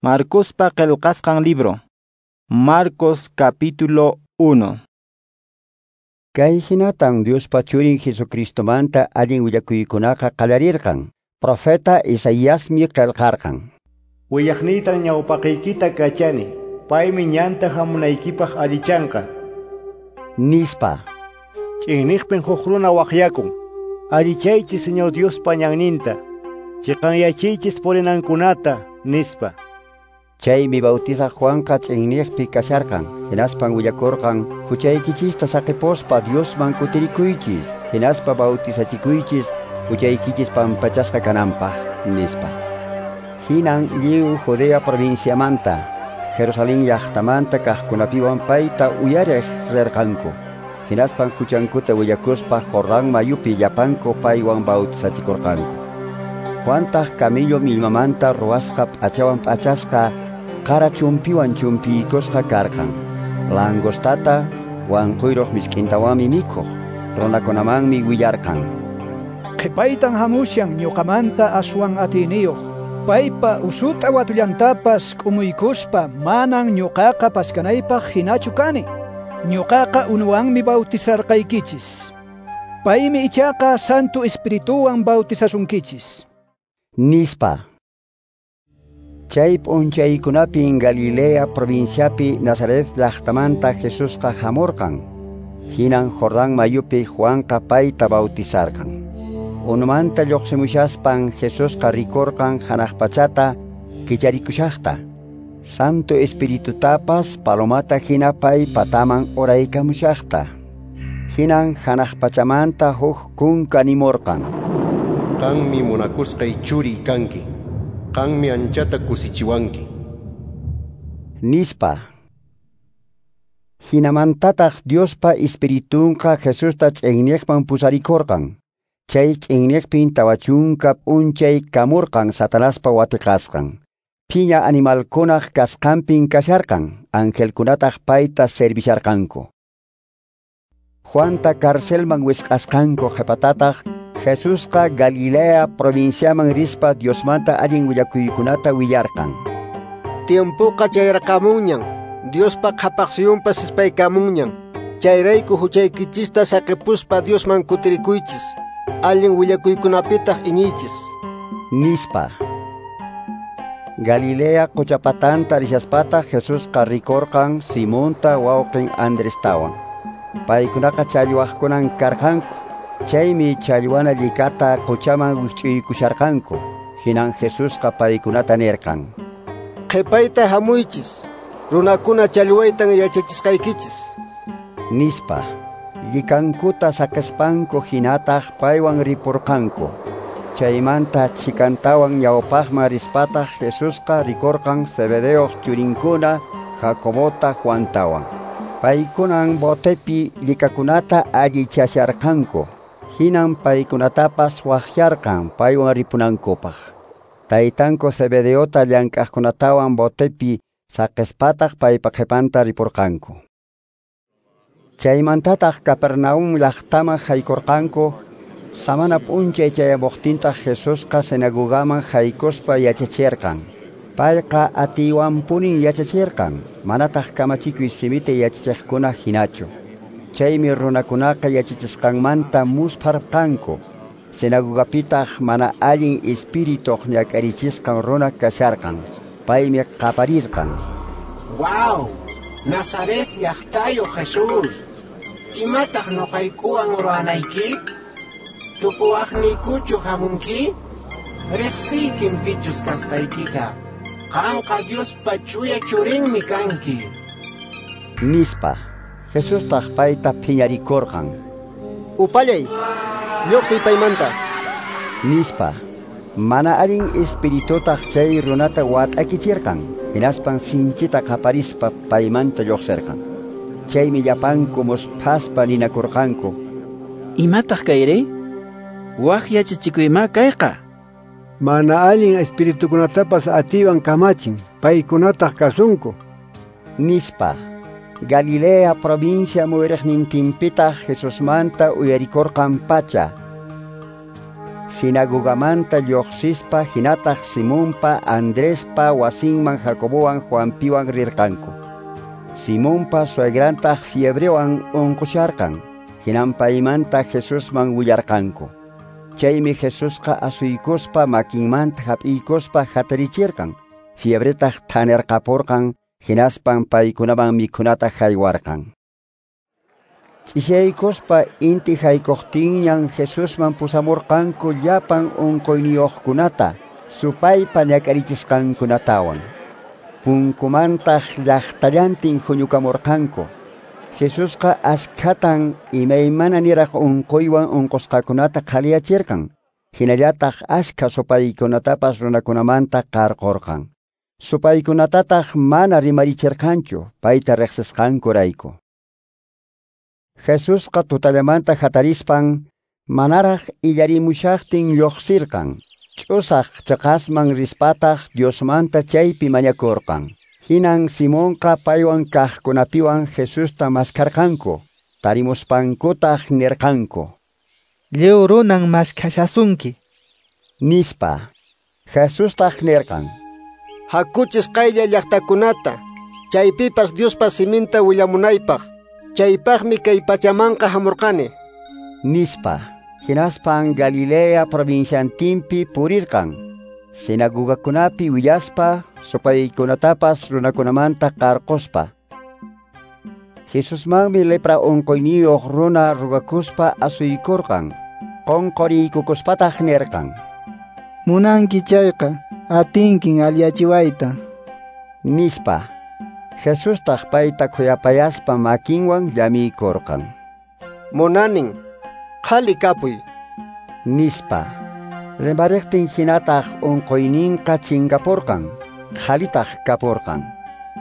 Marcospa qillqasqan libro. Marcos capítulo 1. Kay hinatan Diospa churin Jesucristomanta allin willakuykunaqa qallarirqan. Profeta Isaiasmi qillqarqan. Willaqniytan ñawpaqiykita kachani, paymi ñanta hamunaykipaq allichanqa. Nispa. Ch'inniqpin huk runa waqyakun. Allichaychis Señor Diospa ñanninta, chiqanyachiychis purinankunata, nispa. Chaymi bautizaq Juanqa ch'inniqpi kasharqan, hinaspan willakurqan, huchaykichista saqipuspa Diosman kutirikuychis, hinaspa bautizachikuychis, huchaykichis pampachasqa kananpaq, nispa. Hinan lliw Judea provinciamanta, Jerusalén llaqtamanta kaqkunapiwan payta uyariq rirqanku. Hinaspan huchankuta willakuspa Jordán mayupi llapanku paywan bautizachikurqanku. Juantaq camello millmamanta ruwasqa p'achawan p'achasqa qara chumpiwan chumpiykusqa karqan. Langostata wanquyruq misk'intawanmi mikhuq, runakunamanmi willarqan. Qhipaytan hamushan ñuqamanta aswan atiyniyuq. Paypa usut'a watullantapas k'umuykuspa manan ñuqaqa paskanaypaq hinachu kani. Ñuqaqa unuwanmi bautizarqaykichis. Paymi ichaqa Santo Espirituwan bautizasunkichis. Nispa. Chay p'unchaykunapin Galilea provinciapi Nazaret llaqtamanta Jesusqa hamurqan. Hinan Jordán mayupi Juanqa payta bautizarqan. Unumanta lluqsimushaspan Jesusqa rikurqan hanaq pachata kicharikushaqta. Santo Espiritutapas palomata hina pay pataman uraykamushaqta. Hinan hanaq pachamanta huk kunka nimurqan. Qanmi munakusqay churi kanki. Qanmi anchata kusichiwanki. Nispa. Hinamantataq Diospa Espiritunqa Jesusta ch'inniqman pusarikurqan. Chay ch'inniqpin 40 p'unchay kamurqan Satanaspa watiqasqan. Phiña animalkunaq kasqanpin kasharqan, angelkunataq payta servisharqanku. Juanta carcelman wisq'asqanku qhipatataq Jesusqa Galilea provinciaman rispa Diosmanta allin willakuykunata willarqan. Tiempoqa chayraqamunñan, Diospa qhapaqsuyunpas ispaykamunñan. Chayrayku huchaykichista saqipuspa Diosman kutirikuychis, allin willakuykunapitaq iñiychis. Nispa. Galilea qochapatanta rishaspataq Jesusqa rikurqan Simonta wawqin Andrestawan. Paykunaqa challwaqkunan karqanku. Chaymi challwana llikata qochaman wikch'uykusharqanku. Hinan Jesusqa paykunata nirqan. Qhipayta hamuychis, runakuna challwaytan yachachisqaykichis. Nispa. Llikankuta saqispanku hinataq paywan ripurqanku. Chaymanta chikantawan ñawpaqman rispataq Jesusqa rikurqan Zebedeoq churinkuna Jacobota Juantawan. Paykunan botepi llikakunata allichasharqanku. Hinan paykunatapas waqyarqan paywan ripunankupaq. Taytanku Zebedeota llank'aqkunatawan botepi saqispataq paypa qhipanta ripurqanku. Chaymantataq Capernaum llaqtaman haykurqanku. Samana p'unchay chayamuqtintaq Jesusqa sinagogaman haykuspa yachachirqan. Payqa atiywanpunin yachachirqan, manataq kamachikuy simita yachachiqkuna hinachu. Chaymi runakunaqa yachachisqanmanta muspharqanku. Sinagogapitaq mana allin espirituq ñak'arichisqan runa kasharqan. Paymi qaparirqan. ¡Guau! Nazaret llaqtayo Jesús! Imataq nuqaykuwan ruwanayki? Tukuwaqniykuchu hamunki? Riqsiykim pichus kasqaykita. Qanqa Diospa chuya churinmi kanki. Nispa. Jesustaq payta phiñarikurqan. Upallay, lluqsiy paymanta. Nispa. Mana allin espiritutaq chay runata wat'akichirqan. Hinaspan sinchita qaparispa paymanta lluqsirqan. Chaymi llapanku musphaspa ninakurqanku. Imataq kayri? Waq yachachikuyma kayqa. Mana allin espiritukunatapas atiywan kamachin, paykunataq kasunku. Nispa. Galilea provincia muyriqnintinpitaq Jesusmanta uyarikurqan pacha. Sinagogamanta lluqsispa hinataq Simonpa Andrespa wasinman Jacobowan Juanpiwan rirqanku. Simonpa suegrantaq fiebrewan unqusharqan, hinan paymanta Jesusman willarqanku. Chaymi Jesusqa asuykuspa makinmanta hap'iykuspa hatarichirqan, fiebretaq thanirqapurqan, hinaspan paykunaman mikhunata haywarqan. Ch'ishaykuspa inti haykuqtinñan Jesusman pusamurqanku llapan unquyniyuqkunata, supaypa ñak'arichisqankunatawan. Punkumantaq llaqtallantin huñukamurqanku. Jesusqa askhatan imaymana niraq unquywan unqusqakunata qhaliyachirqan, hinallataq askha supaykunatapas runakunamanta qarqurqan. Supaykunatataq mana rimarichirqanchu payta riqsisqankurayku. Jesusqa tutallamanta hatarispan manaraq illarimushaqtin lluqsirqan. Ch'usaq chaqasman rispataq Diosmanta chaypi mañakurqan. Hinan Simonqa paywan kaqkunapiwan Jesusta maskarqanku. Tarimuspankutaq nirqanku: Lliw runan maskhashasunki, nispa. Jesustaq nirqan: Hakuchis qaylla llaqtakunata, chaypipas Diospa siminta willamunaypaq. Chaypaqmi kay pachamanqa hamurqani, nispa. Hinaspan Galilea provinciantinpi purirqan, sinagogakunapi willaspa, supaykunatapas runakunamanta qarquspa. Jesusmanmi lepra unquyniyuq runa rugakuspa asuykurqan, qunquriykukuspataq nirqan: Munanki chayqa, atinkin alliyachiwayta, nispa. Jesustaq payta khuyapayaspa makinwan llamiykurqan. Munanin, qhali kapuy, nispa. Rimariqtin hinataq unquyninqa chinkapurqan, qhalitaq kapurqan.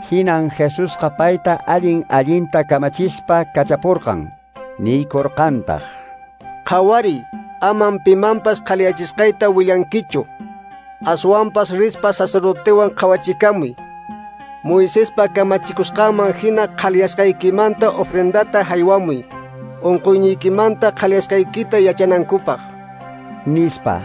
Hinan Jesusqa payta allin allinta kamachispa kachapurqan, niykurqantaq: Qhawariy, aman pimanpas qhaliyachisqayta willankichu. Aswanpas rispa sacerdotewan qhawachikamuy. Moisespa kamachikusqanman hina qhaliyasqaykimanta ofrendata haywamuy, unquyniykimanta qhaliyasqaykita yachanankupaq, nispa.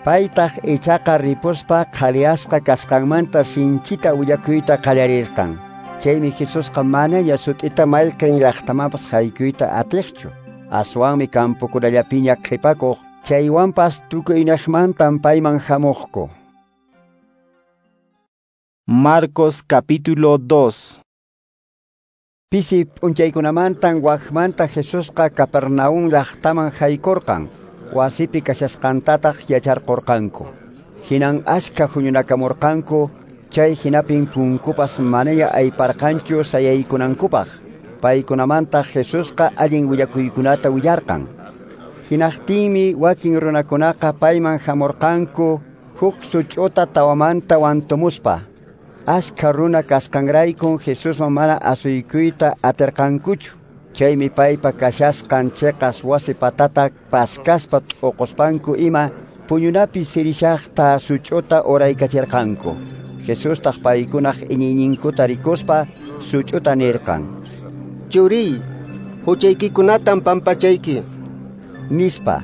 Paytaq ichaqa ripuspa qhaliyasqa kasqanmanta sinchita willakuyta qallarirqan. Chaymi Jesusqa manaña sut'ita mayqin llaqtamanpas haykuyta atiqchu. Aswanmi kampukunallapiña qhipakuq, chaywanpas tukuynaqmantan payman hamuqku. Marcos capítulo 2. Pisi p'unchaykunamantan waqmanta Jesusqa Capernaum llaqtaman haykurqan, wasipi kashasqantataq yacharqurqanku. Hinan askha huñunakamurqanku, chay hinapin punkupas manaña ayparqanchu sayaykunankupaq. Paykunamantaq Jesusqa allin willakuykunata willarqan. Hinaqtinmi wakin runakunaqa payman hamurqanku huk such'uta tawamanta wantumuspa. Askha runa kasqanraykun Jesusman mana asuykuyta atirqankuchu. Chaymi paypa kashasqan chiqas wasi patata paskaspa t'uquspanku ima puñunapi sirishaqta such'uta uraykachirqanku. Jesustaq paykunaq iñiyninkuta rikuspa such'uta nirqan: Churiy, huchaykikunatan pampachayki, nispa.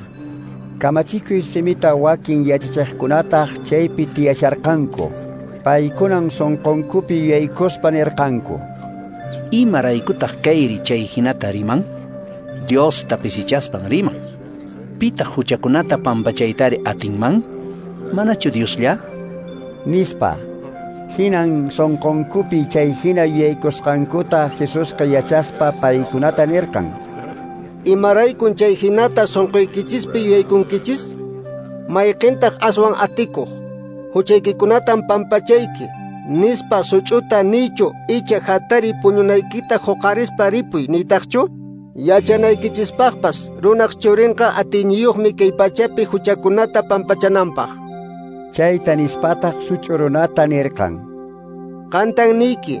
Kamachikuy simita wakin yachachiqkunataq chaypi tiyasharqanku. Paykunan sunqunkupi yuyaykuspa nirqanku: Imaraykutaq kayri chay hinata riman? Diosta pisichaspan riman. Pitaq huchakunata pampachaytari atinman? Manachu Dioslla? Nispa. Hinan sunqunkupi chay hina yuyaykusqankuta Jesusqa yachaspa paykunata nirqan: Imaraykun chay hinata sunquykichispi yuyaykunkichis? Mayqintaq aswan atikuq? Huchaykikunatan pampachayki, nispa such'uta niychu icha hatari puñunaykita huqarispa ripuy niytaqchu? Yachanaykichispaqpas runaq churinqa atiyniyuqmi kay pachapi huchakunata pampachananpaq. Chayta nispataq such'u runata nirqan: Qantan niyki,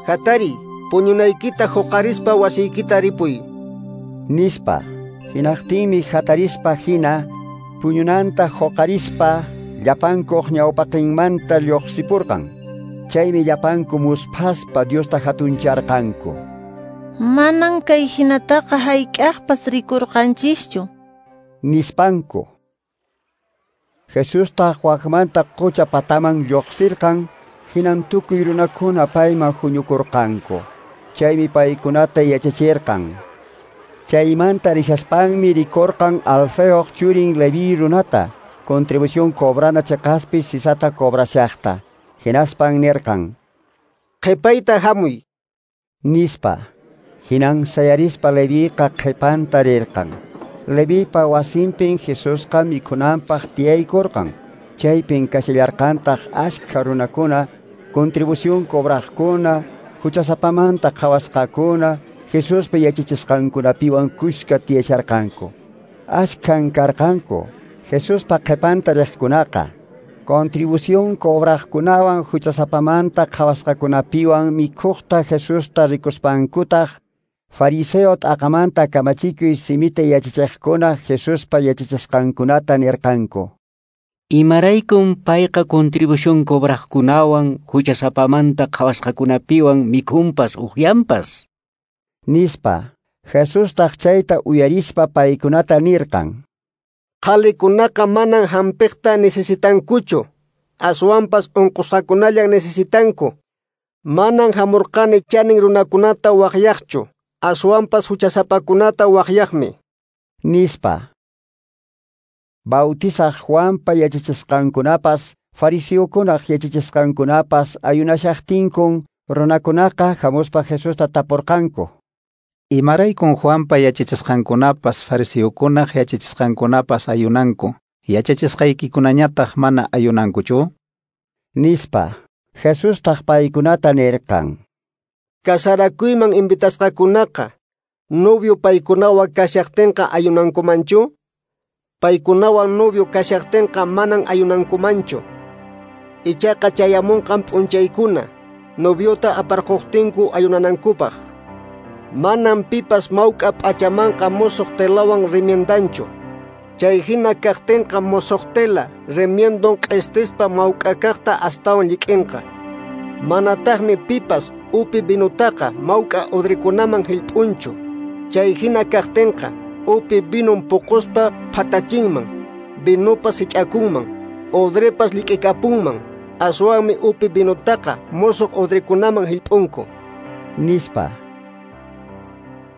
hatari puñunaykita huqarispa wasiykita ripuy, nispa. Hinaqtinmi hatarispa hina puñunanta huqarispa llapankuq ñawpaqinmanta lluqsipurqan. Chaymi llapanku musphaspa Diosta hatuncharqanku. Manan kay hinataqa hayk'aqpas rikurqanchischu, nispanku. Jesustaq wakmanta qucha pataman lluqsirqan, hinan tukuy runakuna payman huñukurqanku. Chaymi paykunata yachachirqan. Chaymanta rishaspanmi rikurqan Alfeoq churin Leví runata, contribución cobrana cheqaspi sisata cobrashaqta. Hinaspan nirqan: Qhipayta hamuy, nispa. Hinan sayarispa Leviqa qhipanta rirqan. Levipa wasinpin Jesusqa mikhunanpaq tiyaykurqan. Chaypin kashallarqantaq ashkha runakuna, contribución cobraqkuna, huchasapamanta qhawasqakuna, Jesuspa yachachisqankunapiwan kushka tiyasharqanku. Ashkhan karqanku Jesuspa qhipanta riqkunaqa. Contribución cobraqkunawan huchasapamanta qhawasqakunapiwan mikhuqta Jesusta rikuspankutaq, fariseo t'aqamanta kamachikuy simita yachachiqkuna Jesuspa yachachisqankunata nirqanku: Imaraykun payqa contribución cobraqkunawan huchasapamanta qhawasqakunapiwan mikhunpas uqyanpas? Nispa. Jesustaq chayta uyarispa paykunata nirqan: Qhalikunaqa manan hampiqta necesitankuchu, aswanpas unqusqakunallan necesitanku. Manan hamurqani chanin runakunata waqyaqchu, aswanpas huchasapakunata waqyaqmi, nispa. Bautizaq Juanpa yachachisqankunapas, fariseokunaq yachachisqankunapas ayunashaqtinkun runakunaqa hamuspa Jesusta tapurqanku: Imaraykun Juanpa yachachisqankunapas, fariseokunaq yachachisqankunapas ayunanku, yachachisqaykikunañataq mana ayunankuchu? Nispa. Jesustaq paykunata nirqan: Kasarakuyman invitasqakunaqa, novio paykunawan kashaqtinqa ayunankumanchu? Paykunawan novio kashaqtinqa manan ayunankumanchu. Ichaqa chayamunqan p'unchaykuna, noviota aparquqtinku ayunanankupaq. Manan pipas mawk'a p'achamanqa musuq telawan remiendanchu. Chay hina kaqtinqa musuq tela remiendon q'istispa mawk'a kaqta astawan llik'inqa. Manataqmi pipas upi vinutaqa mawk'a udrikunaman hillp'unchu. Chay hina kaqtinqa upi vinun puquspa phatachinman, vinupas hich'akunman, udripas llik'ikapunman. Aswanmi upi vinutaqa musuq udrikunaman hillp'unku, nispa.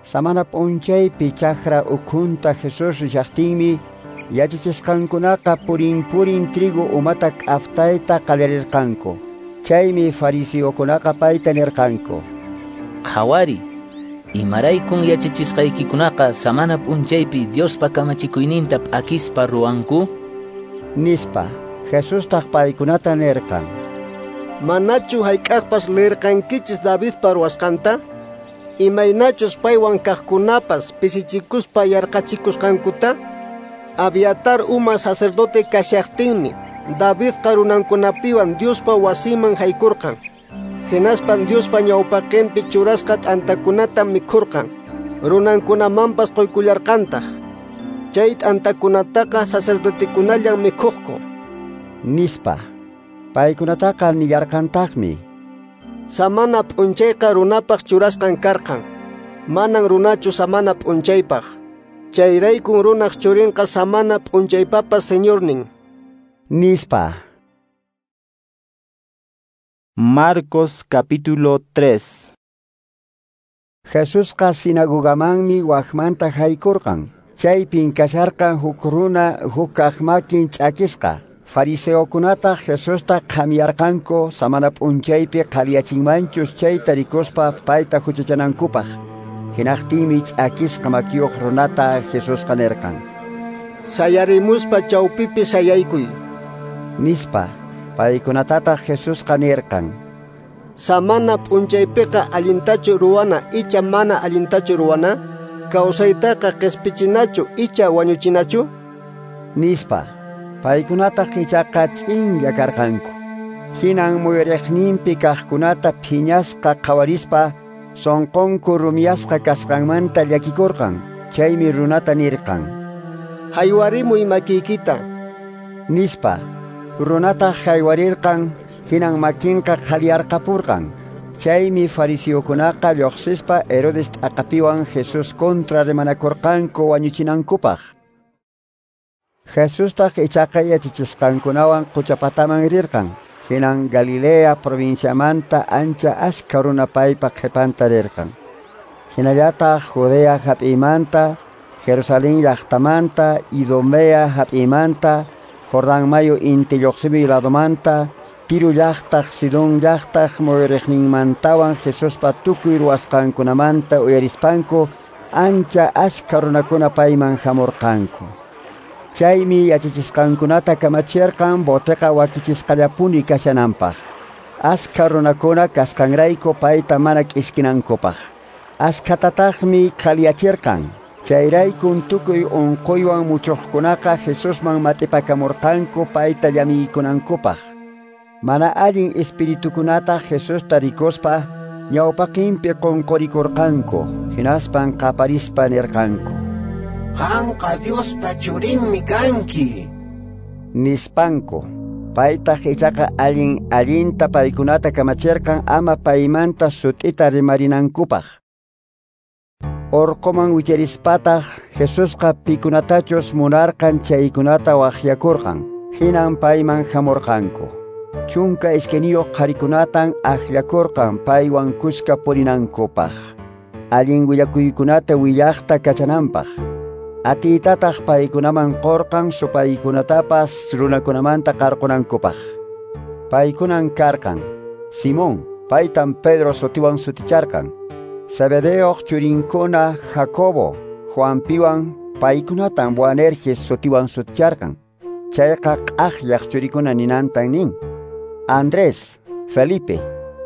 Samana p'unchaypi chakra ukhunta Jesús rishaqtinmi, yachachisqankunaqa purin purin trigo umata k'aftayta qallarirqanku. Chaymi fariseokunaqa payta nirqanku: Qhawari, imaraykun yachachisqaykikunaqa samana p'unchaypi Diospa kamachikuyninta p'akispa ruwanku? Nispa. Jesustaq paykunata nirqan: Manachu hayk'aqpas leerqankichis Davidpa ruwasqanta? Imaynachus paywan kaqkunapas pisichikuspa yarqachikusqankuta? Abiatar uma sacerdote kashaqtinmi Davidqa runankunapiwan Diospa wasiman haykurqan. Hinaspan Diospa ñawpaqinpi churasqa t'antakunata mikhurqan, runankunamanpas quykullarqantaq. Chay t'antakunataqa sacerdotekunallan mikhuqku, nispa. Paykunataqa nillarqantaqmi: Samana p'unchayqa runapaq churasqan karqan, manan runachu samana p'unchaypaq. Chayraykun runaq churinqa samana p'unchaypapas señornin, nispa. Marcos capítulo 3. Jesusqa sinagogamanmi wakmanta haykurqan. Chaypin kasharqan huk runa huk kaq makin ch'akisqa. Fariseokunataq Jesusta qhamiyarqanku samana p'unchaypi qhaliyachinmanchus chayta rikuspa payta huchachanankupaq. Hinaqtinmi ch'akisqa makiyuq runata Jesusqa nirqan: Sayarimuspa chawpipi sayaykuy, nispa. Paykunatataq Jesusqa nirqan: Samana p'unchaypiqa allintachu ruwana icha mana allintachu ruwana? Kawsaytaqa qispichinachu icha wañuchinachu? Nispa. Paykunataq ichaqa ch'inlla karqanku. Hinan muyuriqninpi kaqkunata phiñasqa qhawarispa sonqonku rumiyasqa kasqanmanta llakikurqan. Chaymi runata nirqan: Haywarimuy makiykita, nispa. Runataq haywarirqan, hinan makinqa qhaliyarqapurqan. Chaymi fariseokunaqa lluqsispa Herodes t'aqapiwan Jesús contra rimanakurqanku wañuchinankupaq. Jesustaq ichaqa yachachisqankunawan qucha pataman rirqan. Hinan Galilea provinciamanta ancha askha runa paypa qhipanta rirqan. Hinallataq Judea hap'imanta, Jerusalén llaqtamanta, Idumea hap'imanta, Jordán mayu inti lluqsimuy ladomanta, Tiro llaqtaq, Sidón llaqtaq muyuriqninmantawan Jesuspa tukuy ruwasqankunamanta uyarispanku ancha askha runakuna payman hamurqanku. Chaymi yachachisqankunata kamachirqan boteqa wakichisqallapuni kashananpaq. Askha runakuna kasqanrayku payta mana k'iskinankupaq. Askhatataqmi qhaliyachirqan. Chayraykun tukuy unquywan muchuqkunaqa Jesusman matipakamurqanku payta llamiykunankupaq. Mana allin espiritukunata Jesusta rikuspa ñawpaqinpi qunqurikurqanku, hinaspan qaparispa nirqanku: Qanqa Diospa churinmi kanki, nispanku. Paytaq ichaqa allin allinta paykunata kamachirqan ama paymanta sut'ita rimarinankupaq. Orqoman wicharispataq Jesusqa pikunatachus munarqan chaykunata waqyakurqan. Hinan payman hamurqanku. 12 qharikunatan akllakurqan paywan kuska purinankupaq, allin willakuykunata willaqta kachananpaq. Atiytataq paykunaman qurqan supaykunatapas runakunamanta qarqunankupaq. Paykunan karqan Simón, paytan Pedro sutiwan suticharqan, Zebedeoq churinkuna Jacobo, Juanpiwan, paykunatan Boanerges sutiwan suticharqan. Chayqa q'aqllaq churikuna ninantan nin. Andrés, Felipe,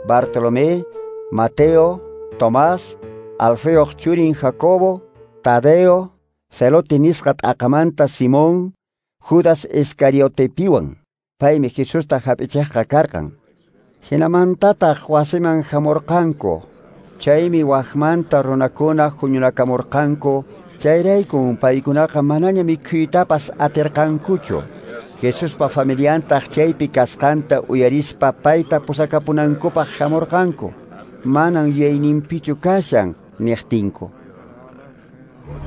Bartolomé, Mateo, Tomás, Alfeoq churin Jacobo, Tadeo, Celote nisqa t'aqamanta Simón, Judas Iscariotepiwan. Paymi Jesusta hap'ichiqqa karqan. Hinamantataq wasiman hamurqanku. Chaymi waqmanta runakuna huñunakamurqanku. Chayraykun paykunaqa manaña mikhuytapas atirqankuchu. Jesuspa familiantaq chaypi kasqanta uyarispa payta pusakapunankupaq hamurqanku. Manan yuyayninpichu kashan niqtinku.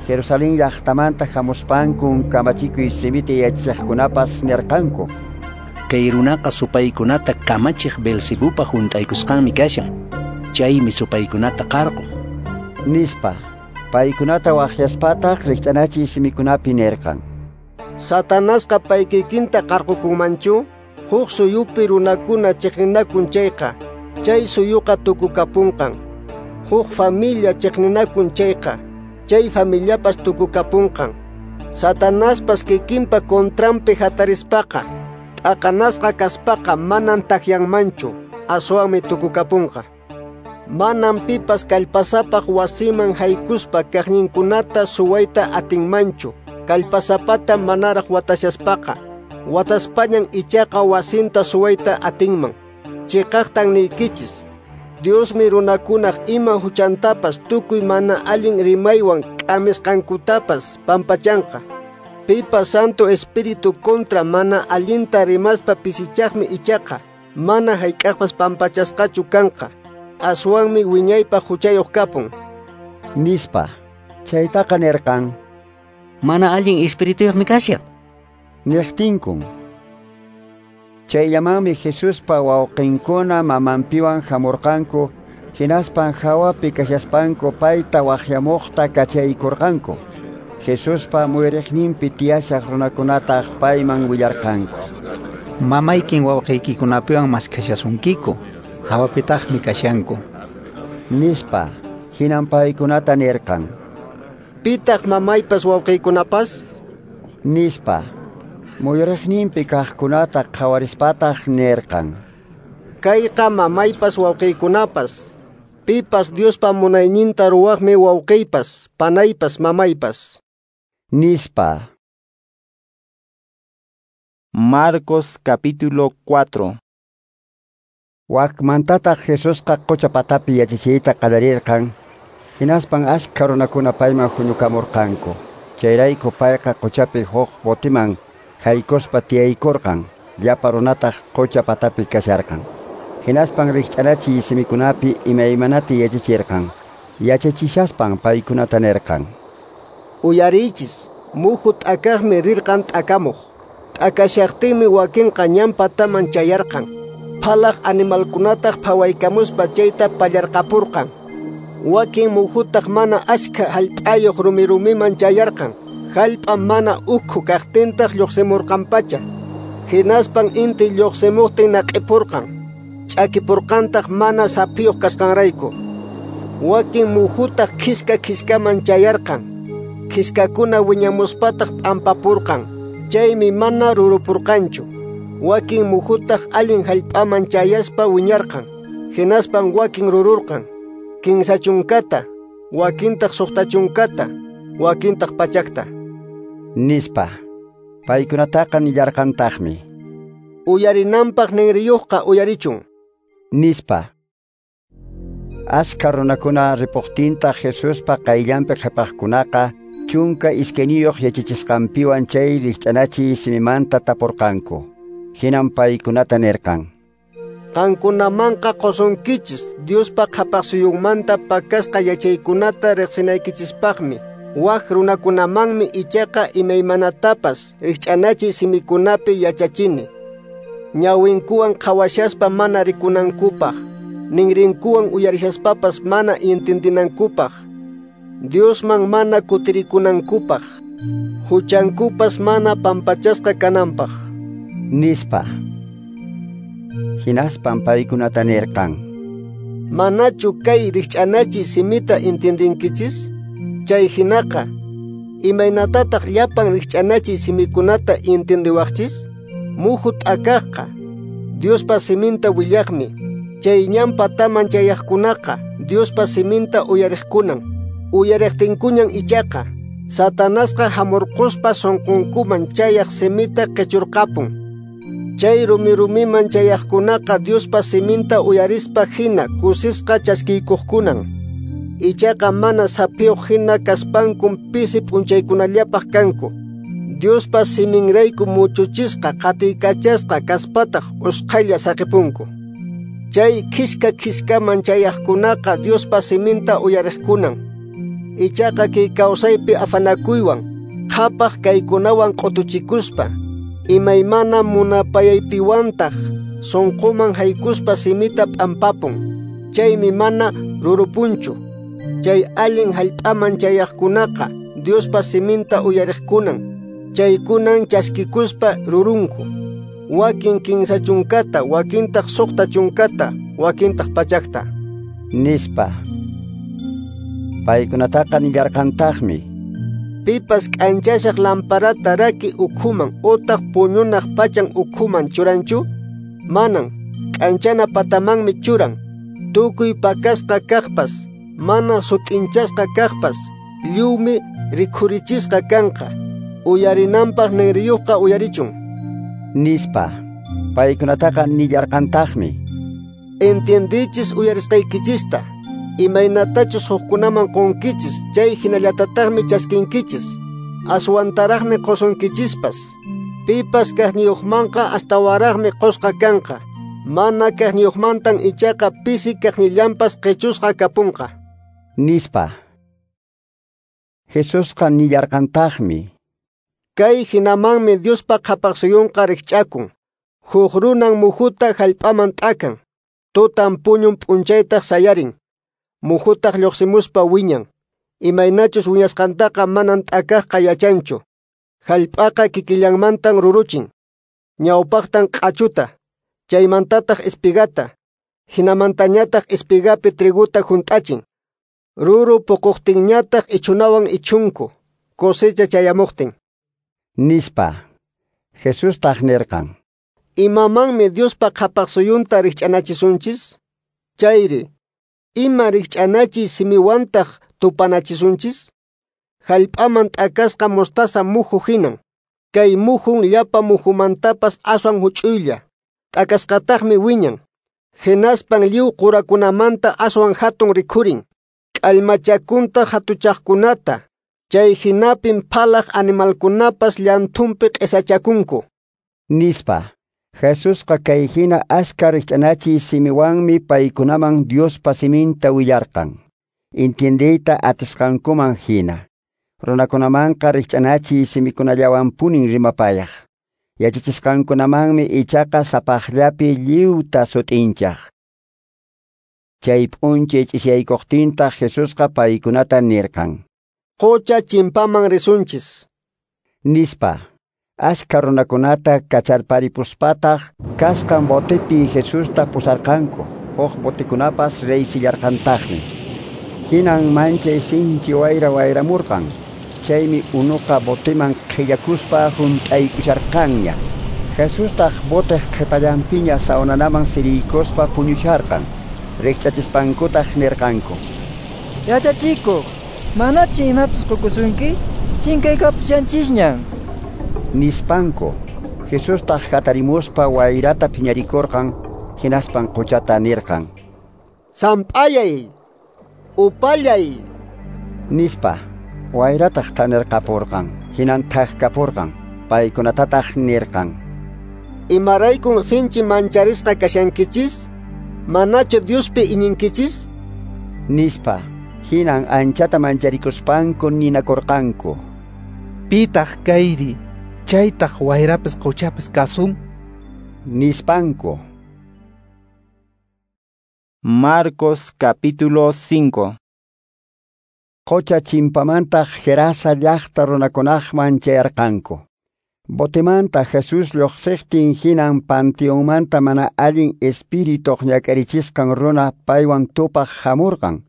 Jerusalén llaqtamanta hamuspankun kamachikuy simita yachachiqkunapas nirqanku: Kay runaqa supaykunata kamachiq Beelzebupa hunt'aykusqanmi kashan. Chaymi supaykunata qarqun, nispa. Paykunata waqyaspataq rikch'anachiy simikunapi nirqan: Satanasqa paykikinta qarqukunmanchu? Huk suyupi runakuna chiqninakun chayqa, chay suyuqa tukukapunqan. Huk familia chiqninakun chayqa, chay familiapas tukukapunqan. Satanaspas kikinpa contranpi hatarispaqa, t'aqanasqa kaspaqa manan takyanmanchu, aswanmi tukukapunqa. Manan pipas kallpasapaq wasiman haykuspa kaqninkunata suwayta atinmanchu, kallpasapata manaraq watashaspaqa. Wataspañan ichaqa wasinta suwayta atinman. Chiqaqtan niykichis, Diosmi runakunaq ima huchantapas tukuy mana allin rimaywan k'amisqankutapas pampachanqa. Pipas Santo Espíritu contra mana allinta rimaspa pisichaqmi ichaqa mana hayk'aqpas pampachasqachu kanqa. Aswanmi wiñaypaq huchayuq kapun, nispa. Chaytaqa nirqan: Mana allin espirituyuqmi kashan, niqtinkun. Chayllamanmi Jesuspa wawqinkuna mamanpiwan hamurqanku, hinaspan hawapi kashaspanku payta waqyamuqta kachaykurqanku. Jesuspa muyuriqninpi tiyashaq runakunataq payman willarqanku: Mamaykin wawqiykikunapiwan maskhashasunkiku, hawapitaqmi kashanku, nispa. Hinan paykunata nirqan: Pitaq mamaypas wawqiykunapas? Nispa. Muyuriqninpi kaqkunata qhawarispataq nirqan: Kayqa mamaypas wawqiykunapas. Pipas Diospa munayninta ruwaqmi wawqiypas, panaypas, mamaypas, nispa. Marcos capítulo 4. Wakmantataq Jesusqa qucha patapi yachachiyta qallarirqan. Hinaspan askha runakuna payman huñukamurqanku. Chayrayku payqa quchapi huk botiman haykuspa tiyaykurqan. Llapa runataq qucha patapi kasharqan. Hinaspan rikch'anachiy simikunapi imaymanata yachachirqan. Yachachishaspan paykunata nirqan: Uyariychis, Muhu t'akaqmi rirqan t'akamuq. T'akashaqtinmi wakinqa ñan pataman chayarqan. Phalaq animalkunataq phawaykamuspa chayta pallarqapurqan. Wakin muhutaq mana ashkha hallp'ayuq rumi-rumiman chayarqan. Hallp'a mana ukhu kaqtintaq lluqsimurqanpacha. Hinaspan inti lluqsimuqtin naq'ipurqan. Ch'akipurqantaq mana saphiyuq kasqanrayku. Wakin muhutaq khiska khiskaman chayarqan. Khiskakuna wiñamuspataq p'ampapurqan. Chaymi mana rurupurqanchu. Wakin muhutaq allin hallp'aman chayaspa wiñarqan. Hinaspan wakin rururqan. 30, wakintaq 60, wakintaq 100. Nispa. Paykunataqa nillarqantaqmi. Uyarinanpaq ninriyuqqa uyarichun. Nispa. Askha runakuna ripuqtintaq Jesuspa qayllanpi qhapaqkunaqa 12 yachachisqanpiwan chay rikch'anachiy simimanta tapurqanku. Hinan paykunata nirqan: Qankunamanqa qusunkichis Diospa qhapaqsuyunmanta pakasqa yachaykunata riqsinaykichispaqmi. Wak runakunamanmi ichaqa imaymanatapas rikch'anachiy simikunapi yachachini. Ñawinkuwan qhawashaspa mana rikunankupaq, ninrinkuwan uyarishaspapas mana intindinankupaq, Diosman mana kutirikunankupaq, huchankupas mana pampachasqa kananpaq. Nispa. Hinaspan paykunata nirqan: Manachu kay rikch'anachiy simita intindinkichis? Chay hinaqa, imaynatataq llapan rikch'anachiy simikunata intindiwaqchis? Muhu t'akaqqa Diospa siminta willaqmi. Chay ñan pataman chayaqkunaqa Diospa siminta uyariqkunan. Uyariqtinkuñan ichaqa Satanasqa hamurquspa sunqunkuman chayaq simita qichurqapun. Chay rumi-rumiman chayaqkunaqa Diospa siminta uyarispa hina kusisqa chaskiykuqkunan. Ichaqa mana saphiyuq hina kaspankum pisi p'unchaykunallapaq kanku. Diospa siminrayku muchuchisqa qatiykachasqa kaspataq usqhaylla saqipunku. Chay khiska khiskaman chayaqkunaqa Diospa siminta uyariqkunan. Ichaqa kay kawsaypi afanakuywan, qhapaq kaykunawan q'utuchikuspa, imaymana munapayaypiwantaq sunquman haykuspa simita p'ampapun. Chaymi mana rurupunchu. Chay allin hallp'aman chayaqkunaqa Diospa siminta uyariqkunan. Chaykunan chaskikuspa rurunku. Wakin 30, wakintaq 60, wakintaq 100. Nispa. Paykunataqa nillarqantaqmi: Pipas k'anchashaq lamparata raki ukhuman utaq puñunaq pachan ukhuman churanchu? Manan, k'anchana patamanmi churan. Tukuy pakasqa kaqpas, mana sut'inchasqa kaqpas, lliwmi rikhurichisqa kanqa. Uyarinanpaq ninriyuqqa uyarichun. Nispa. Paykunataqa nillarqantaqmi: Entiendichis uyarisqaykichista. Imaynatachus hukkunaman qunkichis, chay hinallatataqmi chaskinkichis. Aswantaraqmi qusunkichispas. Pipas kaqniyuqmanqa astawaraqmi qusqa kanqa. Mana kaqniyuqmantan ichaqa pisi kaqnillanpas qichusqa kapunqa. Nispa. Jesusqa nillarqantaqmi: Kay hinamanmi Diospa qhapaqsuyunqa rikch'akun. Huk runan muhuta hallp'aman t'akan. Tutan puñun p'unchaytaq sayarin. Muhutaq lluqsimuspa wiñan. Imaynachus wiñasqantaqa manan t'akaqqa yachanchu. Hallp'aqa kikillanmantan ruruchin. Ñawpaqtan q'achuta, chaymantataq espigata, hinamantañataq espigapi triguta hunt'achin. Ruru puquqtinñataq ichunawan ichunku, cosecha chayamuqtin. Nispa. Jesustaq nirqan: Imamanmi Diospa qhapaqsuyunta rikch'anachisunchis? Chayri, ima rikch'anachiy simiwantaq tupanachisunchis? Hallp'aman t'akasqa mostaza muhu hinan. Kay muhun llapa muhumantapas aswan huch'uylla. T'akasqataqmi wiñan. Hinaspan lliw qurakunamanta aswan hatun rikhurin. K'allmachakunta hatuchaqkunata. Chay hinapin phalaq animalkunapas llanthunpi q'isachakunku. Nispa. Jesusqa kay hina askha rikch'anachiy simiwanmi paykunaman Diospa siminta willarqan. Entiendeyta atisqankuman hina. Runakunamanqa rikch'anachiy simikunallawanpunin rimapayaq. Yachachisqankunamanmi ichaqa sapaqllapi lliwta sut'inchaq. Chay p'unchay ch'isiyaykuqtintaq Jesusqa paykunata nirqan: Qocha chimpaman risunchis, nispa. Ashka runakunata kacharparipuspataq kasqan botepi Jesusta pusarqanku. Huk botekunapas reysillarqantaqmi. Hinan manchay sinchi wayra wayramurqan. Chaymi unuqa boteman qhillakuspa hunt'aykusharqanña. Jesustaq boteq qhipallanpiña sawnanaman siriykuspa puñusharqan. Rikch'achispankutaq nirqanku: Yachachikuq, manachu imapas qukusunki? Chinkaykapushanchisñan, nispanku. Jesustaq hatarimuspa wayrata phiñarikurqan, hinaspan quchata nirqan: Samp'ayay, upallay, nispa. Wayrataq thanirqapurqan, hinan thakapurqan. Paykunatataq nirqan: Imaraykun sinchi mancharisqa kashankichis? Manachu Diospi iñinkichis? Nispa. Hinan anchata mancharikuspanku ninakurqanku: Pitaq kayri, chaytaq wayrapas quchapas kasun? Nispanku. Marcos capítulo 5. Qocha chimpamantaq Gerasa llaqta runakunaqman chayarqanku. Botemanta Jesús lluqsiqtin hinan panteonmanta mana allin espirituq ñak'arichisqan runa paywan tupaq hamurqan.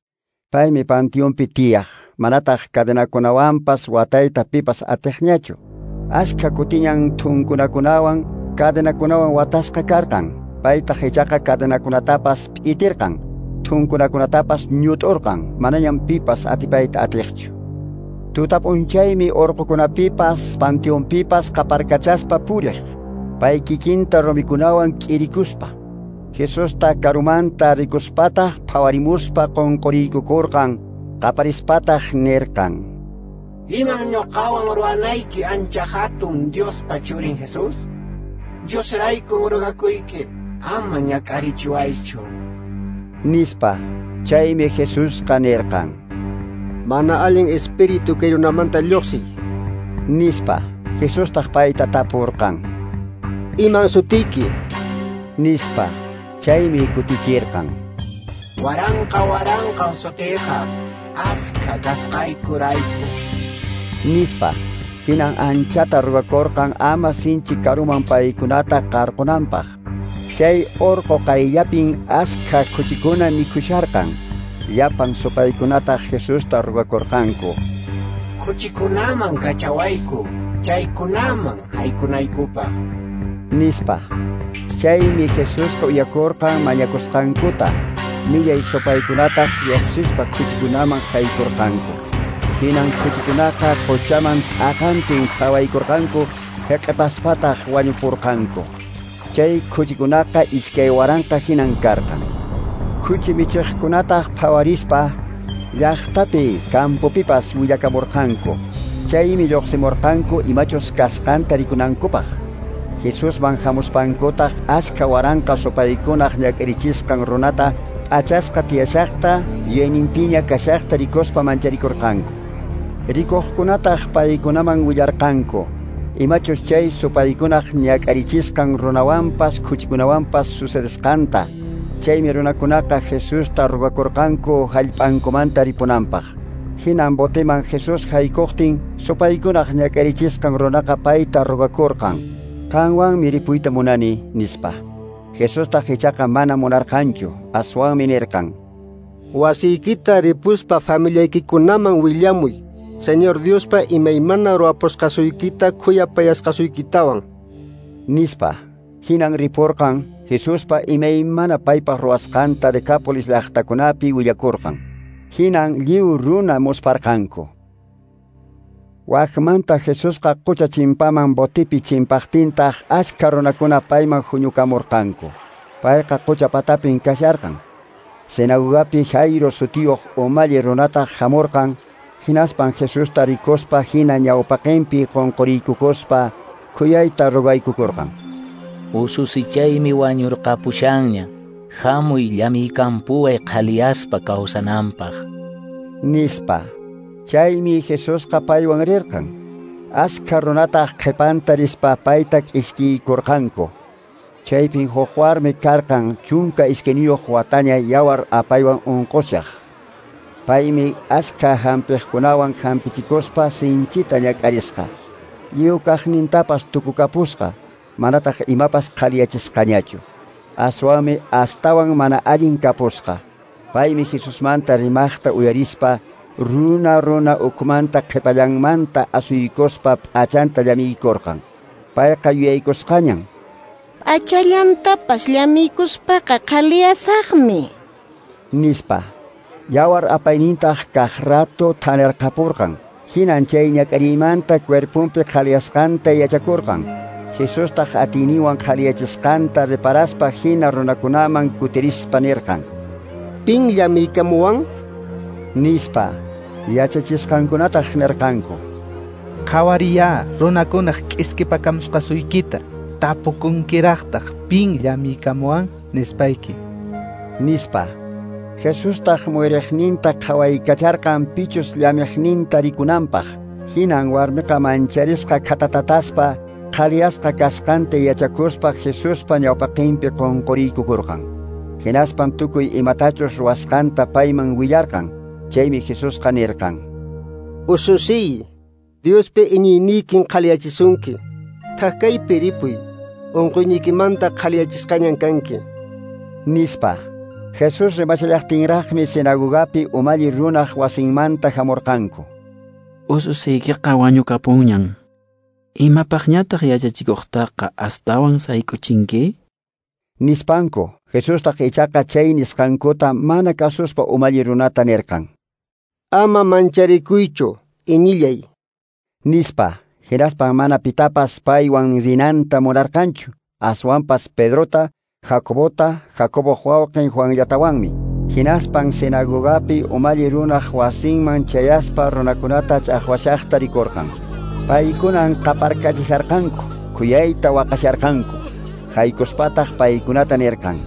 Paymi panteonpi tiyaq, manataq cadenakunawanpas watayta pipas atiqñachu. Ashka kutiñan thunkunakunawan cadenakunawan watasqa karqan. Paytaq ichaqa cadenakunatapas p'itirqan, thunkunakunatapas ñut'urqan, manañam pipas atipayta atiqchu. Tuta p'unchaymi urqukunapipas panteonpipas qaparkachaspa puriq, pay kikinta rumikunawan k'irikuspa. Jesusta karumanta rikuspataq phawarimuspa qunquriykukurqan, qaparispataq nirqan: Iman ñuqawan ruwanayki ancha hatun Diospa churin Jesús? Diosraykun rugakuyki, ama ñak'arichiwaychu, nispa. Chaymi Jesusqa nirqan: Mana allin espíritu kay runamanta lluqsiy, nispa. Jesustaq payta tapurqan: Iman sutiyki? Nispa. Chaymi kutichirqan: Waranqa waranqan sutiyqa, askha kasqaykurayku, nispa. Hinan anchata rugakurqan ama sinchi karuman paykunata qarqunanpaq. Chay urqu qayllapin askha khuchikuna mikhusharqan. Llapan supaykunataq Jesusta rugakurqanku: Khuchikunaman kachawayku, chaykunaman haykunaykupaq, nispa. Chaymi Jesusqa uyakurqan mañakusqankuta. Millay supaykunataq lluqsispa khuchikunaman haykurqanku. Hinan khuchikunaqa quchaman t'aqantin phawaykurqanku, hiq'ipaspataq wañupurqanku. Chay khuchikunaqa 2000 hinan karqan. Khuchi michiqkunataq phawarispa llaqtapi campopipas willakamurqanku. Chaymi lluqsimurqanku imachus kasqanta rikunankupaq. Jesusman hamuspankutaq askha waranqa supaykunaq ñak'arichisqan runata p'achasqa tiyashaqta yuyayninpiña kashaqta rikuspa mancharikurqanku. Rikuqkunataq paykunaman willarqanku imachus chay supaykunaq ñak'arichisqan runawanpas khuchikunawanpas sucedesqanta. Chaymi runakunaqa Jesusta rugakurqanku hallp'ankumanta ripunanpaq. Hinan boteman Jesús haykuqtin supaykunaq ñak'arichisqan runaqa payta rugakurqan: Qanwanmi ripuyta munani, nispa. Jesustaq ichaqa mana munarqanchu, aswanmi nirqan: Wasiykita ripuspa familiaykikunaman willamuy, Señor Diospa imaymana ruwapusqasuykita khuyapayasqasuykitawan, nispa. Hinan ripurqan, Jesuspa imaymana paypaq ruwasqanta Decápolis llaqtakunapi willakurqan. Hinan lliw runa musparqanku. Wakmanta Jesusqa qucha chimpaman botipi chimpaqtintaq askha runakuna payman huñukamurqanku. Payqa qucha patapin kasharqan. Sinagogapi Jairo sutiyuq umalli runataq hamurqan, hinaspan Jesusta rikuspa hina ñawpaqinpi qunquriykukuspa khuyayta rugaykukurqan: Ususichaymi wañurqapushanña, hamuy llamiykampuway qhaliyaspa kawsananpaq, nispa. Chaymi Jesusqa paywan rirqan. Askha runataq qhipanta rispa payta k'iskiykurqanku. Chaypin huk warmi karqan 12 wataña yawar apaywan unqushaq. Paymi askha hampiqkunawan hampichikuspa sinchita ñak'arisqa. Lliw kaqnintapas tukukapusqa, manataq imapas qhaliyachisqañachu. Aswanmi astawan mana allin kapusqa. Paymi Jesusmanta rimaqta uyarispa runa runa ukhumanta qhipallanmanta asuykuspa p'achanta llamiykurqan. Payqa yuyaykusqañan. P'achallantapas llamiykuspaqa qhaliyasaqmi, nispa. Yawar apaynintaq kaq rato thanirqapurqan. Hinan chay ñak'ariymanta cuerpunpi qhaliyasqanta yachakurqan. Jesustaq atiyninwan qhaliyachisqanta reparaspa hina runakunaman kutirispa nirqan: Pin llamiykamuwan? Nispa. Yachachisqankunataq nirqanku: Qhawariya runakunaq k'iskipakamusqasuykita, tapukunkiraqtaq pin llamiykamuwan nispayki, nispa. Jesustaq muyriqninta qhawaykacharqan pichus llamiqninta rikunanpaq. Hinan warmiqa mancharisqa khatatataspa qhaliyasqa kasqanta yachakuspa Jesuspa ñawpaqinpi qunquriykukurqan. Hinaspan tukuy imatachus ruwasqanta payman willarqan. Chaymi Jesusqa nirqan: Ususiy, Diospi iñiyniykin qhaliyachisunki. Thakaypi ripuy, unquyniykimanta qhaliyachisqañan kanki, nispa. Jesús rimashallaqtinraqmi sinagogapi umalli runaq wasinmanta hamurqanku. Ususiykiqa wañukapunñan. Imapaqñataq yachachikuqtaqa astawan sayk'uchinki? Nispanku. Jesustaq ichaqa chay nisqankuta mana kasuspa umalli runata nirqan: Ama mancharikuychu, iñillay, nispa. Hinaspan mana pitapas paywan rinanta munarqanchu, aswanpas Pedrota, Jacobota, Jacoboq wawqin Juanllatawanmi. Hinaspan sinagogapi umalli runaq wasinman chayaspa runakunata ch'aqwashaqta rikurqan. Paykunan qaparkachisharqanku, khuyayta waqasharqanku. Haykuspataq paykunata nirqan: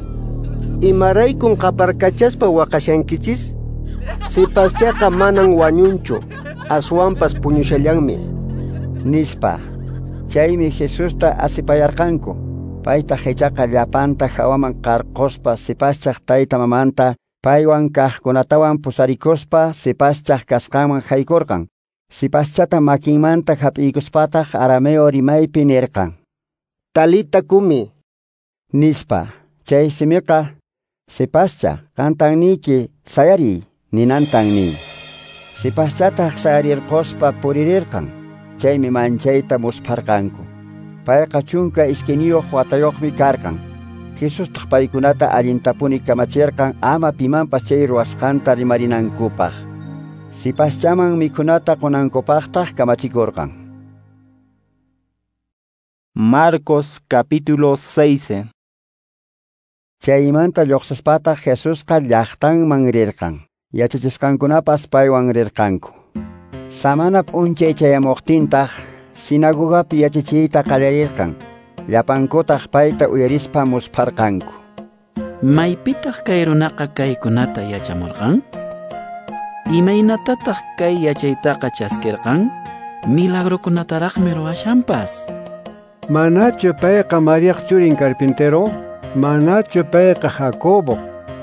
Imaraykun qaparkachaspa waqashankichis? Sipaschaqa manan wañunchu, aswanpas puñushallanmi, nispa. Chaymi Jesusta asipayarqanku. Paytaq ichaqa llapanta hawaman qarquspa sipaschaq tayta mamanta paywan kaqkunatawan pusarikuspa sipaschaq kasqanman haykurqan. Sipaschata makinmanta hap'iykuspataq arameo rimaypi nirqan: Talita kumi, nispa. Chay simiqa sipascha, qantan niyki, sayariy, ninantan nin. Sipaschataq sayarirquspa puririrqan. Chaymi manchayta muspharqanku. Payqa 12 watayuqmi karqan. Jesustaq paykunata allintapuni kamachirqan ama pimanpas chay ruwasqanta rimarinankupaq. Sipaschaman mikhunata qunankupaqtaq kamachikurqan. Marcos capítulo 6. Chaymanta lluqsispataq Jesusqa llaqtanman rirqan. Yachachisqankunapas paywan rirqanku. Samana p'unchay chayamuqtintaq sinagogapi yachachiyta qallarirqan. Llapankutaq payta uyarispa muspharqanku. Maypitaq kay runaqa kaykunata yachamurqan? Imaynatataq kay yachaytaqa chaskirqan? Milagrokunataraqmi ruwashanpas. Manachu payqa Mariaq churin carpintero? Manachu payqa Jacobo,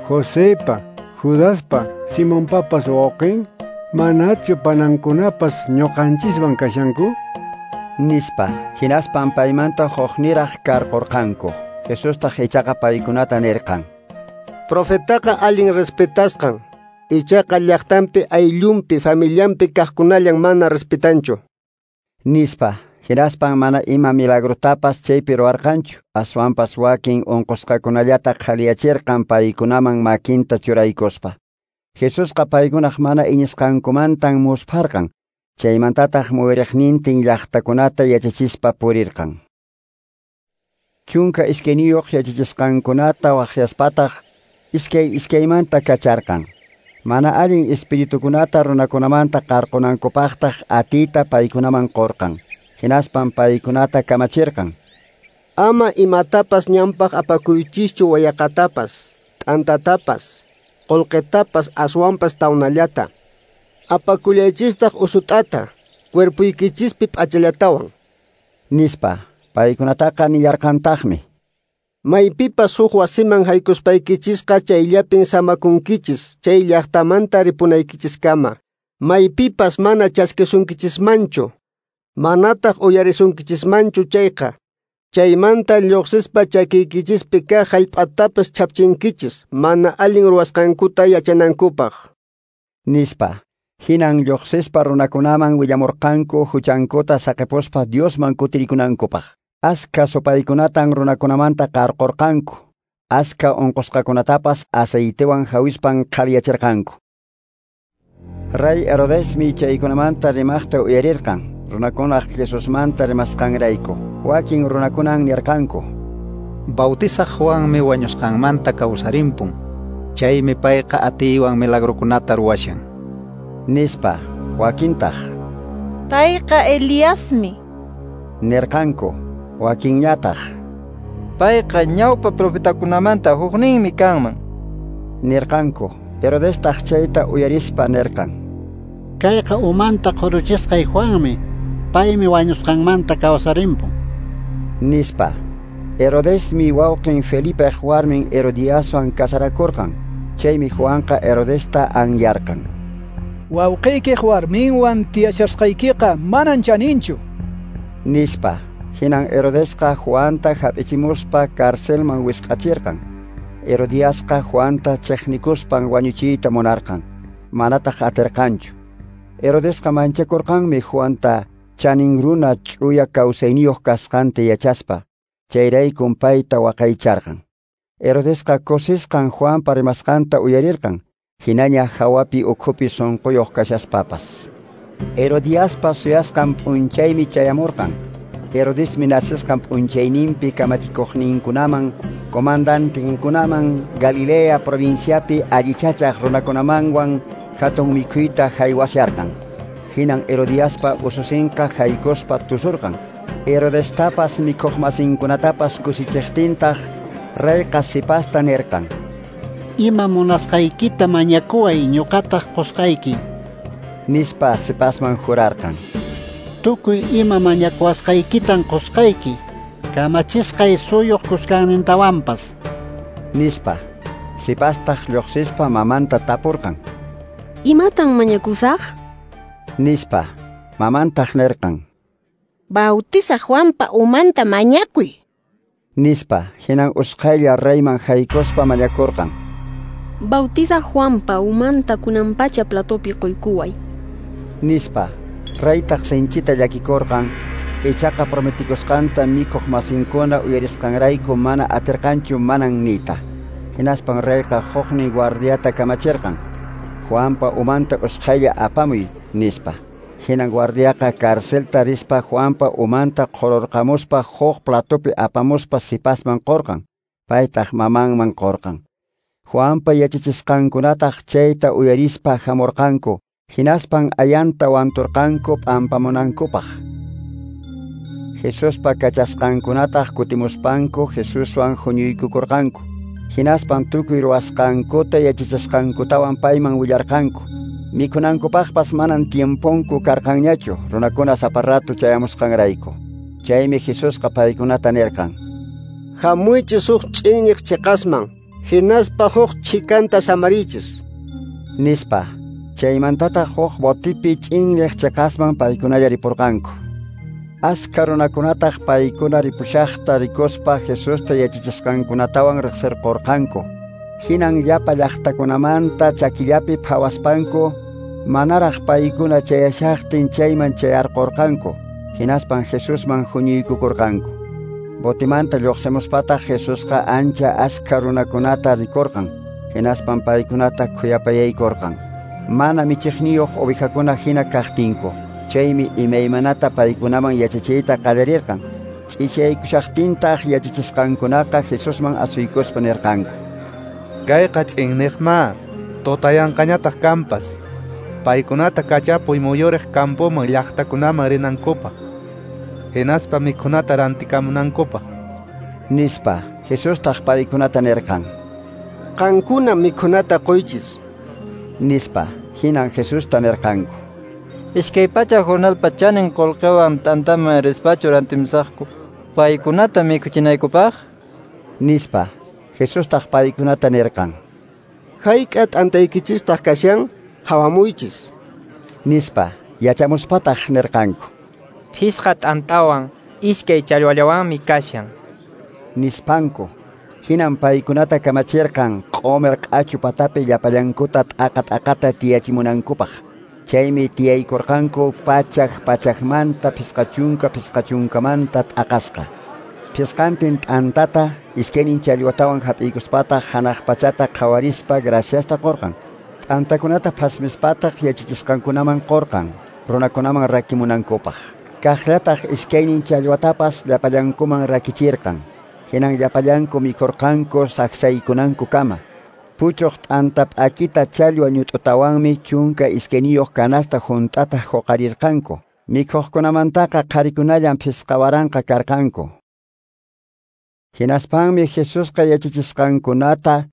Josepa, Judaspa, Simonpapas wawqin? Manachu panankunapas ñuqanchiswan kashanku? Nispa. Hinaspan paymanta hukniraq karqurqanku. Jesustaq ichaqa paykunata nirqan: Profetaqa allin respetasqan, ichaqa llaqtanpi, ayllunpi, familianpi kaqkunallan mana respetanchu, nispa. Hinaspan mana ima milagrotapas chaypi ruwarqanchu, aswanpas wakin unqusqakunallata qhaliyachirqan paykunaman makinta churaykuspa. Jesusqa paykunaq mana iñisqankumantan muspharqan. Chaymantataq muyriqnintin llaqtakunata yachachispa purirqan. 12 yachachisqankunata waqyaspataq iskay iskaymanta kacharqan. Mana allin espiritukunata runakunamanta qarqunankupaqtaq atiyta paykunaman qurqan. Hinaspan paykunata kamachirqan: Ama imatapas ñanpaq apakuychischu wayaqatapas, t'antatapas, qullqitapas, aswanpas tawnallata. Apakullaychistaq usut'ata, cuerpuykichispi p'achallatawan. Nispa, paykunataqa nillarqantaqmi. Maypipas huk wasiman haykuspaykichisqa chayllapin samakunkichis, chay llaqtamanta ripunaykichiskama. Maypipas mana chaskisunkichismanchu, manataq uyarisunkichismanchu chayqa. Chaymanta lluqsispa chakiykichispi kaq hallp'atapas chhapchinkichis, mana allin ruwasqankuta yachanankupaq. Nispa, hinan lluqsispa runakunaman willamurqanku huchankuta saqipuspa Diosman kutirikunankupaq. Aska supaykunatan runakunamanta qarqurqanku, aska unqusqakunatapas aceitewan hawispan qhaliyachirqanku. Rey Herodesmi chaykunamanta rimaqta uyarirqan, runakunaq Jesusmanta rimasqanrayku. Wakin runakunan nirqanku: Bautizaq Juanmi wañusqanmanta kawsarimpun, chaymi payqa atiywan milagrokunata ruwashan. Nispa, wakintaq: Payqa Eliasmi. Nirqanku. Wakinñataq: Payqa ñawpa profetakunamanta hukninmi kanman. Nirqanku. Herodestaq chayta uyarispa nirqan: Kayqa umanta qhuruchisqay Juanmi, paymi wañusqanmanta kawsarimpun. Nispa. Herodesmi wawqin Felipeq warmin Herodiaswan casarakurqan. Chaymi Juanqa Herodesta anyarqan: Wawqiykiq warminwan tiyashasqaykiqa manan chaninchu. Nispa. Hinan Herodesqa Juanta hap'ichimuspa carcelman wisq'achirqan. Herodiasqa Juanta chiqnikuspan wañuchiyta munarqan, manataq atirqanchu. Herodesqa manchakurqanmi Juanta chanin runa ch'uya kawsayniyuq kasqanta yachaspa, chayraykun payta waqaycharqan. Herodesqa kusisqan Juanpa rimasqanta uyarirqan, hinaña hawapi ukhupi sunquyuq kashaspapas. Herodiaspa suyasqan p'unchaymi chayamurqan. Herodesmi nacesqan p'unchayninpi kamachikuqninkunaman, comandantinkunaman, Galilea provinciapi allichachaq runakunamanwan hatun mikhuyta haywasharqan. Hinan Herodiaspa ususinqa haykuspa tusurqan. Herodestapas mikhuqmasinkunatapas kusichiqtintaq reyqa sipasta nirqan: Ima munasqaykita mañakuway, ñuqataq qusqayki. Nispa sipasman jurarqan: Tukuy ima mañakuwasqaykitan qusqayki, kamachisqay suyuq kuskannintawanpas. Nispa. Sipastaq lluqsispa mamanta tapurqan: Imatan mañakusaq? Nispa. Mamantaq nirqan: Bautizaq Juanpa umanta mañakuy. Nispa. Hinan usqhaylla reyman haykuspa mañakurqan: Bautizaq Juanpa umanta kunanpacha platopi quykuway. Nispa. Reytaq sinchita llakikurqan, ichaqa prometikusqanta mikhuq masinkuna uyarisqanrayku mana atirqanchu manan niyta. Hinaspan reyqa huknin guardiata kamachirqan: Juanpa umanta usqhaylla apamuy, nispa. Hinan guardiaqa carcelta rispa Juanpa umanta qhururqamuspa huk platopi apamuspa sipasman qurqan, paytaq mamanman qurqan. Juanpa yachachisqankunataq chayta uyarispa hamurqanku, hinaspan ayanta wanturqanku p'ampamunankupaq. Jesuspa kachasqankunataq kutimuspanku Jesuswan huñuykukurqanku. Hinaspan tukuy ruwasqankuta yachachisqankutawan payman willarqanku. Mikhunankupaqpas manan tiemponku karqanñachu runakuna sapa rato chayamusqanrayku. Chaymi Jesusqa paykunata nirqan: Hamuychis huk ch'inñiq chiqasman, hinaspa huk chhikanta samariychis. Nispa. Chaymantataq huk botipi ch'inñiq chiqasman paykunalla ripurqanku. Aska runakunataq paykuna ripushaqta rikuspa Jesusta yachachisqankunatawan riqsirqurqanku. Hinan llapa llaqtakunamanta chakillapi phawaspanku manaraq paykuna chayashaqtin chayman chayarqurqanku. Hinaspan Jesusman huñuykukurqanku. Botimanta lluqsimuspataq Jesusqa ancha aska runakunata rikurqan. Hinaspan paykunata khuyapayaykurqan. Mana michiqniyuq ovejakuna hina kaqtinku. Chaymi imaymanata paykunaman yachachiyta qallarirqan. Ch'ichaykushaqtintaq yachachisqankunaqa Jesusman asuykuspa nirqanku: Kayqa ch'inniqma, tutayanqañataq kampas. Paykunata kachapuy muyuriq campoman llaqtakunaman rinankupaq, hinaspa mikhunata rantikamunankupaq. Nispa. Jesustaq paykunata nirqan: Qankuna mikhunata quychis. Nispa. Hinan Jesusta nirqanku: 200 jornalpa chanin qolqewan t'antaman rispachu rantimusaqku paykunata mikhuchinaykupaq? Nispa. Jesustaq paykunata nirqan: Hayk'a t'antaykichistaq kashan, qhawamuychis. Nispa. Yachamuspataq nirqanku: 5 t'antawan 2 challwallawanmi kashan. Nispanku. Hinan paykunata kamachirqan q'omer q'achu patapi llapallankuta t'aqa t'aqata tiyachimunankupaq. Chaymi tiyaykurqanku pachak pachakmanta 50 50manta t'aqasqa. 5 t'antata 2 challwatawan hap'iykuspataq hanaq pachata qhawarispa graciasta qurqan. T'antakunata phasmispataq yachachisqankunaman qurqan runakunaman rakimunankupaq. Kaqllataq 2 challwatapas llapallankuman rakichirqan. Hinan llapallanku mikhurqanku saksaykunankukama. Puchuq t'anta p'akita challwa ñut'utawanmi 12 canasta hunt'ata huqarirqanku. Mikhuqkunamantaqa qharikunallan 5000 karqanku. Hinaspanmi Jesusqa yachachisqankunata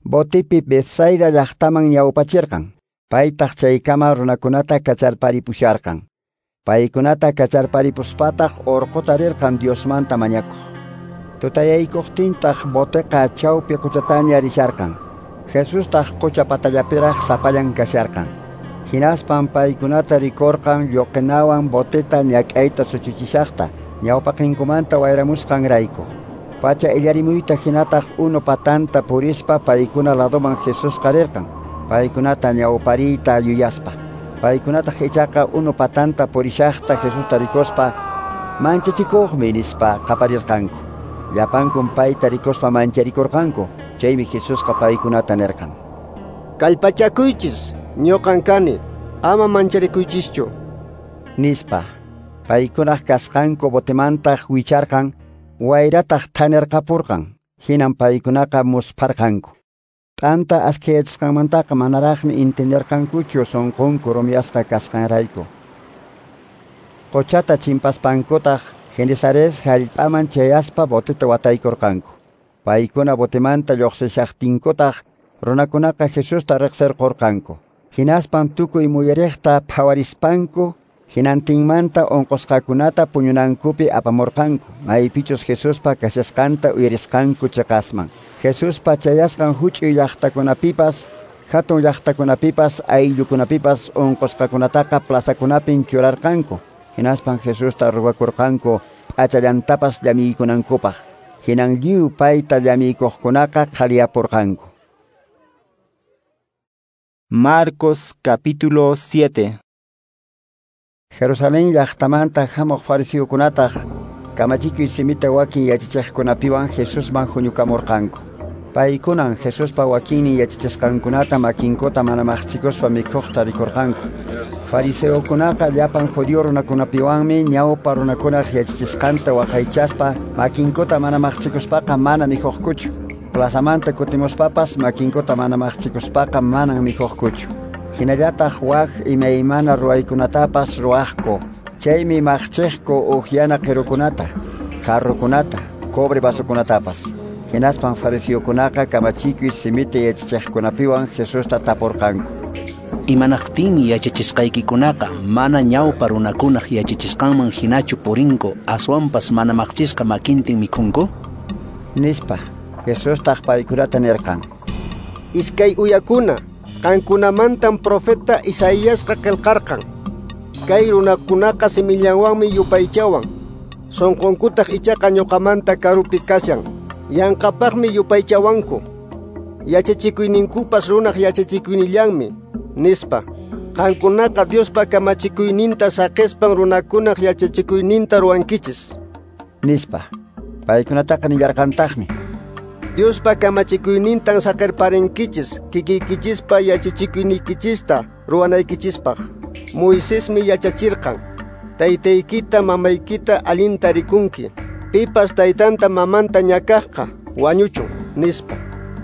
botipi Betsaida llaqtaman ñawpachirqan. Paytaq chaykama runakunata kacharparipusharqan. Paykunata kacharparipuspataq urquta rirqan Diosmanta mañakuq. Tutayaykuqtintaq boteqa chawpi quchataña risharqan. Jesustaq qucha patallapiraq sapallan kasharqan. Hinaspan paykunata rikurqan lluqinawan boteta ñak'ayta suchuchishaqta ñawpaqinkumanta wayramusqanrayku. Pacha illarimuyta hinataq unu patanta purispa paykuna ladoman Jesusqa rirqan. Paykunata ñawpariyta yuyaspa. Paykunataq ichaqa unu patanta purishaqta Jesusta rikuspa manchachikuqmi nispa qaparirqanku. Llapankum payta rikuspa mancharikurqanku. Chaymi Jesusqa paykunata nirqan: Kallpachakuychis, ñuqan kani, ama mancharikuychischu. Nispa. Paykunaq kasqanku botemantaq wicharqan, wayrataq thanirqapurqan. Hinan paykunaqa muspharqanku. T'anta askhayachisqanmantaqa manaraqmi entenderqankuchu sunqunku rumiyasqa kasqanrayku. Quchata chimpaspankutaq Genesaret hallp'aman chayaspa boteta wataykurqanku. Paykuna botemanta lluqsishaqtinkutaq runakunaqa Jesusta riqsirqurqanku. Hinaspan tukuy muyuriqta phawarispanku hinantinmanta unqusqakunata puñunankupi apamurqanku, maypichus Jesuspa kashasqanta uyarisqanku chiqasman. Jesuspa chayasqan huch'uy llaqtakunapipas, hatun llaqtakunapipas, ayllukunapipas unqusqakunataqa plazakunapin churarqanku. Hinaspan Jesusta ruwakurqanku p'achallantapas llamiykunankupaq. Hinan lliw payta llamiykuqkunaqa qhaliyapurqanku. Marcos capítulo 7. Jerusalén llaqtamanta hamuq fariseokunataq kamachikuy simita wakin yachachiqkunapiwan Jesusman huñukamurqanku. Paykunan Jesuspa wakinnin yachachisqankunata makinkuta mana maqchikuspa mikhuqta rikurqanku. Fariseokunaqa llapan judío runakunapiwanmi ñawpa runakunaq yachachisqanta waqaychaspa makinkuta mana maqchikuspaqa mana mikhuqkuchu. Plazamanta kutimuspapas makinkuta mana maqchikuspaqa manan mikhuqkuchu. Hinallataq wak imaymana ruwaykunatapas ruwaqku. Chaymi maqchiqku uhyana qirukunata, jarrukunata, cobre vasokunatapas. Hinaspan fariseokunaqa kamachikuy simita yachachiqkunapiwan Jesusta tapurqanku: Imanaqtinmi yachachisqaykikunaqa mana ñawpa runakunaq yachachisqanman hinachu purinku, aswanpas mana maqchisqa makintin mikhunku? Nispa. Jesustaq paykunata nirqan: Iskay uyakuna, qankunamantan profeta Isaíasqa qillqarqan. Kay runakunaqa simillanwanmi yupaychawan, sunqunkutaq ichaqa ñuqamanta karupi kashan. Yanqapaqmi yupaychawanku. Yachachikuyninkupas runaq yachachikuynillanmi, nispa. Qankunaqa Diospa kamachikuyninta saqispan runakunaq yachachikuyninta ruwankichis. Nispa. Paykunataqa nillarqantaqmi: Diospa kamachikuynintan saqirparinkichis kikiykichispa yachachikuynikichista ruwanaykichispaq. Moisesmi yachachirqan: taytaykita mamaykita allinta rikunki. Pipas taytanta mamanta ñakaqqa wañuchun, nispa.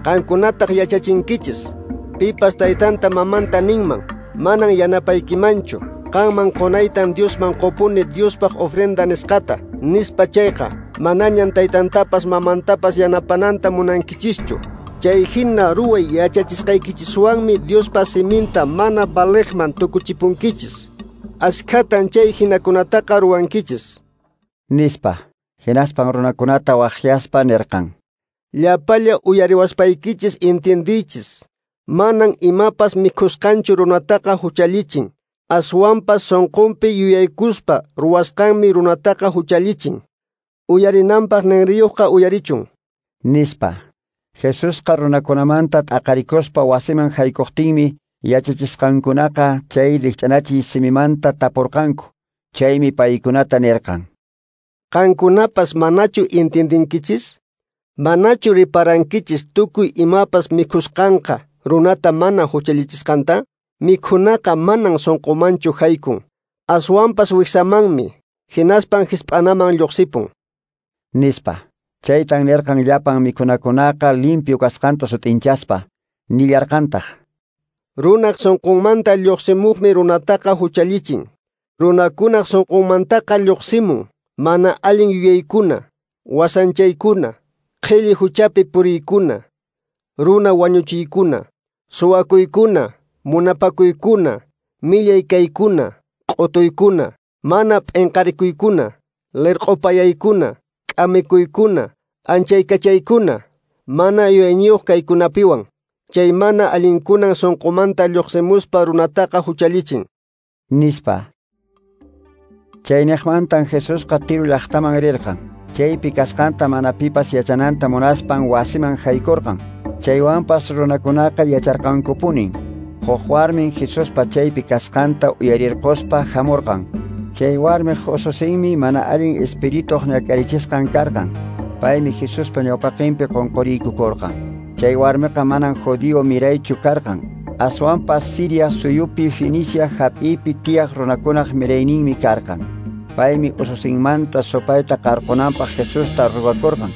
Qankunataq yachachinkichis: pipas taytanta mamanta ninman, manan yanapaykimanchu, qanman qunaytan Diosman qupuni Diospaq ofrenda nisqata, nispa chayqa, manañan taytantapas mamantapas yanapananta munankichischu. Chay hina ruway yachachisqaykichiswanmi Diospa siminta mana valeqman tukuchipunkichis. Askhatan chay hinakunataqa ruwankichis. Nispa, hinaspan runakunata waqyaspa nirqan. Llapalla uyariwaspaykichis entiendiychis. Manan imapas mikhusqanchu runataqa huchallichin. Aswanpas sunqunpi yuyaykuspa ruwasqanmi runataqa huchallichin. Uyarinanpaq ninriyuqqa uyarichun. Nispa. Jesusqa runakunamanta t'aqarikuspa wasiman haykuqtinmi yachachisqankunaqa chay rikch'anachiy simimanta tapurqanku. Chaymi paykunata nirqan. Qankunapas manachu entiendinkichis? Manachu riparankichis tukuy imapas mikhusqanqa runata mana huchallichisqanta? Mikhunaqa manan sunqumanchu haykun. Aswanpas wiksamanmi, hinaspan hisp'anaman lluqsipun. Nispa. Chaytan nirqan llapan mikhunakunaqa limpio kasqanta sut'inchaspa. Nillarqantaq. Runaq sunqunmanta lluqsimuqmi runataqa huchallichin. Runakunaq sunqunmantaqa lluqsimun mana allin yuyaykuna, wasanchaykuna, qhilli huchapi puriykuna, runa wañuchiykuna, suwakuykuna, munapakuykuna, millay kaykuna, q'utuykuna, mana p'inqarikuykuna, lirq'upayaykuna, k'amikuykuna, anchaykachaykuna, mana yuyayniyuq kaykunapiwan. Chay mana allinkunan sunqumanta lluqsimuspa runataqa huchallichin. Nispa. Chayniqmantan Jesusqa Tiro llaqtaman rirqan. Chaypi kasqanta mana pipas yachananta munaspan wasiman haykurqan. Chaywanpas runakunaqa yacharqankupunin. Huk warmin Jesuspa chaypi kasqanta uyarirquspa hamurqan. Chay warmiq ususinmi mana allin espirituq ñak'arichisqan karqan. Paymi Jesuspa ñawpaqinpi qunquriykukurqan. Chay warmiqa manan judío miraychu karqan. Aswanpas Siria suyupi Fenicia hap'ipi tiyaq runakunaq mirayninmi karqan. Paymi ususinmanta supayta qarqunanpaq Jesusta rugakurqan.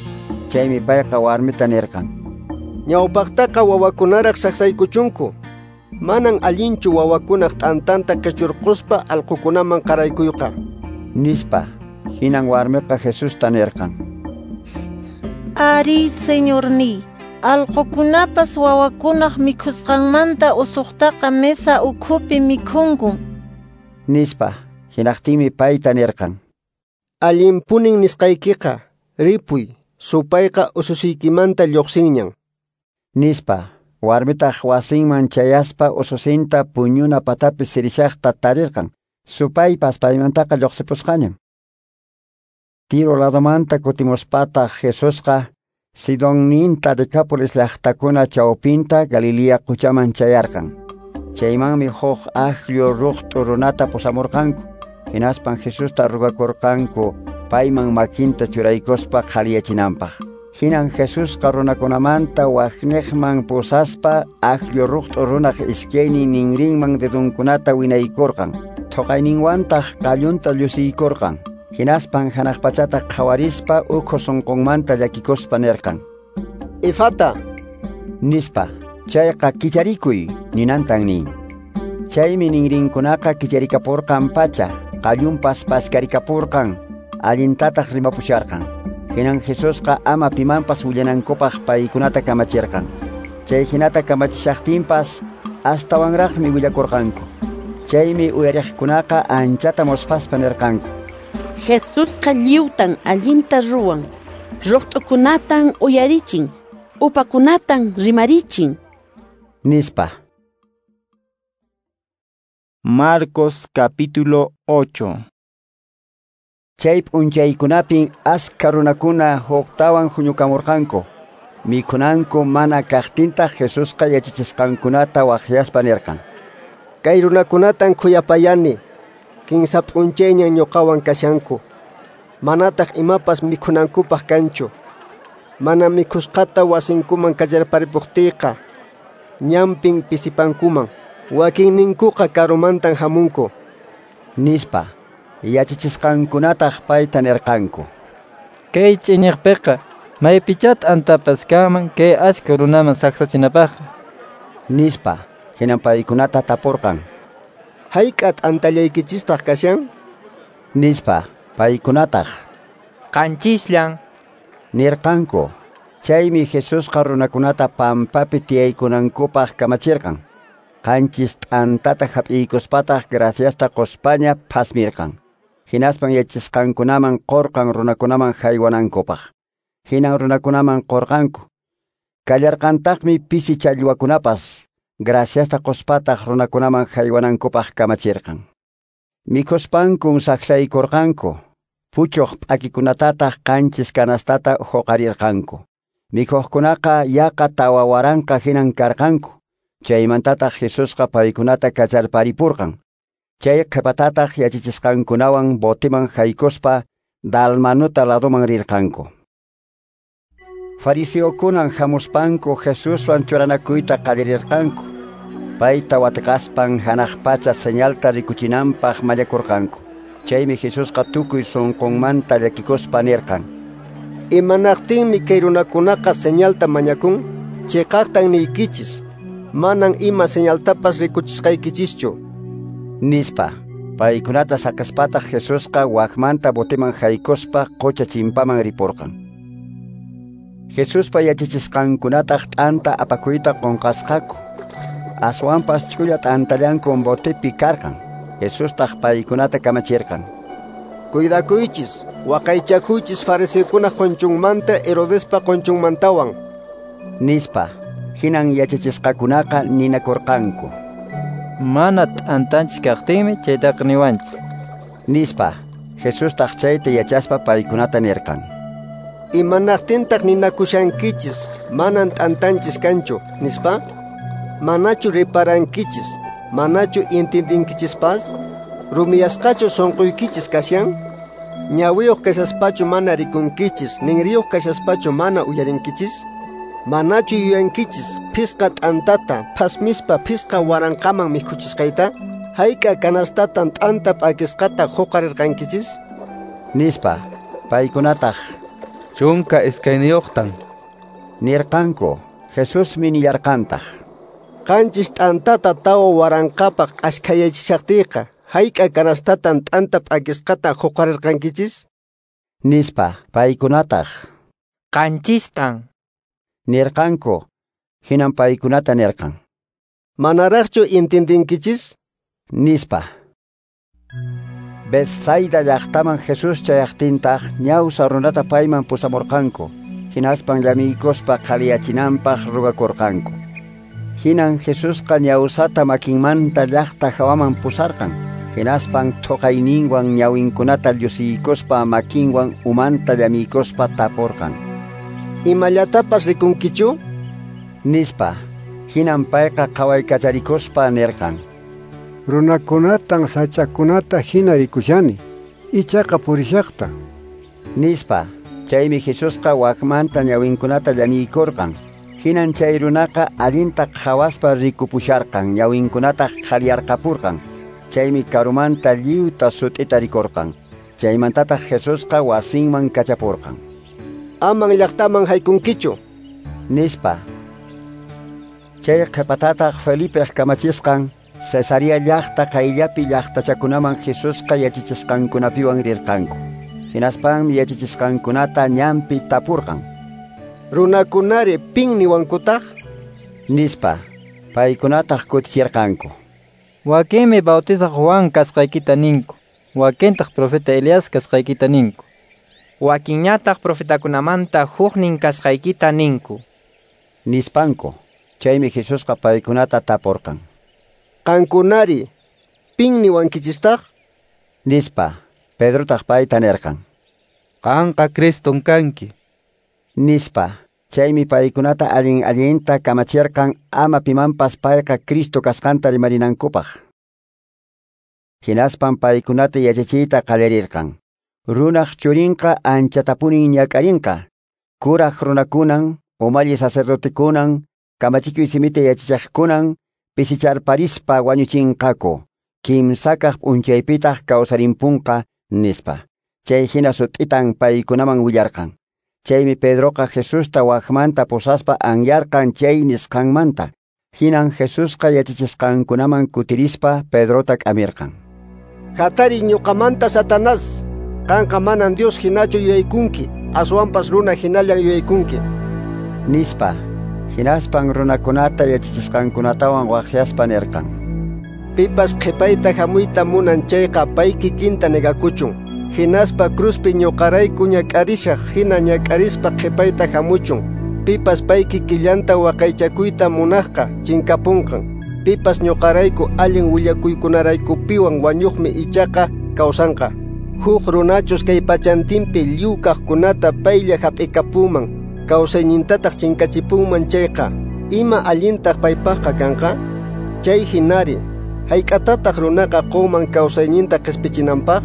Chaymi payqa warmita nirqan. Ñawpaqtaqa wawakunaraq saqsaykuchunku. Manan allinchu wawakunaq t'antanta qichurquspa allqukunaman qaraykuyqa. Nispa. Hinan warmiqa Jesusta nirqan. Ari, Señorniy, allqukunapas wawakunaq mikhusqanmanta usuqtaqa mesa ukhupi mikhunkun. Nispa. Hinaqtinmi payta nirqan. Allinpunin nisqaykiqa, ripuy, supayqa ususiykimanta lluqsinñan. Nispa. Warmitaq wasinman chayaspa ususinta puñuna patapi sirishaqta tarirqan. Supaypas paymantaqa lluqsipusqañan. Tiro ladomanta kutimuspataq Jesusqa Sidonninta Decápolis llaqtakuna chawpinta Galilea quchaman chayarqan. Chaymanmi huk aqllu ruqt'u runata pusamurqanku. Hinaspan Jesusta rugakurqanku payman makinta churaykuspa qhaliyachinanpaq. Hinan Jesusqa runakunamanta waqniqman pusaspa aqllu ruqt'u runaq iskaynin ninrinman dedunkunata winaykurqan. Thuqayninwantaq qallunta llusiykurqan. Hinaspan hanaq pachata qhawarispa ukhu sunqunmanta llakikuspa nirqan. Ifata, nispa. Chayqa kicharikuy ninantan nin. Chaymi ninrinkunaqa kicharikapurqan pacha, qallunpas paskarikapurqan, allintataq rimapusharqan. Hinan Jesusqa ama pimanpas willanankupaq paykunata kamachirqan. Chay hinata kamachishaqtinpas astawanraqmi willakurqanku. Chaymi uyariqkunaqa anchata musphaspa nirqanku. Jesusqa lliwtan allinta ruwan, ruqt'ukunatan uyarichin, upakunatan rimarichin. Nispa. Marcos capítulo 8. Chay p'unchaykunapin askha runakuna huktawan huñukamurqanku. Mikhunanku mana kaqtintaq Jesusqa yachachisqankunata waqyaspa nirqan. Kay runakunatan khuyapayani, kinsa p'unchayñan ñuqawan kashanku. Manataq imapas mikhunankupaq kanchu. Mana mikhusqata wasinkuman kallarparipuqtiyqa, ñanpin pisipankuman. Wakinninkuqa karumantan hamunku. Nispa. Yachachisqankunataq payta nirqanku. Kay ch'iñiqpiqa maypichá t'antapas kanman kay askha runaman saqsachinapaqqa. Nispa. Hinan paykunata tapurqan. Hayk'a t'antallaykichistaq kashan? Nispa. Paykunataq Qanchisllan, nirqanku. Chaymi Jesusqa runakunata pampapi tiyaykunankupaq kamachirqan. Qanchis t'antata hap'iykuspataq graciasta quspaña phasmirqan. Hinaspan yachachisqankunaman qurqan runakunaman haywanankupaq. Hinan runakunaman qurqanku. Kallarqantaqmi pisi challwakunapas, graciasta quspataq runakunaman haywanankupaq kamachirqan. Mikhuspankun saksaykurqanku, puchuq p'akikunatataq qanchis kanastata huqarirqanku. Mikhuqkunaqa yaqa 4000 hinan karqanku. Chaymantataq Jesusqa paykunata kacharparipurqan. Chay qhipatataq yachachisqankunawan botiman haykuspa Dalmanuta ladoman rirqanku. Fariseokunan hamuspanku Jesuswan churanakuyta qallarirqanku. Payta watiqaspan hanaq pacha señalta rikuchinanpaq mañakurqanku. Chaymi Jesusqa tukuy sunqunmanta llakikuspa nirqan: Imanaqtinmi kay runakunaqa señalta mañakun? Chiqaqtan niykichis, manan ima señaltapas rikuchisqaykichischu, nispa. Paykunata saqaspataq Jesusqa wakmanta botiman haykuspa qucha chimpaman ripurqan. Jesuspa yachachisqankunataq t'anta apakuyta qunqasqaku. Aswanpas ch'ulla t'antallankun botipi karqan. Jesustaq paykunata kamachirqan: Cuidakuychis, waqaychakuychis fariseokunaq qunchunmanta Herodespa qunchunmantawan, nispa. Hinan yachachisqakunaqa ninakurqanku: Mana t'antanchis kaqtinmi chaytaqa niwanchis, nispa. Jesustaq chayta yachaspa paykunata nirqan: Imanaqtintaq ninakushankichis, manan t'antanchis kanchu, nispa? Manachu riparankichis, manachu entendinkichispas? Rumiyasqachu sunquykichis kashan? Ñawiyuq kashaspachu mana rikunkichis, ninriyuq kashaspachu mana uyarinkichis? Manachu yuyankichis phisqa t'antata phasmispa 5000 mikhuchisqayta? Hayk'a kanastatan t'anta p'akisqata huqarirqankichis? Nispa. Paykunataq 12tan nirqanku. Jesusmi nillarqantaq: 7 t'antata 4000paq ashkhayachishaqtiyqa, hayk'a kanastatan t'anta p'akisqata huqarirqankichis? Nispa. Paykunataq 7tan nirqanku. Hinan paykunata nirqan: Manaraqchu entendinkichis? Nispa. Betsaida llaqtaman Jesús chayaqtintaq ñawsa runata payman pusamurqanku. Hinaspan llamiykuspa qhaliyachinanpaq rugakurqanku. Hinan Jesusqa ñawsata makinmanta llaqta hawaman pusarqan. Hinaspan thuqayninwan ñawinkunata llusiykuspa makinwan umanta llamiykuspa tapurqan: Imallatapas rikunkichu? Nispa. Hinan payqa qhawaykacharikuspa nirqan: Runakunatan sach'akunata hina rikushani, ichaqa purishaqta, nispa. Chaymi Jesusqa wakmanta ñawinkunata llamiykurqan. Hinan chay runaqa allinta qhawaspa rikupusharqan, ñawinkunataq qhaliyarqapurqan. Chaymi karumanta lliwta sut'ita rikurqan. Chaymantataq Jesusqa wasinman kachapurqan: Aman llaqtaman haykunkichu, nispa. Chay qhipatataq Felipeq kamachisqan Cesarea llaqta qayllapi llaqtachakunaman Jesusqa yachachisqankunapiwan rirqanku. Hinaspanmi yachachisqankunata ñanpi tapurqan: Runakunari pin niwankutaq? Nispa. Paykunataq kutichirqanku: Wakinmi Bautizaq Juan kasqaykita ninku, wakintaq profeta Elías kasqaykita ninku, wakinñataq profetakunamanta huknin kasqaykita ninku, nispanku. Chaymi Jesusqa paykunata tapurqan: Qankunari pin niwankichistaq? Nispa. Pedrotaq payta nirqan: Qanqa Criston kanki, nispa. Chaymi paykunata allin allinta kamachirqan ama pimanpas payqa Cristo kasqanta rimarinankupaq. Hinaspan paykunata yachachiyta qallarirqan: Runaq churinqa anchatapunin ñak'arinqa. Kuraq runakunan, umalli sacerdotekunan, kamachikuy simita yachachiqkunan pisicharparispa wañuchinqaku. Kimsakaq p'unchaypitaq kawsarimpunqa, nispa. Chay hina sut'itan paykunaman willarqan. Chaymi Pedroqa Jesusta wakmanta pusaspa anyarqan chay nisqanmanta. Hinan Jesusqa yachachisqankunaman kutirispa Pedrota k'amirqan: Hatari ñuqamanta Satanás, qanqa manan Dios hinachu yuyaykunki, aswanpas runa hinallan yuyaykunki. Nispa. Hinaspan runakunata yachachisqankunatawan waqyaspa nirqan. Pipas qhipayta hamuyta munan chayqa pay kikinta negakuchun. Hinaspa cruzpi ñuqarayku ñak'arishaq hina ñak'arispa qhipayta hamuchun. Pipas pay kikillanta waqaychakuyta munaqqa chinkapunqan. Pipas ñuqarayku allin willakuykunaraykupiwan wañuqmi ichaqa kawsanqa. Huk runachus kay pachantinpi lliw kaqkunata paylla hap'ikapuman, kawsaynintataq chinkachipunman chayqa, ima allintaq paypaqqa kanqa? Chay hinari, hayk'atataq runaqa qunman kawsayninta qispichinanpaq?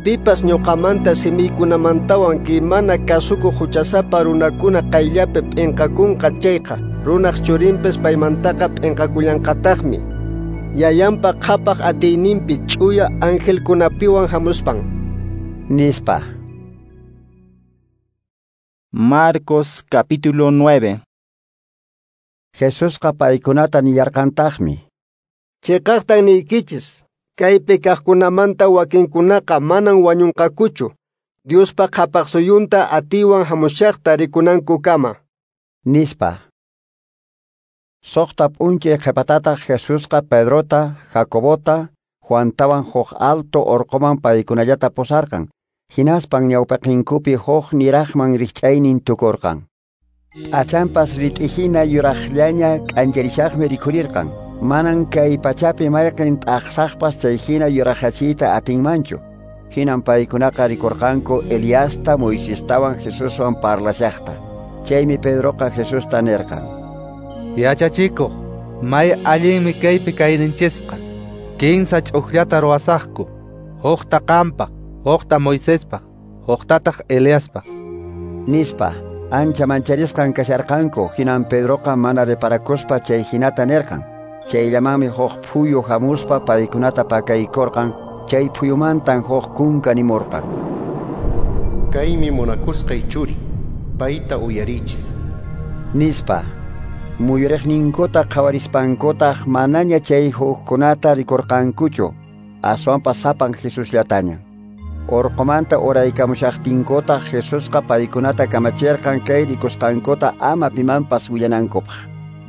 Pipas ñuqamanta simiykunamantawan kay mana kasukuq huchasapa runakuna qayllapi p'inqakunqa chayqa, runaq churinpis paymantaqa p'inqakullanqataqmi. Yayanpa qhapaq atiyninpi ch'uya angelkunapiwan hamuspan. Nispa. Marcos capítulo 9. Jesusqa paykunata nillarqantaqmi. Chiqaqtan niykichis, kaypi kaqkunamanta wakinkunaqa manan wañunqakuchu, Diospa qhapaq suyunta atiywan hamushaqta rikunankukama. Nispa. Suqta p'unchay qhipatataq Jesusqa Pedrota, Jacobota, Juantawan huk alto orqoman paykunallata pusarqan. Hinaspan ñawpaqinkupi huk niraqman rikch'aynin tukurqan. P'achanpas rit'ihina yuraqllaña k'ancharishaqmi rikhurirqan. Manan kay pachapi mayqin t'aqsaqpas chayhina yuraqachiyta atinmanchu. Hinan paykunaqa rikurqanku Eliasta, Moisestawan Jesuswan parlashaqta. Chaymi Pedroqa Jesusta nirqan. Yachachikuq, may allinmi kaypi kayninchisqa. Kinsa ch'ukllata ruwasaqku, hukta qampaq, hukta Moisespaq, huktataq Eliaspaq. Nispa. Ancha mancharisqan kasharqanku, hinan Pedroqa mana reparakuspa chay hinata nirqan. Chayllamanmi huk phuyu hamuspa paykunata pakaykurqan, chay phuyumantan huk kunka nimurqan. Kaymi munakusqay churi, payta uyarichis. Nispa. Muyuriqninkuta qhawarispankutaq manaña chay hukkunata rikurqankuchu, aswanpas sapan Jesusllataña. Orqomanta uraykamushaqtinkutaq Jesusqa paykunata kamachirqan kay rikusqankuta ama pimanpas willanankupaq.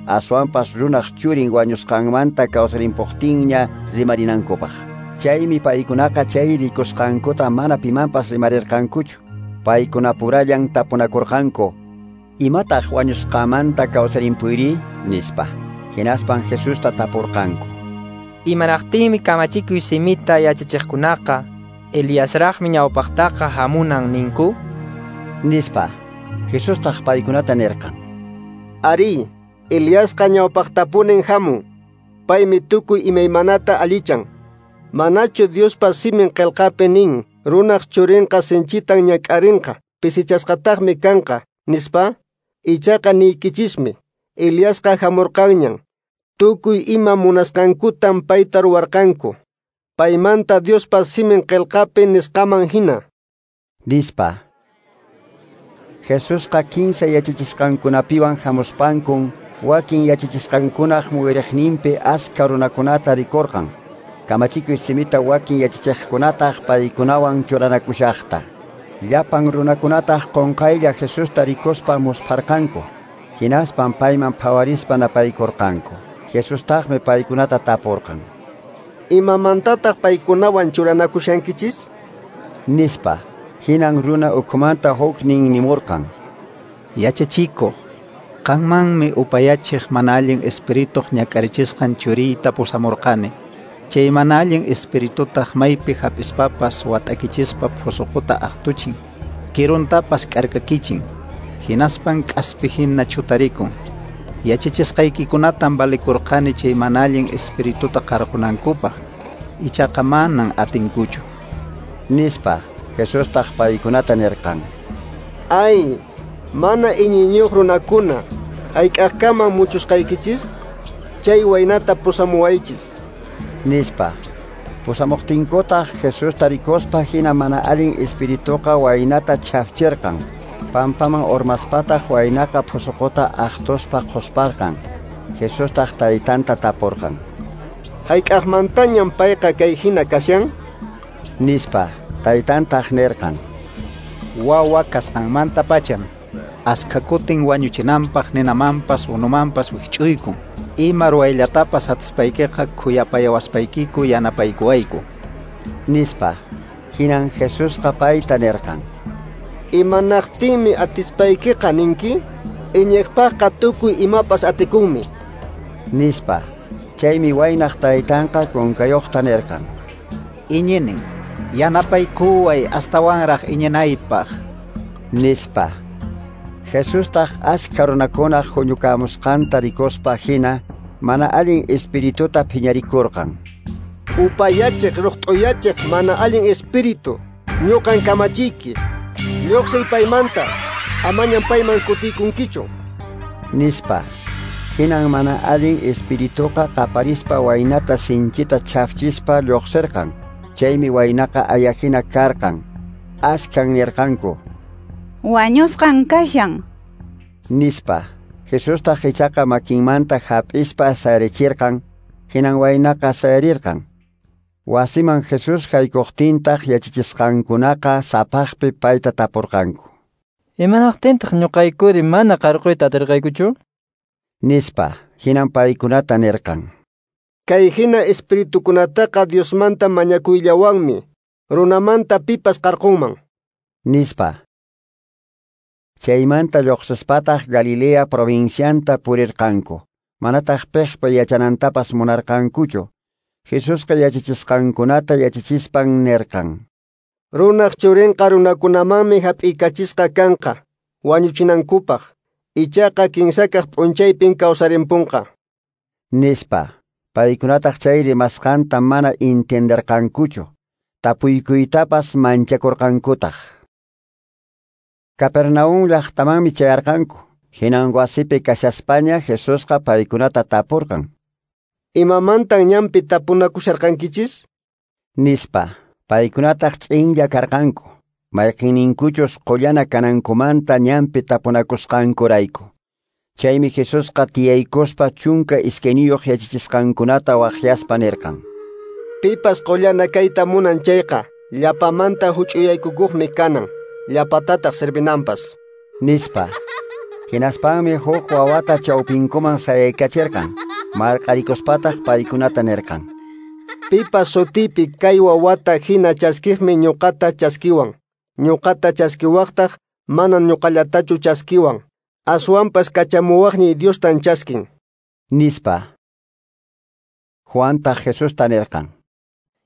Aswanpas runaq churin wañusqanmanta kawsarimpuqtinña rimarinankupaq. Chaymi paykunaqa chay rikusqankuta mana pimanpas rimarirqankuchu. Paykunapurallan tapunakurqanku. Imataq wañusqamanta kawsarimpuyri? Nispa. Hinaspan Jesusta tapurqanku. Imanaqtinmi kamachikuy simita yachachiqkunaqa Eliasraqmi ñawpaqtaqa hamunan ninku? Nispa. Jesustaq paykunata nirqan. Ari, Eliasqa ñawpaqtapunin hamun. Paymi tukuy imaymanata allichan. Manachu Diospa simin qillqapi nin, runaq churinqa sinchitan ñak'arinqa, pisichasqataqmi kanqa, nispa? Ichaqa niykichismi, Eliasqa hamurqanñan. Tukuy ima munasqankutan payta ruwarqanku. Paymanta Diospa simin qillqapi nisqaman hina. Nispa. Jesusqa kinsa yachachisqankunapiwan hamuspankun wakin yachachisqankunaq muyuriqninpi askha runakunata rikurqan. Kamachikuy simita wakin yachachiqkunataq paykunawan churanakushaqta. Llapan runakunataq qunqaylla Jesusta rikuspa muspharqanku. Hinaspan payman phawarispa napaykurqanku. Jesustaqmi paykunata tapurqan. Imamantataq paykunawan churanakushankichis? Nispa. Hinan runa ukhumanta huknin nimurqan. Yachachikuq, qanmanmi upayachiq mana allin espirituq ñak'arichisqan churiyta pusamurqani. Chay mana allin espiritutaq maypi hap'ispapas wat'akichispa phusuquta aqtuchin, kiruntapas k'arkakichin, hinaspan k'aspi hina chutarikun. Yachachisqaykikunatan valikurqani chay mana allin espirituta qarqunankupaq, ichaqa manan atinkuchu. Nispa. Jesustaq paykunata nirqan. Ay, mana iñiyniyuq runakuna, hayk'aqkaman muchusqaykichis? Chay waynata pusamuwaychis. Nispa. Pusamuqtinkutaq Jesusta rikuspa hina mana allin espirituqa waynata chhafchirqan. Pampaman urmaspataq waynaqa phusuquta aqtuspa qhusparqan. Jesustaq taytanta tapurqan. Hayk'aqmantañam payqa kay hina kashan? Nispa. Taytantaq nirqan. Wawa kasqanmanta pacham. Askha kutin wañuchinanpaq ninamanpas unumanpas wikch'uykun. Ima ruwayllatapas atispaykiqa khuyapayawaspaykiku yanapaykuwayku, nispa. Hinan Jesusqa payta nirqan: Imanaqtinmi atispaykiqa ninki? Iñiqpaqqa tukuy imapas atikunmi, nispa. Chaymi waynaq taytanqa kunkayuqta nirqan: Iñinin, yanapaykuway astawanraq iñinaypaq, nispa. Jesustaq askha runakunaq huñukamusqanta rikuspa hina mana allin espirituta phiñarikurqan. Upayachiq ruqt'uyachiq mana allin espíritu, ñuqan kamachiyki, lluqsiy paymanta, amañan payman kutiykunkichu, nispa. Hinan mana allin espirituqa qaparispa waynata sinchita chhafchispa lluqsirqan. Chaymi waynaqa ayahina karqan. Askhan nirqanku: Wañusqan kashan, nispa. Jesustaq ichaqa makinmanta hap'ispa sayarichirqan. Hinan waynaqa sayarirqan. Wasiman Jesús haykuqtintaq yachachisqankunaqa sapaqpi payta tapurqanku: Imanaqtintaq ñuqaykuri mana qarquyta atirqaykuchu? nispa. Hinan paykunata nirqan: Kay hina espiritukunataqa Diosmanta mañakuyllawanmi runamanta pipas qarqunman, nispa. Chaymanta lluqsispataq Galilea provincianta purirqanku. Manataq piqpa yachanantapas munarqankuchu. Jesusqa yachachisqankunata yachachispan nirqan: Runaq churinqa runakunamanmi hap'iykachisqa kanqa wañuchinankupaq, ichaqa kinsakaq p'unchaypin kawsarimpunqa, nispa. Paykunataq chay rimasqanta mana entenderqankuchu, tapuykuytapas manchakurqankutaq. Capernaum llaqtamanmi chayarqanku. Hinan wasipi kashaspaña Jesusqa paykunata tapurqan: Imamantan ñanpi tapunakusharqankichis? Nispa. Paykunataq ch'inlla karqanku, mayqinninkuchus qullana kanankumanta ñanpi tapunakusqankurayku. Chaymi Jesusqa tiyaykuspa 12 yachachisqankunata waqyaspa nirqan: Pipas qullana kayta munan chayqa, llapamanta huch'uyaykukuqmi kanan, llapatataq servinanpas, nispa. Hinaspanmi huk wawata chawpinkuman sayaykachirqan. Marq'arikuspataq paykunata nirqan: Pipas sutipi kay wawata hina chaskiqmi ñuqata chaskiwan. Ñuqata chaskiwaqtaq manan ñuqallatachu chaskiwan, aswanpas kachamuwaqniy Diostan chaskin, nispa. Juantaq Jesusta nirqan: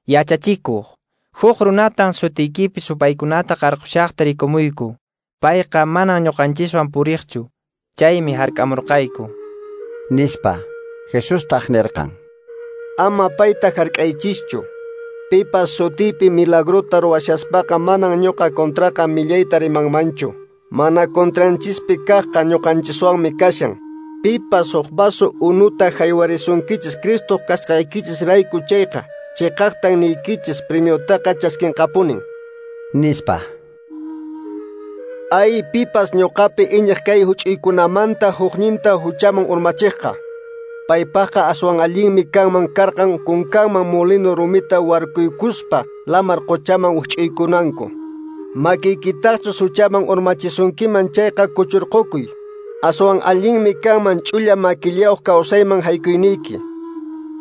Yachachikuq, huk runatan sutiykipi supaykunata qarqushaqta rikumuyku. Payqa manan ñuqanchiswan puriqchu, chaymi hark'amurqayku, nispa. Jesustaq nirqan: Ama payta hark'aychischu. Pipas sutiypi milagrota ruwashaspaqa manan ñuqa contraqa millayta rimanmanchu. Mana contranchispi kaqqa ñuqanchiswanmi kashan. Pipas huk vaso unuta haywarisunkichis Cristo kasqaykichis rayku chayqa, chiqaqtan niykichis premiotaqa chaskinqapunin, nispa. Ay, pipas ñuqapi iñiq kay huch'uykunamanta hukninta huchaman urmachiqqa. Paypaqqa aswan allinmi kanman karqan kunkanman molino rumita warkuykuspa lamar quchaman wikch'uykunanku. Makiykitaqchus huchaman urmachisunkiman chayqa kuchurqukuy. Aswan allinmi kanman ch'ulla makillayuq kawsayman haykuyniyki.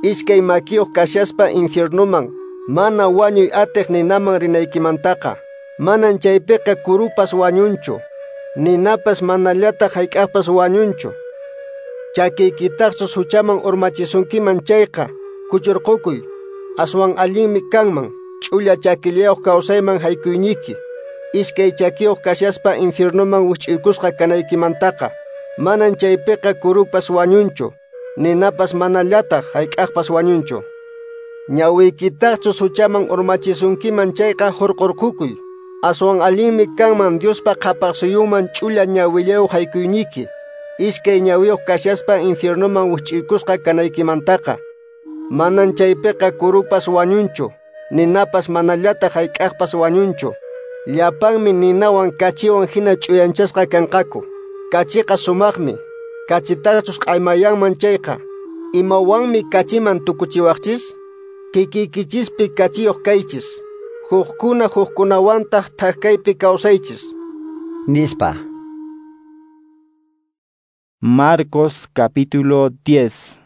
Iskay makiyuq kashaspa infiernuman, mana wañuy atiq ninaman rinaykimantaqa. Manan chaypiqa kurupas wañunchu, ninapas manallataq hayk'aqpas wañunchu. Chakiykitaqchus huchaman urmachisunkiman chayqa, kuchurqukuy. Aswan allinmi kanman ch'ulla chakillayuq kawsayman haykuyniyki. Iskay chakiyuq kashaspa infiernuman wikch'uykusqa kanaykimantaqa. Manan chaypiqa kurupas wañunchu, ninapas manallataq hayk'aqpas wañunchu. Ñawiykitaqchus huchaman urmachisunkiman chayqa hurqurqukuy. Aswan allinmi kanman Diospa qhapaqsuyunman ch'ulla ñawillayuq haykuyniyki. Iskay ñawiyuq kashaspa infiernuman wikch'uykusqa kanaykimantaqa. Manan chaypiqa kurupas wañunchu, ninapas manallataq hayk'aqpas wañunchu. Llapanmi ninawan kachiwan hina ch'uyanchasqa kanqaku. Kachiqa sumaqmi, kachitaqchus q'aymayanman chayqa, imawanmi kachiman tukuchiwaqchis? Kikiykichispi kachiyuq kaychis, hukkuna hukkunawantaq thak kaypi kawsaychis, nispa. Marcos capítulo 10.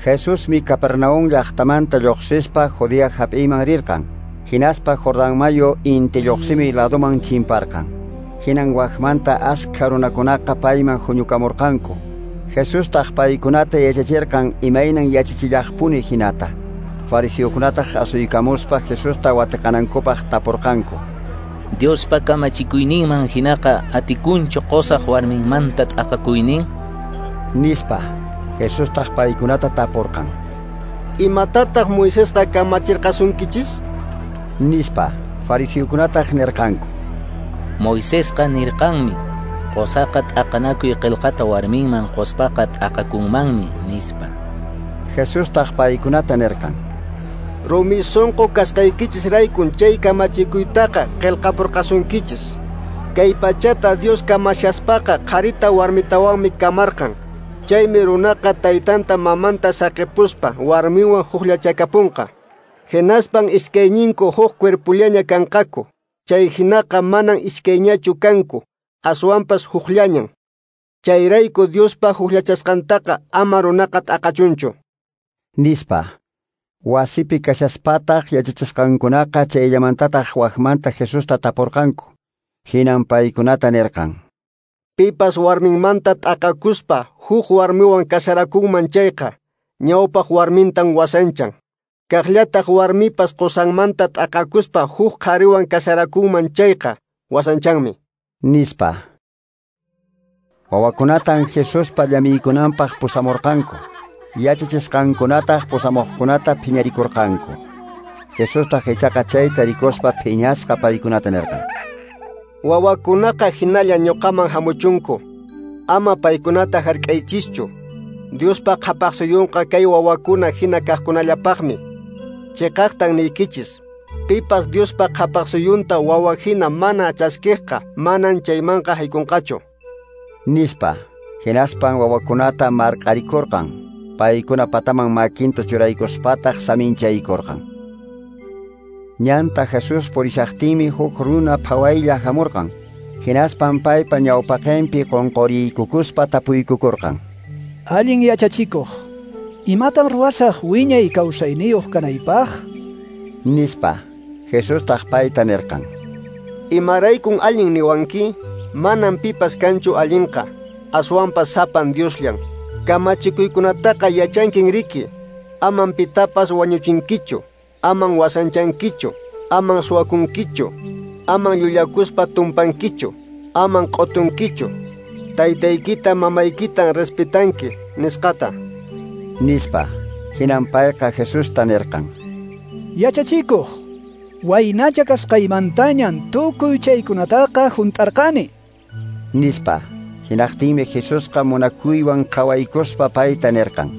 Jesusmi Capernaum llaqtamanta lluqsispa Judea hap'iyman rirqan. Hinaspa Jordán mayu inti lluqsimi laduman chimparqan. Hinan waqmanta askha runakunaqa payman huñukamurqanku. Jesustaq paykunata yachachirqan imaynan yachachillaqpuni hinata. Fariseokunataq asuykamuspa Jesusta watiqanankupaq tapurqanku. Diospa kamachikuyninman hinaqa atikunchu qosaq warminmanta t'aqakuynin? Nispa. Jesustaq paykunata tapurqan. Imatataq Moisesqa kamachirqasunkichis? Nispa. Fariseokunataq nirqanku. Moisesqa nirqanmi, qosaqa t'aqanakuy qillqata warminman qospaqa t'aqakunmanmi, nispa. Jesustaq paykunata nirqan. Rumi sonqo kasqaykichisraykun chay kamachikuytaqa qillqapurqasunkichis. Kay pachata Dios kamashaspaqa qharita warmitawanmi kamarqan. Chaymi runaqa taytanta mamanta saqipuspa warminwan hukllachakapunqa. Hinaspan iskayñinku huk cuerpullaña kanqaku. Chay hinaqa manan iskayñachu kanku, aswanpas hukllañan. Chayrayku Diospa hukllachasqantaqa ama runaqa t'aqachunchu. Nispa. Wasipi kashaspataq yachachisqankunaqa chayllamantataq waqmanta Jesusta tapurqanku. Hinan paykunata nirqan. Pipas warminmanta t'aqakuspa huk warmiwan kasarakunman chayqa, ñawpaq warmintan wasanchan. Kaqllataq warmipas qosanmanta t'aqakuspa huk qhariwan kasarakunman chayqa, wasanchanmi. Nispa. Wawakunatan Jesuspa llamiykunanpaq pusamurqanku. Yachachisqankunataq pusamuqkunata phiñarikurqanku. Jesustaq ichaqa chayta rikuspa phiñasqa paykunata nirqan. Wawakunaqa hinalla ñuqaman hamuchunku. Ama paykunata hark'aychischu. Diospa qhapaq suyunqa kay wawakuna hina kaqkunallapaqmi. Chiqaqtan niykichis. Pipas Diospa qhapaq suyunta wawa hina mana chaskiqqa manan chaymanqa haykunqachu. Nispa. Hinaspan wawakunata marq'arikurqan. Paykuna pataman makinta churaykuspataq saminchaykurqan. Ñanta Jesús purishaqtinmi huk runa phawaylla hamurqan. Hinaspan paypa ñawpaqinpi qunquriykukuspa tapuykukurqan. Allin yachachikuq, imatan ruwasaq wiñay kawsayniyuq kanaypaq? Nispa. Jesustaq payta nirqan. Imaraykun allin niwanki? Manan pipas kanchu allinqa, aswanpas sapan Diosllan. Kamachikuykunataqa yachankin riki. Aman pitapas wañuchinkichu, aman wasanchankichu, aman suwakunkichu, aman llullakuspa tumpankichu, aman q'utunkichu. Taytaykita mamaykitan respetanki, nisqata. Nispa. Hinan payqa Jesusta nirqan. Yachachikuq, waynacha kasqaymantañan tukuy chaykunataqa hunt'arqani. Nispa. Hinaqtinmi Jesusqa munakuywan qhawaykuspa payta nirqan.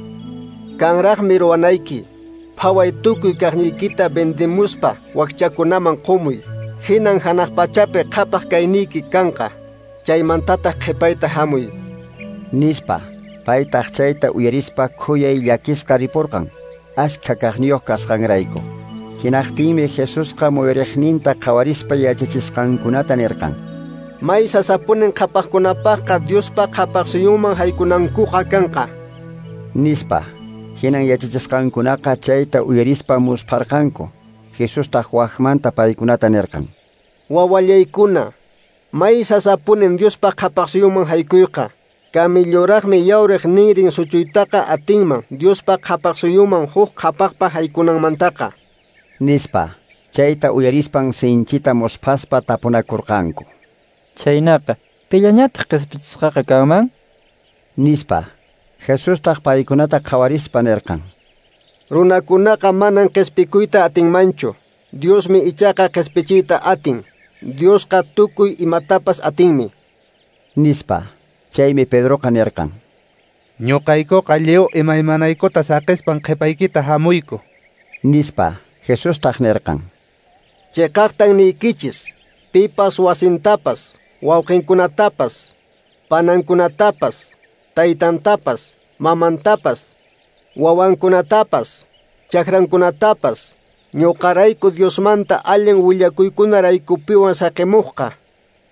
Kanraqmi ruwanayki. Phaway tukuy kaqniykita vendemuspa wakchakunaman qumuy. Hinan hanaq pachapi qhapaq kayniyki kanqa. Chaymantataq qhipayta hamuy. Nispa. Paytaq chayta uyarispa khuyay llakisqa ripurqan. Askha kaqniyuq kasqanrayku. Hinaqtinmi Jesusqa muyuriqninta qhawarispa yachachisqankunata nirqan. May sasapunin qhapaqkunapaqqa Diospa qhapaq suyunman haykunankuqa kanqa. Nispa. Hinan yachachisqankunaqa chayta uyarispa muspharqanku. Jesustaq waqmanta paykunata nirqan. Wawallaykuna, may sasapunin Diospa qhapaq suyunman haykuyqa. Kamilluraqmi yawriq ninrin suchuytaqa atinman Diospa qhapaq suyunman huk qhapaqpa haykunanmantaqa. Nispa. Chayta uyarispan sinchita musphaspa tapunakurqanku. Chhaynaqa, pillañataq qispichisqaqa kanman? Nispa. Jesustaq paykunata qhawarispa nirqan. Runakunaqa manan qispikuyta atinmanchu. Diosmi ichaqa qispichiyta atin. Diosqa tukuy imatapas atinmi. Nispa. Chaymi Pedroqa nirqan. Ñuqaykuqa lliw imaymanaykuta saqispan qhipaykita hamuyku. Nispa. Jesustaq nirqan. Chiqaqtan niykichis. Pipas wasintapas, wawqinkunatapas, panankunatapas, taytantapas, mamantapas, wawankunatapas, chakrankunatapas, ñuqarayku Diosmanta allin willakuykunaraykupiwan saqimuqqa,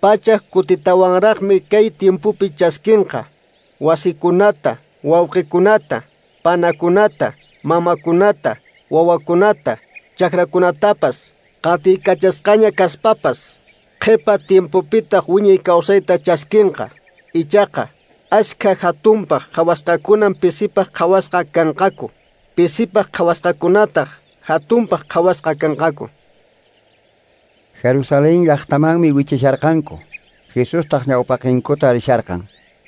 pachak kutitawanraqmi kay tiempopi chaskinqa, wasikunata, wawqikunata, panakunata, mamakunata, wawakunata, chakrakunatapas, qatiykachasqaña kaspapas, qhipa tiempopitaq wiñay kawsayta chaskinqa. Ichaqa ashkha hatunpaq qhawasqakunan pisipaq qhawasqa kanqaku, pisipaq qhawasqakunataq hatunpaq qhawasqa kanqaku. Jerusalén llaqtamanmi wichisharqanku. Jesustaq ñawpaqinkuta risharqan.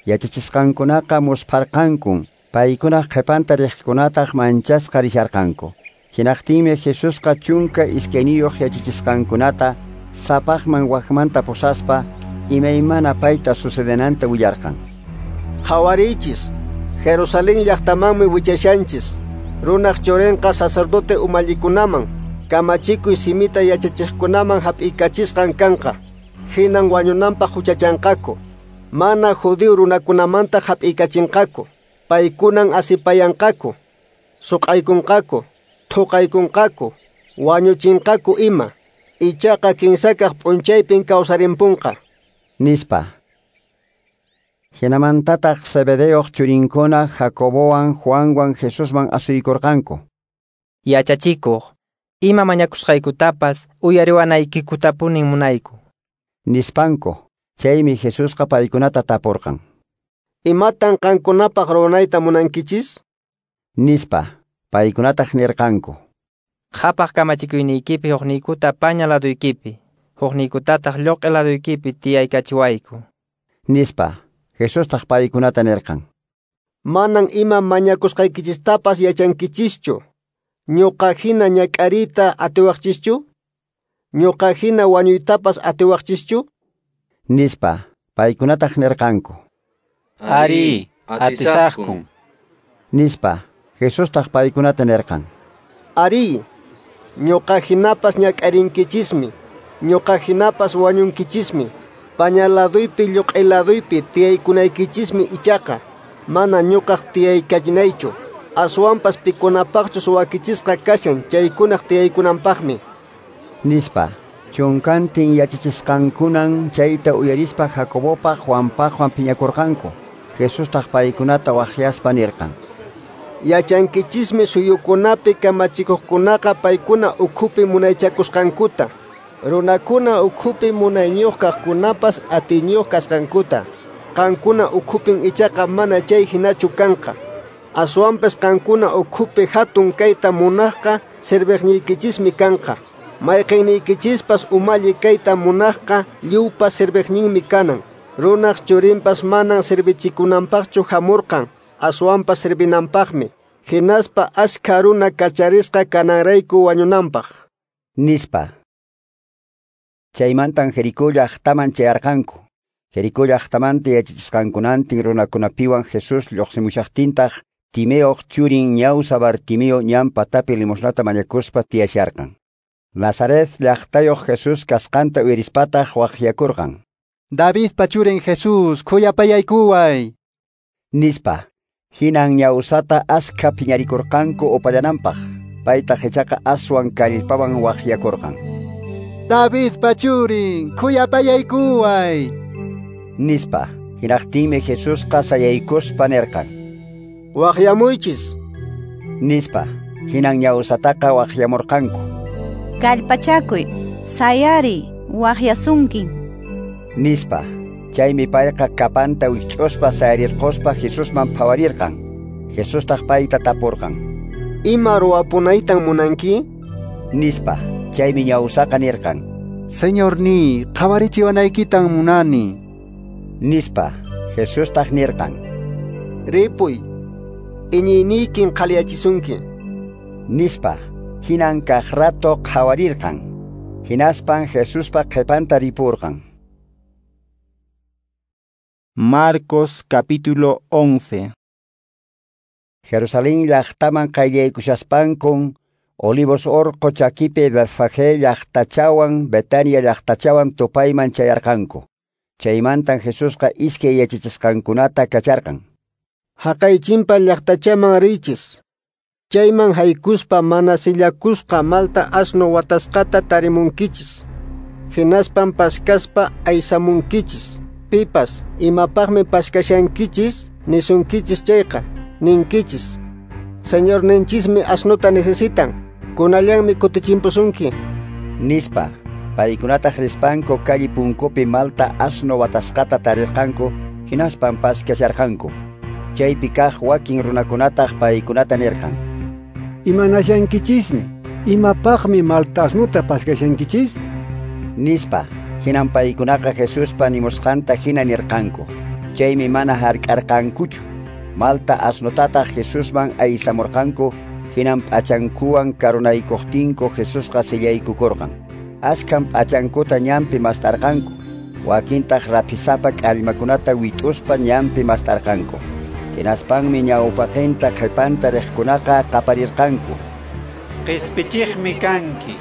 Yachachisqankunaqa muspharqankun, paykunaq qhipanta riqkunataq manchasqa risharqanku. Hinaqtinmi Jesusqa 12 yachachisqankunata sapaqman wakmanta pusaspa imaymana payta sucedenanta willarqan. Qhawariychis, Jerusalén llaqtamanmi wichashanchis. Runaq churinqa sacerdote umallikunaman, kamachikuy simita yachachiqkunaman hap'iykachisqan kanqa. Hinan wañunanpaq huchachanqaku. Mana judío runakunamanta hap'iykachinqaku. Paykunan asipayanqaku, suq'aykunqaku, thuqaykunqaku, wañuchinqaku ima. Ichaqa kinsakaq p'unchaypin kawsarimpunqa, nispa. Hinamantataq Zebedeoq churinkuna Jacobowan Juanwan Jesusman asuykurqanku. Yachachikuq, ima mañakusqaykutapas uyariwanaykikutapunin munayku, nispanku. Chaymi Jesusqa paykunata tapurqan. Imatan qankunapaq ruwanayta munankichis? Nispa. Paykunataq nirqanku. Qhapaq kamachikuyniykipi huqniykuta paña laduykipi, huqniykutataq lluq'i laduykipi tiyaykachiwayku, nispa. Jesustaq paykunata nirqan. Manan ima mañakusqaykichistapas yachankichischu. Ñuqa hina ñak'ariyta atiwaqchischu? Ñuqa hina wañuytapas atiwaqchischu? Nispa. Paykunataq nirqanku. Ari, atisaqkun, nispa. Jesustaq paykunata nirqan. Ari, ñuqa hinapas ñak'arinkichismi, ñuqa hinapas wañunkichismi. Paña laduypi lluq'i laduypi tiyaykunaykichismi ichaqa, mana ñuqaq tiyaykachinaychu. Aswanpas pikunapaqchus wakichisqa kashan chaykunaq tiyaykunanpaqmi, nispa. Chunkantin yachachisqankunan chayta uyarispa Jacobopaq Juanpaqwan phiñakurqanku. Jesustaq paykunata waqyaspa nirqan. Yachankichismi suyukunapi kamachikuqkunaqa paykuna ukhupi munaychakusqankuta, runakuna ukhupi munayniyuq kaqkunapas atiyniyuq kasqankuta. Qankuna ukhupin ichaqa mana chay hinachu kanqa. Aswanpas qankuna ukhupi hatun kayta munaqqa serviqniykichismi kanqa. Mayqinniyykichispas umalli kayta munaqqa lliwpa serviqninmi kanan. Runaq churinpas manan servichikunanpaqchu hamurqan, aswanpas servinanpaqmi. Hinaspa ashkha runa kacharisqa kananrayku wañunanpaq, nispa. Chaymantan Jericó llaqtaman chayarqanku. Jericó llaqtamanta yachachisqankunantin runakunapiwan Jesús lluqsimushaqtintaq Timeoq churin ñawsa Bartimeo ñan patapi limosnata mañakuspa tiyasharqan. Nazaret llaqtayuq Jesús kasqanta uyarispataq waqyakurqan. Davidpa churin Jesús, khuyapayaykuway, nispa. Hinan ñawsata askha phiñarikurqanku upallananpaq. Paytaq ichaqa aswan kallpawan waqyakurqan. Davidpa churin, khuyapayaykuway, nispa. Hinaqtinmi Jesusqa sayaykuspa nirqan. Waqyamuychis, nispa. Hinan ñawsataqa waqyamurqanku. Kallpachakuy, sayariy, waqyasunkin, nispa. Chaymi payqa kapanta wikch'uspa sayarirquspa Jesusman phawarirqan. Jesustaq payta tapurqan. Ima ruwapunaytan munanki? Nispa. Chaymi ñawsaqa nirqan. Señorniy, qhawarichiwanaykitan munani, nispa. Jesustaq nirqan. Ripuy, iñiyniykin qhaliyachisunki, nispa. Hinan kaq rato qhawarirqan. Hinaspan Jesuspa qhipanta ripurqan. Marcos capítulo 11. Jerusalén llaqtaman qayllaykushaspankun Olivos orqo chakipi Betfagé llaqtachawan Betania llaqtachawan tupayman chayarqanku. Chaymantan Jesusqa iskay yachachisqankunata kacharqan. Haqay chimpa llaqtachaman riychis. Chayman haykuspa mana sillakusqa malta asno watasqata tarimunkichis. Hinaspan paskaspa aysamunkichis. Pipas imapaqmi paskashankichis Nisunkichis chayqa, ninkichis: Señorninchismi asnuta necesitan, kunallanmi kutichimpusunki. Nispa. Paykunataq rispanku calle punkupi malta asno watasqata tarirqanku, hinaspan paskasharqanku. Chaypi kaq wakin runakunataq paykunata nirqan: Imanashankichismi, imapaqmi malta asnuta paskashankichis? Nispa. Hinan paykunaqa Jesuspa nimusqanta hina nirqanku. Chaymi mana hark'arqankuchu. Malta asnutataq Jesusman aysamurqanku, hinan p'achankuwan karunaykuqtinku Jesusqa sillaykukurqan. Askan p'achankuta ñanpi mast'arqanku, wakintaq raphisapa k'allmakunata wit'uspa ñanpi mast'arqanku. Hinaspanmi ñawpaqinta qhipanta riqkunaqa qaparirqanku: Qispichiqmi kanki,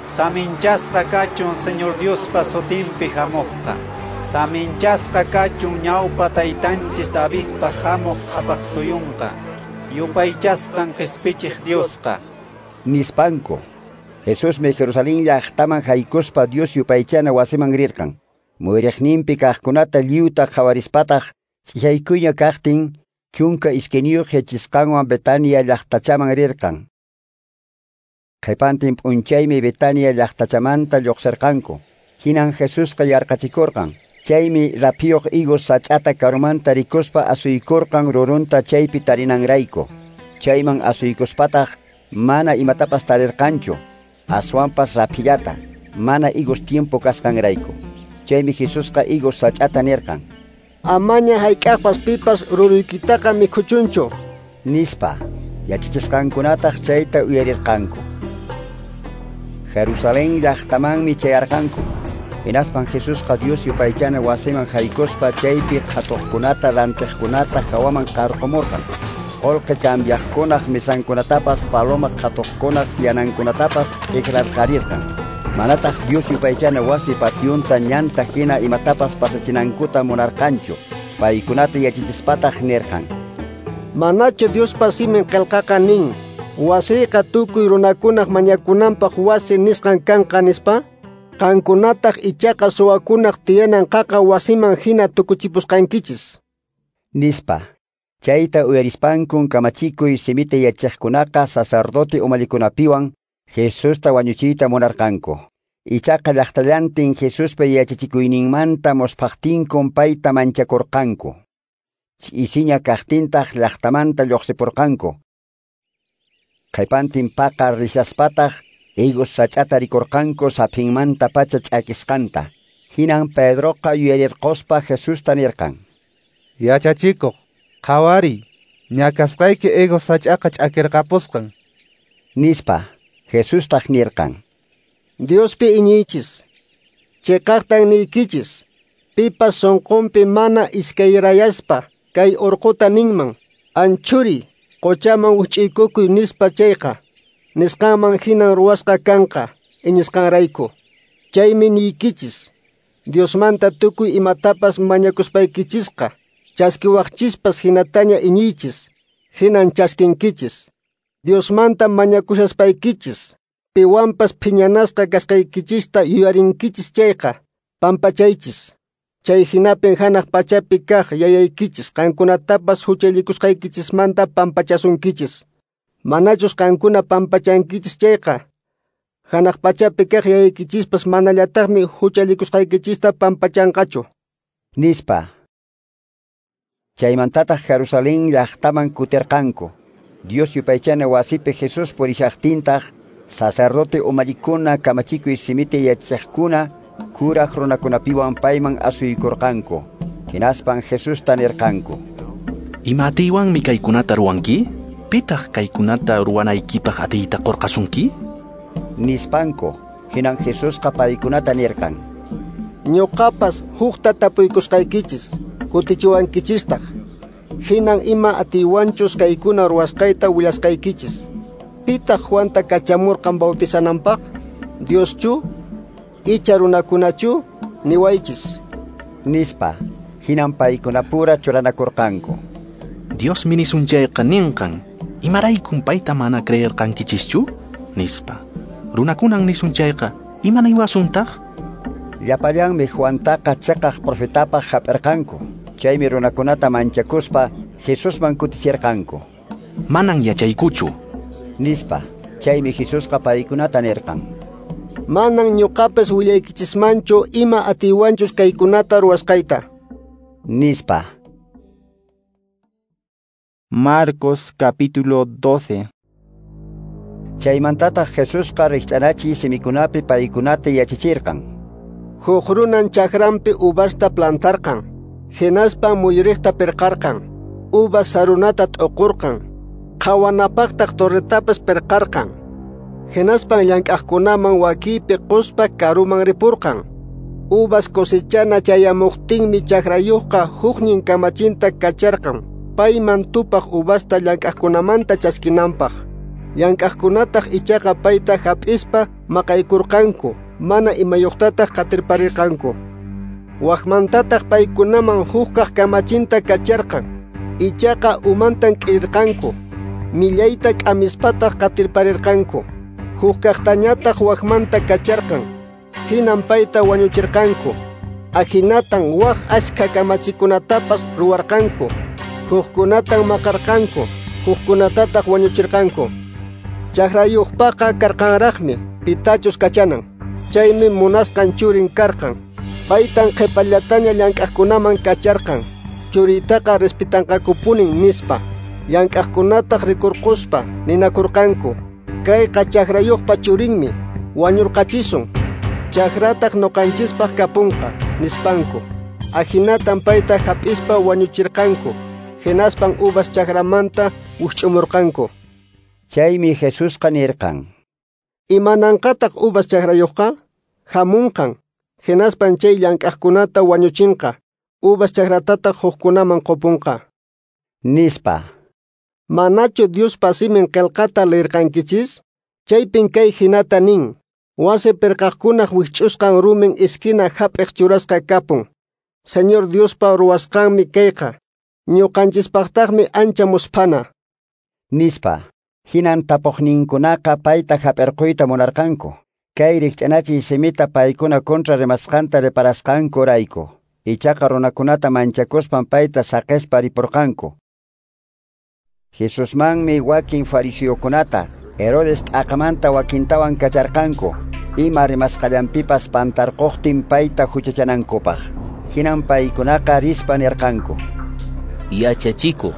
saminchasqa kachun Señor Diospa sutinpi hamuqqa. Saminchasqa kachun ñawpa taytanchis Davidpa hamuq qhapaq suyunqa, yupaychasqan qispichiq Diosqa. Nispanku. Jesusmi Jerusalén llaqtaman haykuspa Dios yupaychana wasiman rirqan. Muyriqninpi kaqkunata lliwta qhawarispataq ch'isaykuyña kaqtin 12 yachisqanwan Betania llaqtachaman rirqan. Qhipantin p'unchaymi Betania llaqtachamanta lluqsirqanku. Hinan Jesusqa yarqachikurqan. Chaymi raphiyuq higos sach'ata karumanta rikuspa asuykurqan rurunta chaypi tarinanrayku. Chayman asuykuspataq mana imatapas tarirqanchu, aswanpas raphillata, mana higos tiempo kasqanrayku. Chaymi Jesusqa higos sach'ata nirqan: Amaña hayk'aqpas pipas ruruykitaqa mikhuchunchu. Nispa. Yachachisqankunataq chayta uyarirqanku. Jerusalén llaqtamanmi chayarqanku. Hinaspan Jesusqa Dios yupaychana wasiman haykuspa chaypi qhatuqkunata rantiqkunata hawaman qarqumurqan. Qolqe cambiaqkunaq misankunatapas paloma qhatuqkunaq tiyanankunatapas t'ikrarqarirqan. Manataq Dios yupaychana wasi pationta ñanta hina imatapas pasachinankuta munarqanchu. Paykunata yachachispataq nirqan: Manachu Diospa simin qillqaqa nin, wasiyqa tukuy runakunaq mañakunanpaq wasi nisqan kanqa nispa? Qankunataq ichaqa suwakunaq tiyanan qaqa wasiman hina tukuchipusqankichis. Nispa. Chayta uyarispankun kamachikuy simita yachaqkunaqa sacerdote umalikunapiwan Jesusta wañuchiyta munarqanku. Ichaqa llaqtallantin Jesuspa yachachikuyninmanta musphaqtinkun payta manchakurqanku. Ch'isiña kaqtintaq llaqtamanta lluqsipurqanku. Qhipantin paqa rishaspataq higos sach'ata rikurqanku saphinmanta pacha ch'akisqanta. Hinan Pedroqa yuyarirquspa Jesusta nirqan: Yachachikuq, qhawariy, ñakasqayki higos sach'aqa ch'akirqapusqan. Nispa. Jesustaq nirqan: Diospi iñiychis, chiqaqtan niykichis, pipas sunqunpi mana iskayrayaspa kay urquta ninman: Anchuriy, qochaman wich'iykukuy nispa chayqa, nisqanman hinan ruwasqa kanqa iñisqanrayku. Chaymi niykichis, Diosmanta tukuy imatapas mañakuspaykichisqa, chaskiwaqchispas hinataña iñiychis, hinan chaskinkichis. Diosmanta mañakushaspaykichis, piwanpas phiñanasqa kasqaykichista yuyarinkichis chayqa, pampachaychis. Chay hinapin hanaq pachapi kaq yayaykichis qankunatapas huchallikusqaykichismanta pampachasunkichis. Manachus qankuna pampachankichis chayqa, hanaq pachapi kaq yayaykichispas manallataqmi huchallikusqaykichista pampachanqachu. Nispa. Chaymantataq Jerusalén llaqtaman kutirqanku. Dios yupaychana wasipi Jesús purishaqtintaq sacerdote umallikuna kamachikuy simita yachaqkuna kuraq runakunapiwan payman asuykurqanku. Hinaspan Jesusta nirqanku: Ima atiywanmi kaykunata ruwanki? Pitaq kaykunata ruwanaykipaq atiyta qurqasunki? Nispanku. Hinan Jesusqa paykunata nirqan: Ñuqapas hukta tapuykusqaykichis, kutichiwankichistaq. Hinan ima atiywanchus kaykuna ruwasqayta willasqaykichis. Pitaq Juanta kachamurqan bautizananpaq? Dioschu? Icha runakunachu? Niwaychis. Nispa. Hinan paykunapura churanakurqanku. Diosmi nisun chayqa ninqan, imaraykun payta mana creerqankichischu? Nispa. Runakunan nisun chayqa, imanaywasuntaq? Llapallanmi Juantaqa chiqaq profetapaq hap'irqanku. Chaymi runakunata manchakuspa Jesusman kutichirqanku: Manan yachaykuchu, nispa. Chaymi Jesusqa paykunata nirqan: Manan ñuqapas willaykichismanchu ima atiywanchus kaykunata ruwasqayta, nispa. Marcos capítulo 12. Chaymantataq Jesusqa rikch'anachiy simikunapi paykunata yachachirqan. Huk runan chakranpi uvasta plantarqan, hinaspa muyuriqta pirqarqan, uvas sarunata t'uqurqan, qhawanapaqtaq torretapas pirqarqan. Hinaspan llank'aqkunaman wakiypi quspa karuman ripurqan. Uvas cosechana chayamuqtinmi chakrayuqqa huknin kamachinta kacharqan, payman tupaq uvasta llank'aqkunamanta chaskinanpaq. Llank'aqkunataq ichaqa payta hap'ispa maqaykurqanku, mana imayuqtataq qatirparirqanku. Waqmantataq paykunaman hukkaq kamachinta kacharqan, ichaqa umantan k'irirqanku, millayta k'amispataq qatirparirqanku. Hukkaqtañataq waqmanta kacharqan, hinan payta wañuchirqanku. Ahinatan waq ashkha kamachikunatapas ruwarqanku, hukkunatan maqarqanku, hukkunatataq wañuchirqanku. Chakrayuqpaqa karqanraqmi pitachus kachanan, chaymi munasqan churin karqan. Paytan qhipallataña llank'aqkunaman kacharqan, churiytaqa respitanqakupunin nispa. Llank'aqkunataq rikurquspa ninakurqanku: Kayqa chakrayuqpa churinmi, wañurqachisun, chakrataq ñuqanchispaq kapunqa, nispanku. Ahinatan payta hap'ispa wañuchirqanku, hinaspan uvas chakramanta wikch'umurqanku. Chaymi Jesusqa nirqan: Imananqataq uvas chakrayuqqa? Hamunqan, hinaspan chay llank'aqkunata wañuchinqa, uvas chakratataq hukkunaman qupunqa, nispa. Manachu Diospa simin qillqata leerqankichis? Chaypin kay hinata nin: Wasi pirqaqkunaq wikch'usqan rumin esquina hap'iq churasqa kapun. Señor Diospa ruwasqanmi kayqa, ñuqanchispaqtaqmi ancha musphana, nispa. Hinan tapuqninkunaqa payta hap'irquyta munarqanku, kay rikch'anachiy simita paykuna kontra rimasqanta reparasqankurayku. Ichaqa runakunata manchakuspan payta saqispa ripurqanku. Jesusmanmi wakin fariseokunata Herodes t'aqamanta wakintawan kacharqanku, ima rimasqallanpipas pantarquqtin payta huchachanankupaq. Hinan paykunaqa rispa nirqanku: Yachachikuq,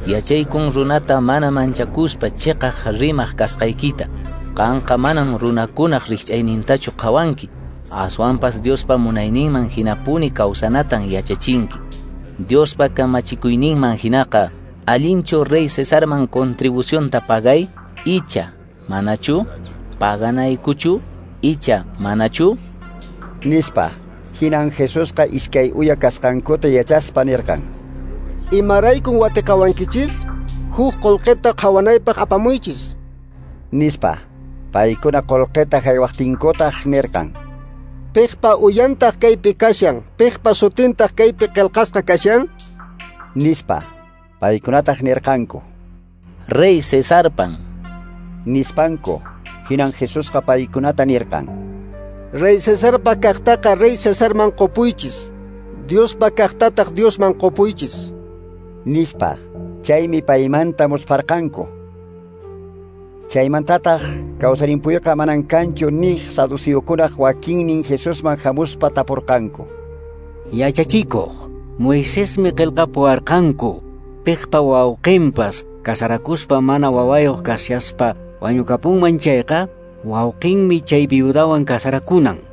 yachaykun runata mana manchakuspa chiqaq rimaq kasqaykita. Qanqa manan runakunaq rikch'aynintachu qhawanki, aswanpas Diospa munayninman hinapuni kawsanatan yachachinki. Diospa kamachikuyninman hinaqa, allinchu rey Cesarman contribucionta pagay, icha manachu? Paganaykuchu, icha manachu? Nispa. Hinan Jesusqa iskay uya kasqankuta yachaspa nirqan: Imaraykun watiqawankichis? Huk qullqita qhawanaypaq apamuychis, nispa. Paykuna qullqita haywaqtinkutaq nirqan: Piqpa uyantaq kaypi kashan, piqpa sutintaq kaypi qillqasqa kashan? Nispa. Paykunataq nirqanku: Rey Cesarpan, nispanku. Hinan Jesusqa paykunata nirqan: Rey Cesarpa kaqtaqa rey Cesarman qupuychis, Diospa kaqtataq Diosman qupuychis, nispa. Chaymi paymanta muspharqanku. Chaymantataq kawsarimpuyqa manan kanchu niq saduceokunaq wakinnin Jesusman hamuspa tapurqanku: Yachachikuq, Moisesmi qillqapuwarqanku, piqpa wawqinpas kasarakuspa mana wawayuq kashaspa wañukapunman chayqa, wawqinmi chay viudawan kasarakunan,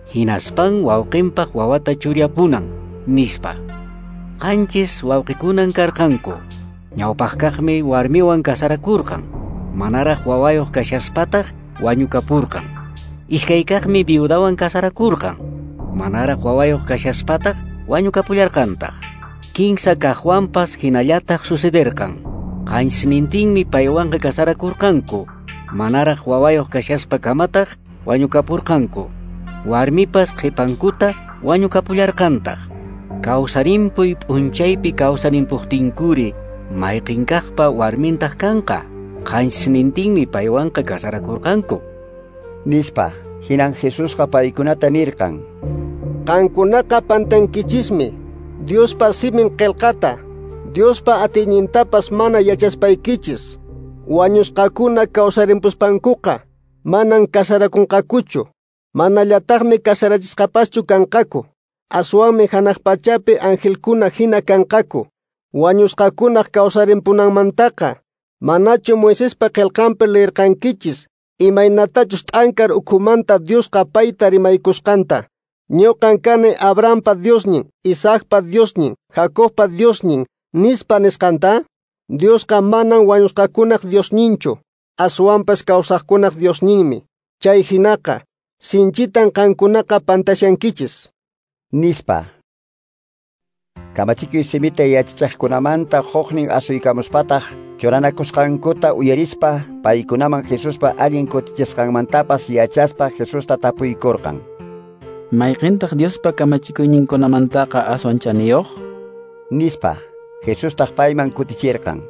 hinaspan wawqinpaq wawata churyapunan, nispa. Qanchis wawqikunan karqanku. Ñawpaqkaqmi warmiwan kasarakurqan, manaraq wawayuq kashaspataq wañukapurqan. Iskaykaqmi viudawan kasarakurqan, manaraq wawayuq kashaspataq wañukapullarqantaq. Kinsa kaqwanpas hinallataq sucederqan. Qanchisnintinmi paywanqa kasarakurqanku, manaraq wawayuq kashaspa kamataq wañukapurqanku. Warmipas qhipankuta wañukapullarqantaq. Kawsarimpuy p'unchaypi kawsarimpuqtinkuri mayqinkaqpa warmintaq kanqa? Qanchisnintinmi paywanqa kasarakurqanku, nispa. Hinan Jesusqa paykunata nirqan: Qankunaqa pantankichismi Diospa simin qillqata, Diospa atiynintapas mana yachaspaykichis. Wañusqakuna kawsarimpuspankuqa manan kasarakunqakuchu, manallataqmi kasarachisqapaschu kanqaku. Aswanmi hanaq pachapi angelkuna hina kanqaku. Wañusqakunaq kawsarimpunanmantaqa manachu Moisespa qillqanpi leerqankichis imaynatachus t'ankar ukhumanta Diosqa payta rimaykusqanta. Ñuqan kani Abrahampa Diosnin, Isaacpa Diosnin, Jacobpa Diosnin, nispa nisqanta? Diosqa manan wañusqakunaq Diosninchu, aswanpas kawsaqkunaq Diosninmi. Chay hinaqa, sinchitan qankunaqa pantashankichis. Nispa. Kamachikuy simita yachachiqkunamanta huknin asuykamuspataq churanakusqankuta uyarispa paykunaman Jesuspa allin kutichisqanmantapas yachaspa Jesusta tapuykurqan. Mayqintaq Diospa kamachikuyninkunamantaqa aswan chaniyuq? Nispa. Jesustaq payman kutichirqan.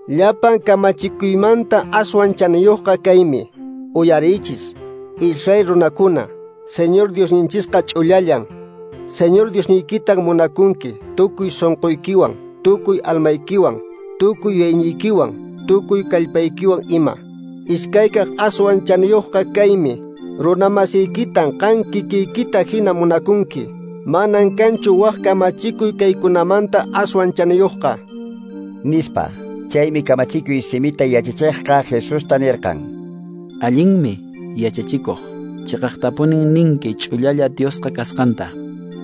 Llapan kamachikuymanta aswan chaniyuqqa kaymi. Uyariychis, Israel runakuna, Señor Diosninchisqa ch'ullallan. Señor Diosniykitan munakunki tukuy sunquykiwan, tukuy almaykiwan, tukuy yuyayniykiwan, tukuy kallpaykiwan ima. Iskaykaq aswan chaniyuqqa kaymi. Runamasiykitan qan kikiykita hina munakunki. Manan kanchu wak kamachikuy kaykunamanta aswan chaniyuqqa. Nispa. Chaymi kamachikuy simita yachachiqqa Jesusta nirqan. Allinmi, yachachikuq. Chiqaqtapunin ninki ch'ullalla Diosqa kasqanta.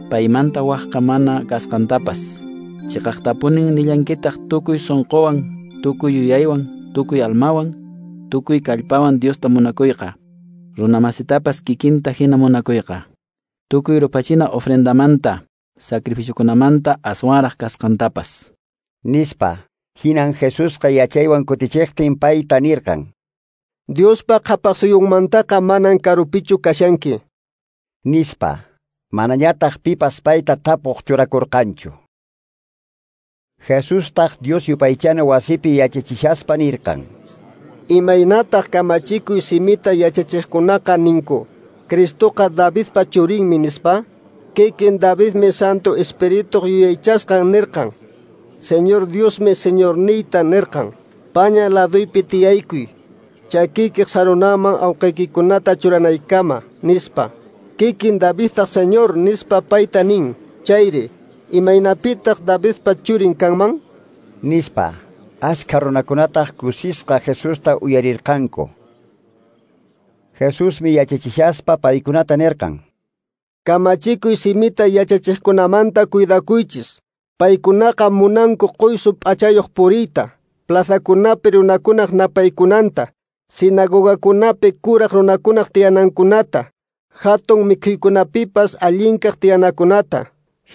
Paymanta waqqa mana kasqantapas. Chiqaqtapunin nillankitaq tukuy sunquwan, tukuy yuyaywan, tukuy almawan, tukuy kallpawan Diosta munakuyqa. Runamasitapas kikinta hina munakuyqa. Tukuy rupachina ofrendamanta, sacrificiokunamanta aswanraq kasqantapas. Nispa. Hinan Jesusqa yachaywan kutichiqtin payta nirqan. Diospa qhapaqsuyunmantaqa manan karupichu kashanki. Nispa. Manañataq pipas payta tapuq churakurqanchu. Jesustaq Dios yupaychana wasipi yachachishaspa nirqan. Imaynataq kamachikuy simita yachachiqkunaqa ninku, Cristoqa Davidpa churinmi nispa? Kikin Davidmi Santo Espirituq yuyaychasqan nirqan. Señor Diosmi Señorniyta nirqan. Paña laduypi tiyaykuy, chakiykiq sarunaman awqaykikunata churanaykama, nispa. Kikin Davidtaq Señor nispa payta nin. Chayri, imaynapitaq Davidpa churin kanman? Nispa. Askha runakunataq kusisqa Jesusta uyarirqanku. Jesusmi yachachishaspa paykunata nirqan. Kamachikuy simita yachachiqkunamanta cuidakuychis. Paykunaqa munanku quysu p'achayuq puriyta, plazakunapi runakunaq napaykunanta, sinagogakunapi kuraq runakunaq tiyanankunata, hatun mikhuykunapipas allinkaq tiyanakunata,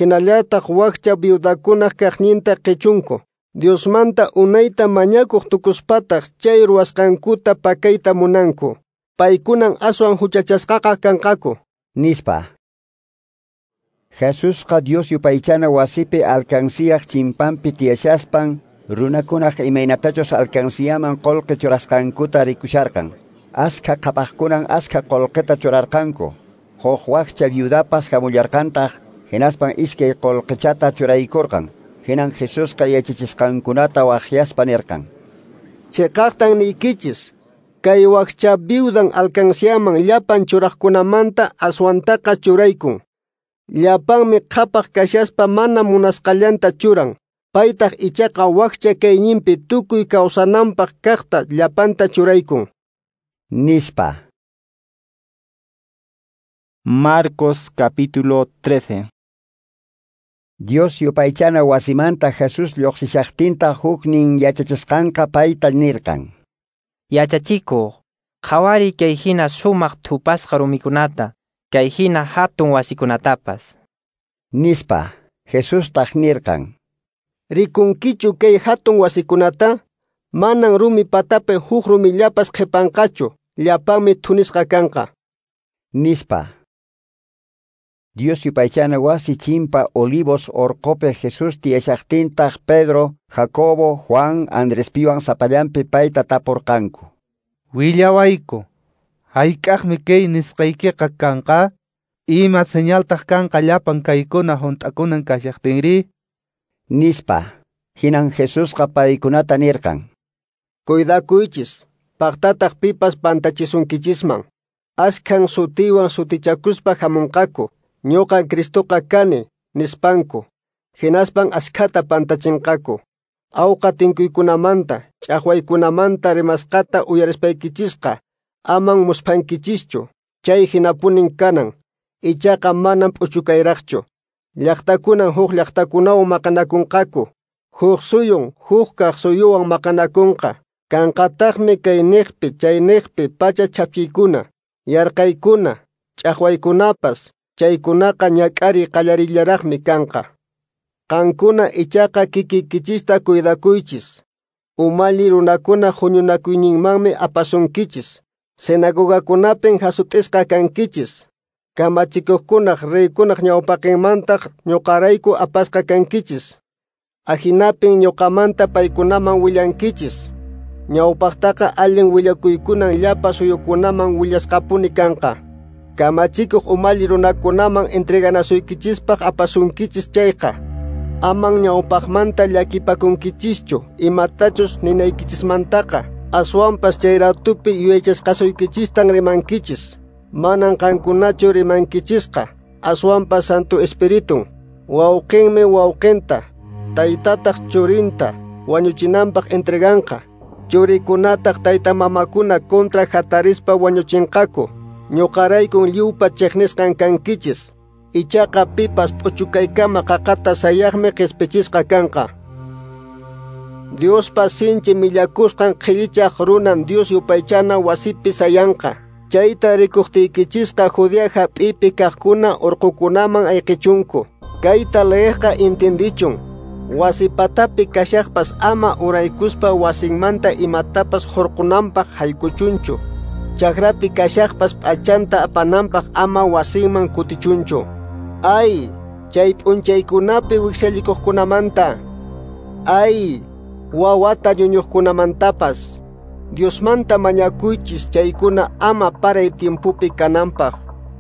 hinallataq wakcha viudakunaq kaqninta qichunku. Diosmanta unayta mañakuq tukuspataq chay ruwasqankuta pakayta munanku. Paykunan aswan huchachasqaqa kanqaku. Nispa. Jesusqa Dios yupaychana wasipi alcanciyaq chimpanpi tiyashaspan runakunaq imaynatachus alcanciyaman qolqe churasqankuta rikusharqan. Askha qhapaqkunan askha qolqeta churarqanku. Huk wakcha viudapas hamullarqantaq hinaspan iskay qolqechata churaykurqan. Hinan Jesusqa yachachisqankunata waqyaspa nirqan. Chiqaqtan niykichis, kay wakcha viudan alcanciyaman llapan churaqkunamanta aswantaqa churaykun. Llapanmi qhapaq kashaspa mana munasqallanta churan. Paytaq ichaqa wakcha kayninpi tukuy kawsananpaq kaqta llapanta churaykun. Nispa. Marcos capítulo 13. Dios yupaychana wasimanta Jesús lluqsishaqtinta huknin yachachisqanqa payta nirqan. Yachachikuq, qhawariy kay hina sumaq thupasqa rumikunata, kay hina hatun wasikunatapas. Nispa. Jesustaq nirqan. Rikunkichu kay hatun wasikunata? Manan rumi patapi huk rumillapas qhipanqachu, llapanmi thunisqa kanqa. Nispa. Dios yupaychana wasi chimpa Olivos orqopi Jesús tiyashaqtintaq Pedro, Jacobo, Juan, Andrespiwan sapallanpi payta tapurqanku. Willawayku, hayk'aqmi kay nisqaykiqa kanqa? Ima señaltaq kanqa llapan kaykuna hunt'akunan kashaqtinri? Nispa. Hinan Jesusqa paykunata nirqan: Cuidakuychis, paqtataq pipas pantachisunkichisman. Askhan sutiwan sutichakuspa hamunqaku, ñuqan Cristoqa kani, nispanku. Hinaspan askhata pantachinqaku. Awqa tinkuykunamanta, ch'aqwaykunamanta rimasqata uyarispaykichisqa, aman musphankichischu, chay hinapunin kanan, ichaqa manan p'uchukayraqchu. Llaqtakunan huk llaqtakunawan maqanakunqaku, huk suyun huk kaq suyuwan maqanakunqa. Kanqataqmi kay niqpi chay niqpi pacha chhapchiykuna, yarqaykuna, ch'aqwaykunapas, chaykunaqa ñak'ariy qallarillaraqmi kanqa. Qankuna ichaqa kikiykichista cuidakuychis. Umalli runakuna huñunakuyninmanmi apasunkichis. Sinagogakunapin hasut'isqa kankichis. Kamachikuqkunaq reykunaq ñawpaqinmantaq ñuqarayku apasqa kankichis. Ahinapin ñuqamanta paykunaman willankichis. Ñawpaqtaqa allin willakuykunan llapa suyukunaman willasqapuni kanqa. Kamachikuq umalli runakunaman entreganasuykichispaq apasunkichis chayqa, aman ñawpaqmanta llakipakunkichischu imatachus ninaykichismantaqa, aswanpas chay ratupi yuyaychasqasuykichistan rimankichis. Manan qankunachu rimankichisqa, aswanpas Santo Espiritun. Wawqinmi wawqinta, taytataq churinta wañuchinanpaq entreganqa. Churikunataq tayta mamakuna contra hatarispa wañuchinqaku. Ñuqaraykun lliwpa chiqnisqan kankichis. Ichaqa pipas p'uchukaykama qaqata sayaqmi qispichisqa kanqa. Diospa sinchi millakusqan qhillichaq runan Dios yupaychana wasipi sayanqa. Chayta rikuqtiykichisqa Judea hap'ipi kaqkuna urqukunaman ayqichunku. Kayta leeqqa intindichun. Wasi patapi kashaqpas ama uraykuspa wasinmanta imatapas hurqunanpaq haykuchunchu. Chakrapi kashaqpas p'achanta apananpaq ama wasinman kutichunchu. Ay, chay p'unchaykunapi wiksallikuqkunamanta. Ay, wawata ñuñuqkunamantapas. Diosmanta mañakuychis chaykuna ama paray tiempopi kananpaq.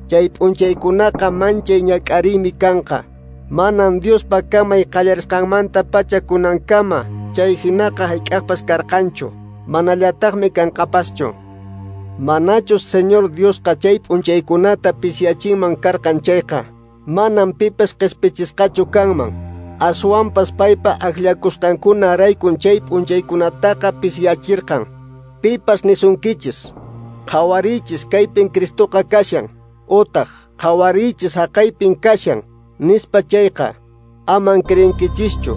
Chay p'unchaykunaqa manchay ñak'ariymi kanqa. Manan Diospa kamay qallarisqanmanta pacha kunankama chay hinaqa hayk'aqpas karqanchu, manallataqmi kanqapaschu. Manachus Señor Diosqa chay p'unchaykunata pisiyachinman karqan chayqa, manan pipas qispichisqachu kanman. Aswanpas paypa akllakusqankunaraykun chay p'unchaykunataqa pisiyachirqan. Pipas nisunkichis, qhawariychis kaypin Cristoqa kashan, utaq qhawariychis haqaypin kashan, nispa chayqa, aman creenkichischu.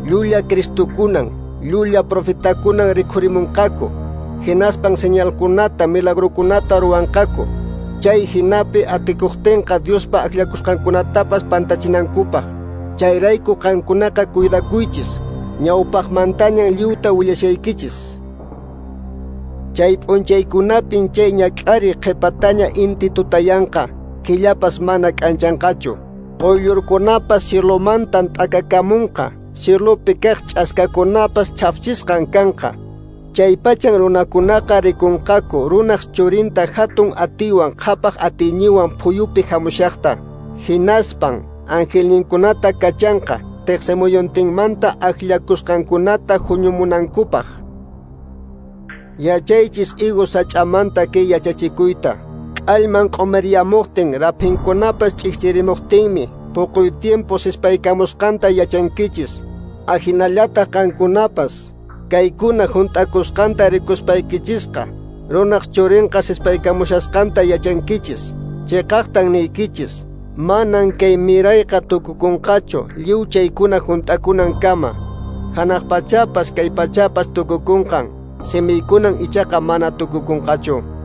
Llulla Cristokunan, llulla profetakunan rikhurimunqaku, hinaspan señalkunata, milagrokunata ruwanqaku, chay hinapi atikuqtinqa Diospa akllakusqankunatapas pantachinankupaq. Chayrayku qankunaqa cuidakuychis, ñawpaqmantañan lliwta willashaykichis. Chay p'unchaykunapin chay ñak'ariy qhipataña inti tutayanqa, killapas mana k'anchanqachu. Quyllurkunapas cielomantan t'akakamunqa, cielopi kaq ch'askakunapas chhafchisqan kanqa. Chaypachan runakunaqa rikunqaku runaq churinta hatun atiwan qhapaq atiyniwan phuyupi hamushaqta. Hinaspan angelninkunata kachanqa tiqsimuyuntinmanta akllakusqankunata huñumunankupaq. Yachaychis higo sach'amanta kay yachachikuyta. K'allman q'umiriyamuqtin raphinkunapas ch'ikchirimuqtinmi puquy tiempo sispaykamusqanta yachankichis. Ahinallataq qankunapas kaykuna hunt'akusqanta rikuspaykichisqa, runaq churinqa sispaykamushasqanta yachankichis. Chiqaqtan niykichis, manan kay mirayqa tukukunqachu lliw chaykuna hunt'akunankama. Hanaq pachapas kay pachapas tukukunqan, simiykunan ichaqa mana tukukunqachu.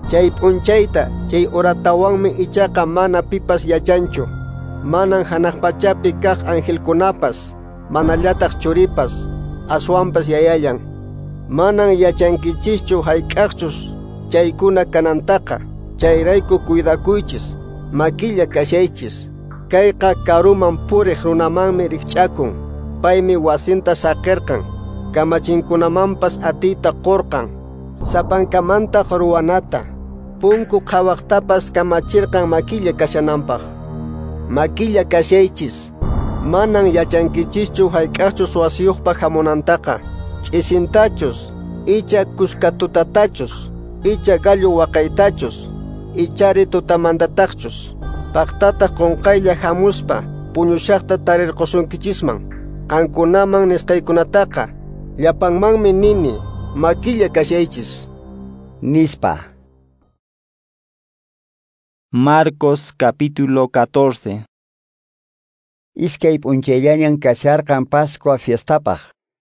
Chay p'unchayta, chay horatawanmi ichaqa mana pipas yachanchu. Manan hanaq pachapi kaq angelkunapas, manallataq churipas, aswanpas yayallan. Manan yachankichischu hayk'aqchus chaykuna kanantaqa. Chayrayku cuidakuychis, makilla kashaychis. Kayqa karuman puriq runamanmi rikch'akun. Paymi wasinta saqirqan, kamachinkunamanpas atiyta qurqan, sapankamantaq ruwanata. Punku qhawaqtapas kamachirqan makilla kashananpaq. Makilla kashaychis, Manan yachankichischu hayk'aqchus wasiyuqpa hamunantaqa, ch'isintachus, icha kuskatutatachus, icha gallo waqaytachus, ichari tutamantataqchus. Paqtataq qunqaylla hamuspa puñushaqta tarirqusunkichisman. Qankunaman nisqaykunataqa llapanmanmi nini, makilla kashaychis. Nispa. Marcos capítulo 14. Iskay p'unchayllañan kasharqan Pascua fiestapaq,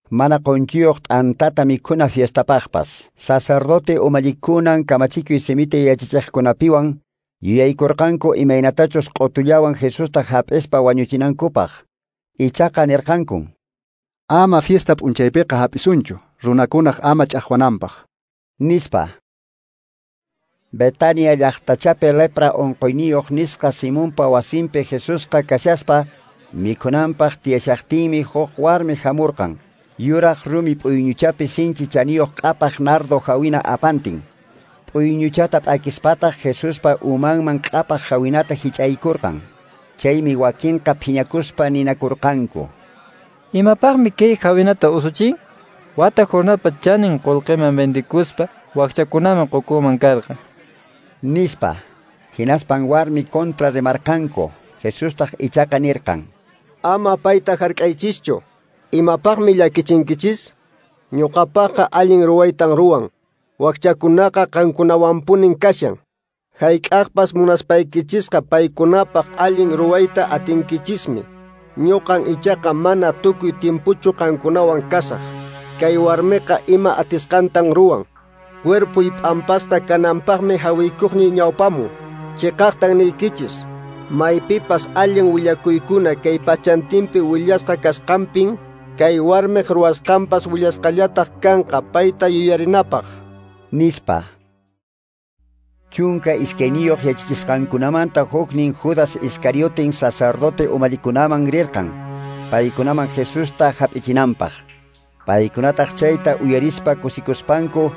mana qunchiyuq t'antata mikhuna fiestapaqpas. Sacerdote umallikunan kamachikuy simita yachachiqkunapiwan yuyaykurqanku imaynatachus q'utullawan Jesusta hap'ispa wañuchinankupaq. Ichaqa nirqankun: Ama fiesta p'unchaypiqa hap'isunchu, runakunaq ama ch'aqwananpaq. Nispa. Betania llaqtachapi lepra unquyniyuq nisqa Simonpa wasinpi Jesusqa kashaspa mikhunanpaq tiyashaqtinmi huk warmi hamurqan, yuraq rumi p'uyñuchapi sinchi chaniyuq q'apaq nardo hawina apantin. P'uyñuchata p'akispataq Jesuspa umanman q'apaq hawinata hich'aykurqan. Chaymi wakinqa phiñakuspa ninakurqanku: Imapaqmi kay hawinata usuchin? Wata jornalpa chanin qullqiman vendikuspa wakchakunaman qukunman karqan. Nispa. Hinaspan warmi kontra rimarqanku. Jesustaq ichaqa nirqan: Ama payta hark'aychischu. Imapaqmi llakichinkichis? Ñuqapaqqa allin ruwaytan ruwan. Wakchakunaqa qankunawanpunin kashan. Hayk'aqpas munaspaykichisqa paykunapaq allin ruwayta atinkichismi. Ñuqan ichaqa mana tukuy tiempuchu qankunawan kasaq. Kay warmiqa ima atisqantan ruwan. Cuerpuy p'ampasqa kananpaqmi hawiykuqniy ñawpamun. Chiqaqtan niykichis, maypipas allin willakuykuna kay pachantinpi willasqa kasqanpin, kay warmiq ruwasqanpas willasqallataq kanqa payta yuyarinapaq. Nispa. 12 yachachisqankunamanta huknin Judas Iscarioten sacerdote umallikunaman rirqan, paykunaman Jesusta hap'ichinanpaq. Paykunataq chayta uyarispa kusikuspanku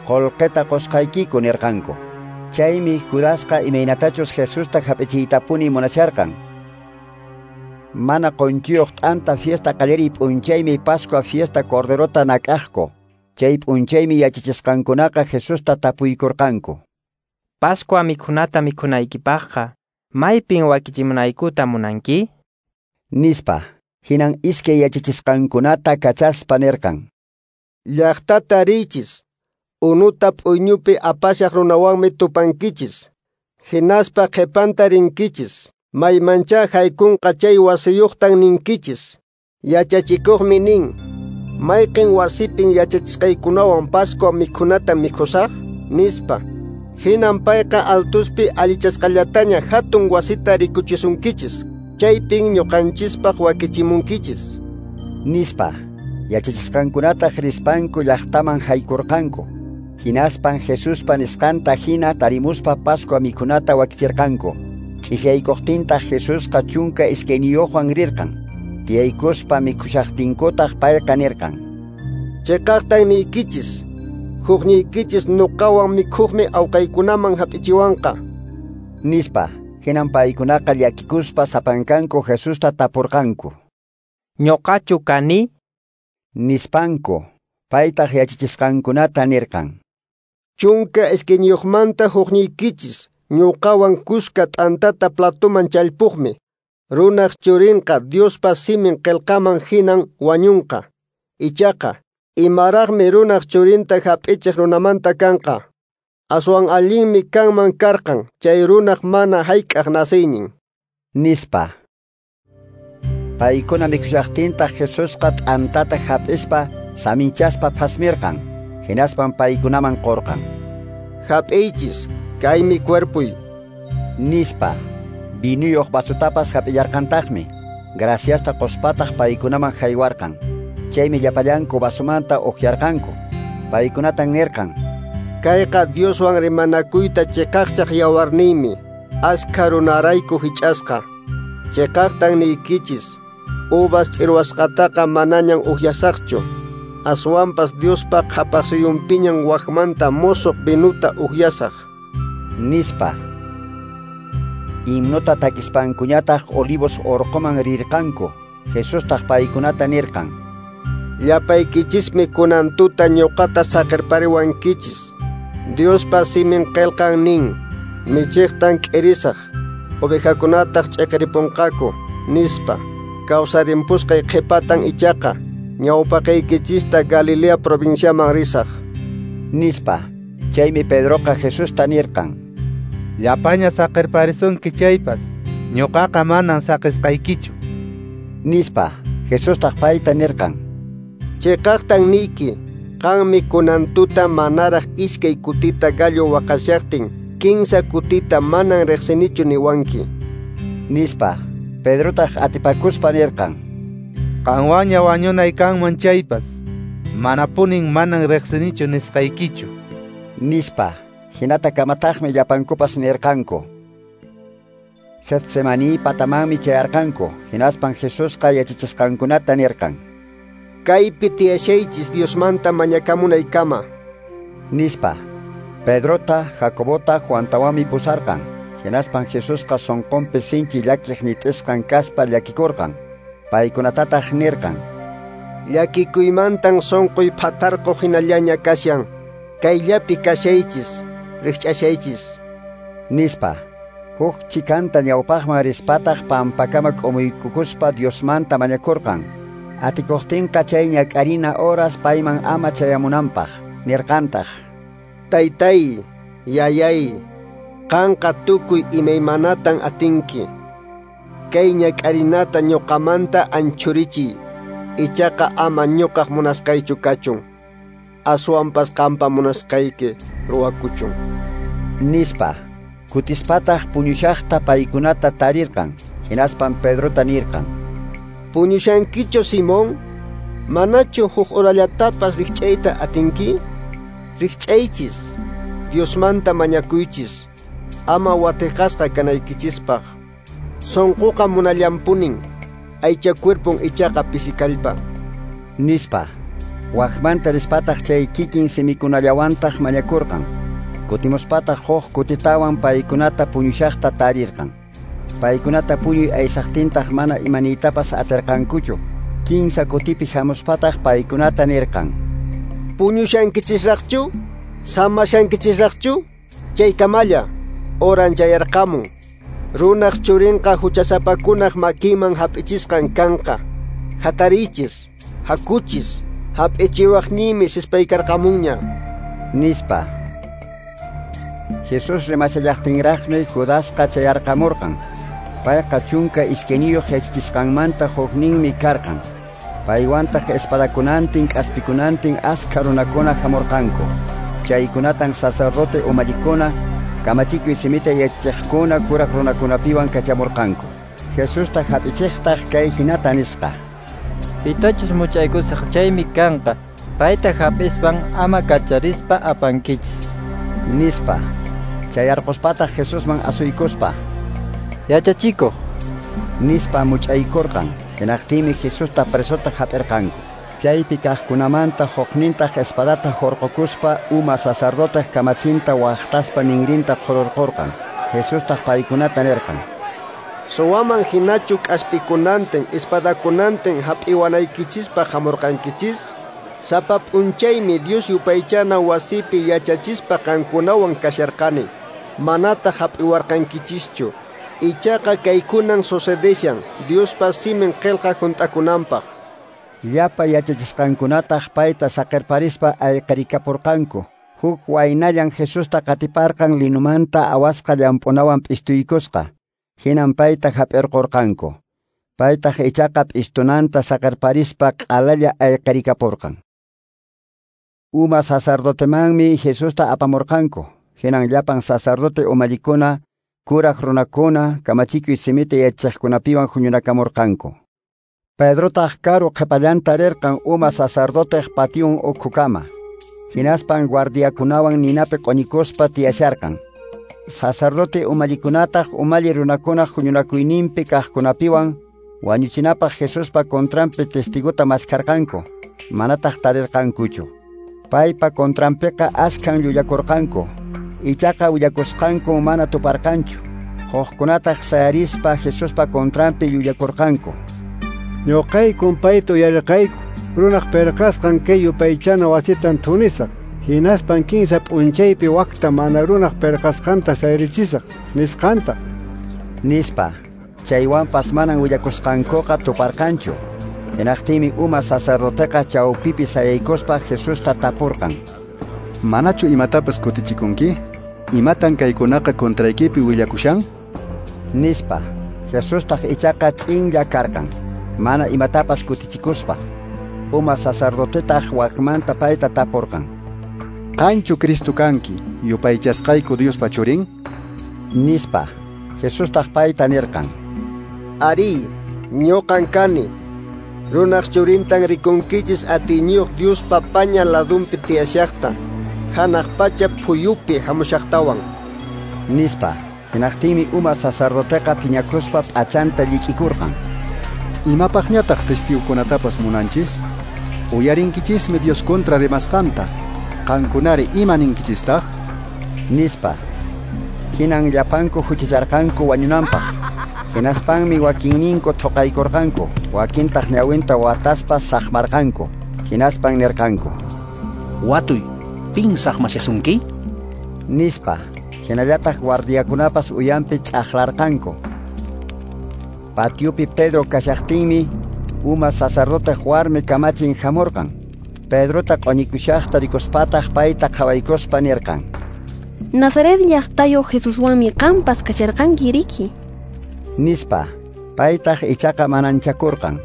qullqita qusqaykiku nirqanku. Chaymi Judasqa imaynatachus Jesusta hap'ichiytapuni munasharqan. Mana qunchiyuq t'anta fiesta qallariy p'unchaymi Pascua fiesta corderota nak'aqku. Chay p'unchaymi yachachisqankunaqa Jesusta tapuykurqanku: Pascua mikhunata mikhunaykipaqqa, maypin wakichimunaykuta munanki? Nispa. Hinan iskay yachachisqankunata kachaspa nirqan: Llaqtata riychis, unuta p'uyñupi apashaq runawanmi tupankichis. Hinaspa qhipanta rinkichis, maymanchá haykunqa chay wasiyuqtan ninkichis. Yachachikuqmi nin: Mayqin wasipin yachachisqaykunawan Pascua mikhunata mikhusaq? Nispa. Hinan payqa altuspi allichasqallataña hatun wasita rikuchisunkichis. Chaypin ñuqanchispaq wakichimunkichis. Nispa. Yachachisqankunataq rispanku llaqtaman haykurqanku. Hinaspan Jesuspa nisqanta hina tarimuspa Pascua mikhunata wakichirqanku. Ch'isiyaykuqtintaq Jesusqa 12wan rirqan. Tiyaykuspa mikhushaqtinkutaq payqa nirqan: Chiqaqtan niykichis, hukniykichis nuqawan mikhuqmi awqaykunaman hap'ichiwanqa. Nispa. Hinan paykunaqa llakikuspa sapankanku Jesusta tapurqanku: Ñuqachu kani? Nispanku. Paytaq yachachisqankunata nirqan: 12manta hukniykichis ñuqawan kuska t'antata platoman challpuqmi. Runaq churinqa Diospa simin qillqaman hinan wañunqa. Ichaqa, imaraqmi runaq churinta hap'ichiq runamanta kanqa. Aswan allinmi kanman karqan chay runaq mana hayk'aq nasiynin. Nispa. Paykuna mikhushaqtintaq Jesusqa t'antata hap'ispa saminchaspa phasmirqan. Hinaspan paykunaman qurqan: Hap'iychis, kaymi cuerpuy. Nispa. Vinuyuq vasutapas hap'illarqantaqmi. Graciasta quspataq paykunaman haywarqan. Chaymi llapallanku vasumanta ukyarqanku. Paykunatan nirqan: Kayqa Dioswan rimanakuyta chiqaqchaq yawarniymi, askha runarayku hich'asqa. Chiqaqtan niykichis, uvas ch'irwasqataqa manañan ukyasaqchu. Aswanpas Diospa qhapaqsuyunpiñan wakmanta musuq vinuta ukyasaq. Nispa. Himnota takispankuñataq Olivos orqoman rirqanku. Jesustaq paykunata nirqan: Llapaykichismi kunan tuta ñuqata saqerpariwankichis. Diospa simin qillqan nin: michiqtan k'irisaq, ovejakunataq ch'iqiripunqaku, nispa. Kawsarimpusqay qhipatan ichaqa ñawpaqaykichista Galilea provinciaman risaq, nispa. Chaymi Pedroqa Jesusta nirqan: Llapaña saqerparisunki chaypas, ñuqaqa manan saqisqaykichu, nispa. Jesustaq payta nirqan: Chiqaqtan niyki, qanmi kunan tuta manaraq iskay kutita gallo waqashaqtin, kinsa kutita manan riqsinichu niwanki, nispa. Pedrotaq atipakuspa nirqan: Qanwanña wañunay kanman chaypas, manapunin manan riqsinichu nisqaykichu, nispa. Hinata kamataqmi llapankupas nirqanku. Getsemaní patamanmi chayarqanku. Hinaspan Jesusqa yachachisqankunata nirqan: Kaypi tiyashaychis Diosmanta mañakamunaykama, nispa. Pedrota, Jacobota, Juantawanmi pusarqan. Hinaspan Jesusqa sonqonpi sinchi llakiq ñit'isqan kaspa llakikurqan. Paykunatataq nirqan: Llakikuymantan sonqoy phatarqu hinallaña kashan. Kayllapi kashaychis, rikch'ashaychis, nispa. Huk chikanta ñawpaqman rispataq pampakama k'umuykukuspa Diosmanta mañakurqan. Atikuqtinqa chay ñak'arina horas payman ama chayamunanpaq. Nirqantaq: Taytay, yayay, qanqa tukuy imaymanatan atinki. Kay ñak'arinata ñuqamanta anchurichiy. Ichaqa ama ñuqaq munasqaychu kachun. Aswanpas qampa munasqayki ruwakuchun, nispa. Kutispataq puñushaqta paykunata tarirqan. Hinaspan Pedrota nirqan: Puñushankichu, Simón? Manachu huk horallatapas rikch'ayta atinki? Rikch'aychis, Diosmanta mañakuychis, ama watiqasqa kanaykichispaq. Sonqoqa munallanpunin, aycha cuerpon ichaqa pisikallpa, nispa. Wakmanta rispataq chay kikin simikunallawantaq mañakurqan. Kutimuspataq huk kutitawan paykunata puñushaqta tarirqan. Paykunata puñuy aysaqtintaq mana imaniytapas atirqankuchu. Kinsa kutipi hamuspataq paykunata nirqan: Puñushankichisraqchu? Samashankichisraqchu? Chaykamalla, horan chayarqamun. Runaq churinqa huchasapakunaq makinman hap'ichisqan kanqa. Hatariychis, hakuchis, hap'ichiwaqniymi sispaykarqamunña, nispa. Jesús rimashallaqtinraqmi Judasqa chayarqamurqan. Payqa 12 yachachisqanmanta hukninmi karqan. Paywantaq espadakunantin k'aspikunantin askha runakuna hamurqanku. Chaykunatan sacerdote umallikuna, kamachikuy simita yachachiqkuna kuraq runakunapiwan kachamurqanku. Jesusta hap'ichiqtaq kay hinata nisqa: Pitachus much'aykusaq chaymi kanqa. Payta hap'ispan ama kacharispa apankichis, nispa. Chayarquspataq Jesusman asuykuspa: Yachachikuq, nispa much'aykurqan. Hinaqtinmi Jesusta presota hap'irqanku. Chaypi kaqkunamanta huknintaq espadata hurqukuspa uma sacerdoteq kamachinta waqtaspa ninrinta qhururqurqan. Jesustaq paykunata nirqan: Suwaman hinachu k'aspikunantin espadakunantin hap'iwanaykichispaq hamurqankichis? Sapa p'unchaymi Dios yupaychana wasipi yachachispa qankunawan kasharqani. Manataq hap'iwarqankichischu. Ichaqa kaykunan sucedeshan Diospa simin qillqa hunt'akunanpaq. Llapa yachachisqankunataq payta saqerparispa ayqirikapurqanku. Huk waynallan Jesusta qatiparqan linumanta awasqa llamp'unawan p'istuykusqa. Hinan payta hap'irqurqanku. Paytaq ichaqa p'istunanta saqerparispa q'alalla ayqirikapurqan. Uma sacerdotemanmi Jesusta apamurqanku. Hinan llapan sacerdote umallikuna, kuraq runakuna, kamachikuy simita yachachiqkunapiwan huñunakamurqanku. Pedrotaq karu qhipallanta rirqan uma sacerdoteq patiyun ukhukama. Hinaspan guardiakunawan ninapi q'uñikuspa tiyasharqan. Sacerdote umallikunataq umalli runakunaq huñunakuyninpi kaqkunapiwan wañuchinapaq Jesuspa contranpi testigota maskharqanku, manataq tarirqankuchu. Paypa contranpiqa askhan llullakurqanku, ichaqa willakusqanku mana tuparqanchu. Hukkunataq sayarispa Jesuspa contranpi llullakurqanku. Ñuqaykun payta uyarirqayku, runaq pirqasqan kay yupaychana wasitan thunisaq, hinaspan 15 p'unchaypi wakta mana runaq pirqasqanta sayarichisaq, nisqanta. Nispa. Chaywanpas manan willakusqankuqa tuparqanchu. Hinaqtinmi uma sacerdoteqa chawpipi sayaykuspa Jesusta tapurqan. Manachu imatapas kutichikunki? Imatan kaykunaqa contraykipi willakushan? Nispa. Jesustaq ichaqa ch'inlla karqan, mana imatapas kutichikuspa. Uma sacerdotetaq wakmanta payta tapurqan. Qanchu Cristo kanki, yupaychasqayku Diospa churin? Nispa. Jesustaq payta nirqan. Arí, ñuqan kani. Runaq churintan rikunkichis atiyniyuq Diospa paña ladunpi tiyashaqta, hanaq pacha phuyupi hamushaqtawan. Nispa. Hinaqtinmi uma sacerdoteqa phiñakuspa p'achanta llik'ikurqan. Imapaqñataq testigukunatapas munanchis? Uyarinkichismi Dios contra rimasqanta. Qankunari ima ninkichistaq? Nispa. Hinan llapanku huchacharqanku wañunanpaq. Hinaspanmi wakinninku thuqaykurqanku, wakintaq ñawinta wataspa saqmarqanku. Hinaspan nirqanku: Watuy, pin saqmashasunki? Nispa. Hinallataq guardiakunapas uyanpi ch'aqlarqanku. Patiopi Pedro kashaqtinmi uma sacerdote warmi kamachin hamurqan. Pedrota q'uñikushaqta rikuspataq payta qhawaykuspa nirqan: Nazaret llaqtayuq Jesuswanmi qampas kasharqanki riki. Nispa. Paytaq ichaqa mananchakurqan.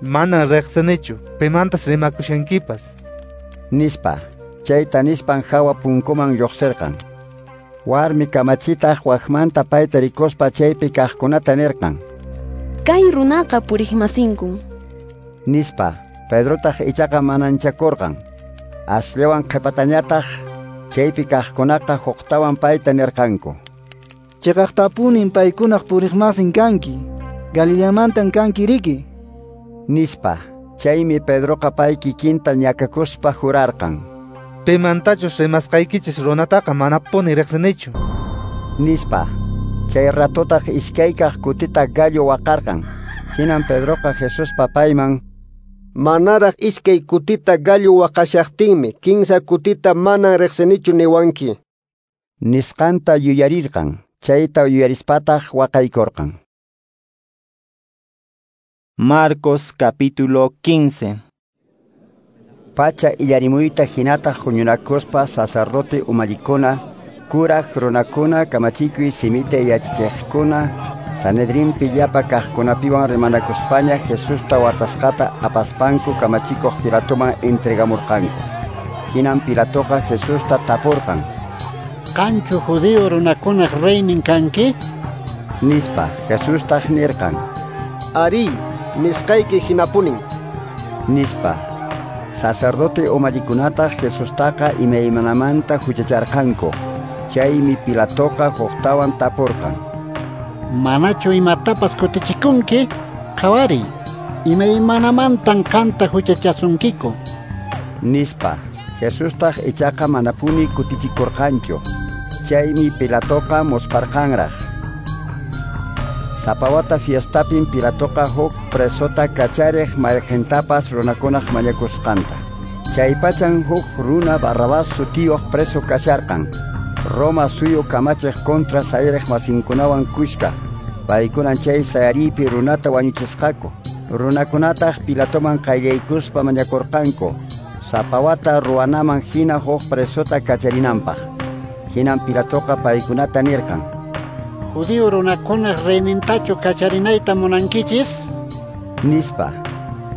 Manan riqsinichu, pimantas rimakushankipas. Nispa. Chayta nispan hawa punkuman lluqsirqan. Warmi kamachitaq wakmanta payta rikuspa chaypi kaqkunata nirqan: Kay runaqa puriqmasinkun. Nispa. Pedrotaq ichaqa mananchakurqan. Asllawan qhipatañataq chaypi kaqkunaqa huqtawan payta nirqanku: Chiqaqtapunin paykunaq puriqmasin kanki, Galileamantan kanki riki. Nispa. Chaymi Pedroqa pay kikinta ñakakuspa jurarqan: Pimantachus rimasqaykichis runataqa manapuni riqsinichu. Nispa. Chay ratotaq iskaykaq kutita gallo waqarqan. Hinan Pedroqa Jesuspa payman: Manaraq iskay kutita gallo waqashaqtinmi 15 kutita manan riqsinichu niwanki. Nisqanta yuyarirqan. Chayta yuyarispataq waqaykurqan. Marcos capítulo 15. Pacha illarimuyta hinataq huñunakuspa sacerdote umallikuna, kuraq runakuna, kamachikuy simita yachachiqkuna, Sanedrinpi llapa kaqkunapiwan rimanakuspaña Jesusta watasqata apaspanku kamachikuq Pilatoman entregamurqanku. Hinan Pilatoqa Jesusta tapurqan: Qanchu judío runakunaq reynin kanki? Nispa. Jesustaq nirqan: Arí, nisqayki hinapunin. Nispa. Sacerdote umallikunataq Jesustaqa imaymanamanta huchacharqanku. Chaymi Pilatoqa huqtawan tapurqan: Manachu imatapas kutichikunki? Qhawariy, imaymanamantan qanta huchachasunkiku. Nispa. Jesustaq ichaqa manapuni kutichikurqanchu. Chaymi Pilatoqa musparqanraq. Sapa wata fiestapin Pilatoqa huk presota kachariq mayqintapas runakunaq mañakusqanta. Chaypachan huk runa Barrabás sutiyuq preso kasharqan. Roma suyu kamachiq contra sayariq masinkunawan kushka. Paykunan chay sayariypi runata wañuchisqaku. Runakunataq Pilatoman qayllaykuspa mañakurqanku sapa wata ruwanaman hina huk presota kacharinanpaq. Hinan Pilatoqa paykunata nirqan: Judío runakunaq reynintachu kacharinayta munankichis? Nispa.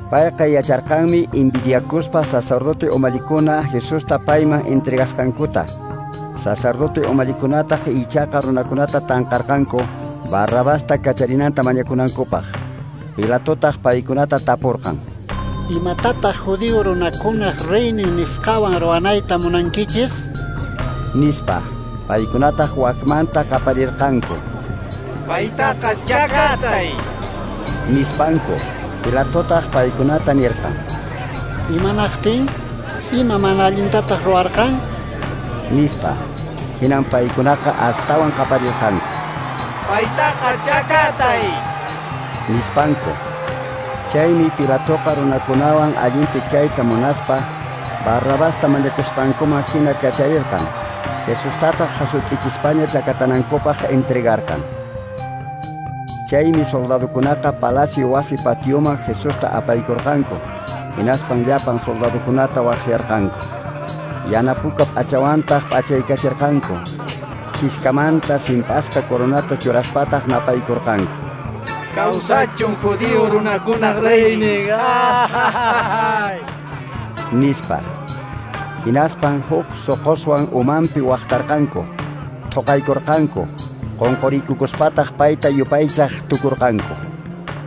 Payqa yacharqanmi envidiakuspa sacerdote umallikuna Jesusta payman entregasqankuta. Sacerdote umallikunataq ichaqa runakunata tanqarqanku Barrabasta kacharinanta mañakunankupaq. Pilatotaq paykunata tapurqan: Imatataq judío runakunaq reynin nisqawan ruwanayta munankichis? Nispa. Paykunataq wakmanta qaparirqanku: Paytaqa chakatay! Nispanku. Pilatotaq paykunata nirqan: Imanaqtin? Ima mana allintataq ruwarqan? Nispa. Hinan paykunaqa astawan qaparirqanku: Paytaqa chakatay! Nispanku. Chaymi Pilatoqa runakunawan allinpi kayta munaspa Barrabasta mañakusqankuman hina kacharirqan. Jesustataq hasut'ichispaña chakatanankupaq entregarqan. Chaymi soldadukunaqa palacio wasi patioman Jesusta apaykurqanku. Hinaspan llapan soldadukunata waqyarqanku. Yana puka p'achawantaq p'achaykachirqanku. Kiskamanta simp'asqa coronata churaspataq napaykurqanku. Kawsachun judío runakunaq reynin! Nispa. Hinaspan huk soqoswan umanpi waqtarqanku, thoqaykurqanku, qonqoriykukuspataq payta yupaychaq tukurqanku.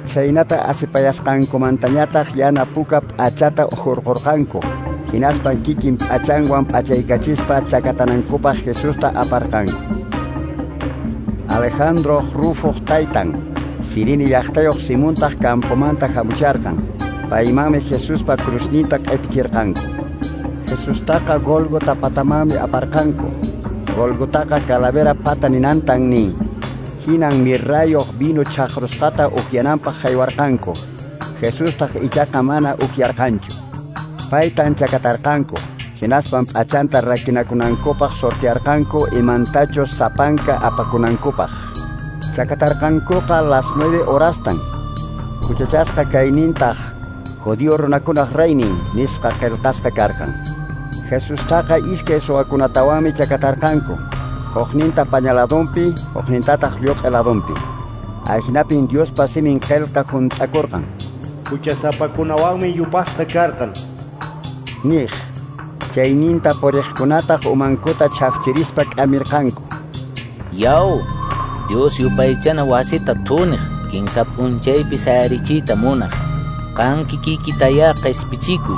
Chaynata asipayasqankumantañataq yana puka p'achata hurqurqanku. Hinaspan kikin p'achanwan p'achaykachispa chakatanankupaq Jesusta aparqanku. Alejandro Rufoq taytan, Sirini llaqtayuq Simontaq campomanta hamusharqan. Paymanmi Jesuspa cruzninta q'ipichirqanku. Jesustaqa Gólgota patamanmi aparqanku. Gólgotaqa calavera pata ninantan nin. Hinan mirrayuq vino chaqrusqata upyananpaq haywarqanku. Jesustaq ichaqa mana upyarqanchu. Paytan chakatarqanku. Hinaspan p'achanta rakinakunankupaq sortearqanku imantachus sapanka apakunankupaq. Chakatarqankuqa las 9 horastan. Huchachasqa kaynintaq judío runakunaq reynin nisqa qillqasqa karqan. Jesustaqa iskay suwakunatawanmi chakatarqanku. Hukninta pañaladunpi, huknintataq lluq'i ladunpi. Ahinapin Diospa simin qillqa hunt'akurqan. Huchasapakunawanmi yupasqa karqan. Niq. Chayninta puriqkunataq umankuta chhafchirispa k'amirqanku. Yaw, Dios yupaychana wasita thuniq, kinsa p'unchaypi sayarichiyta munaq. Qan kikikitayá q'ispichikuy,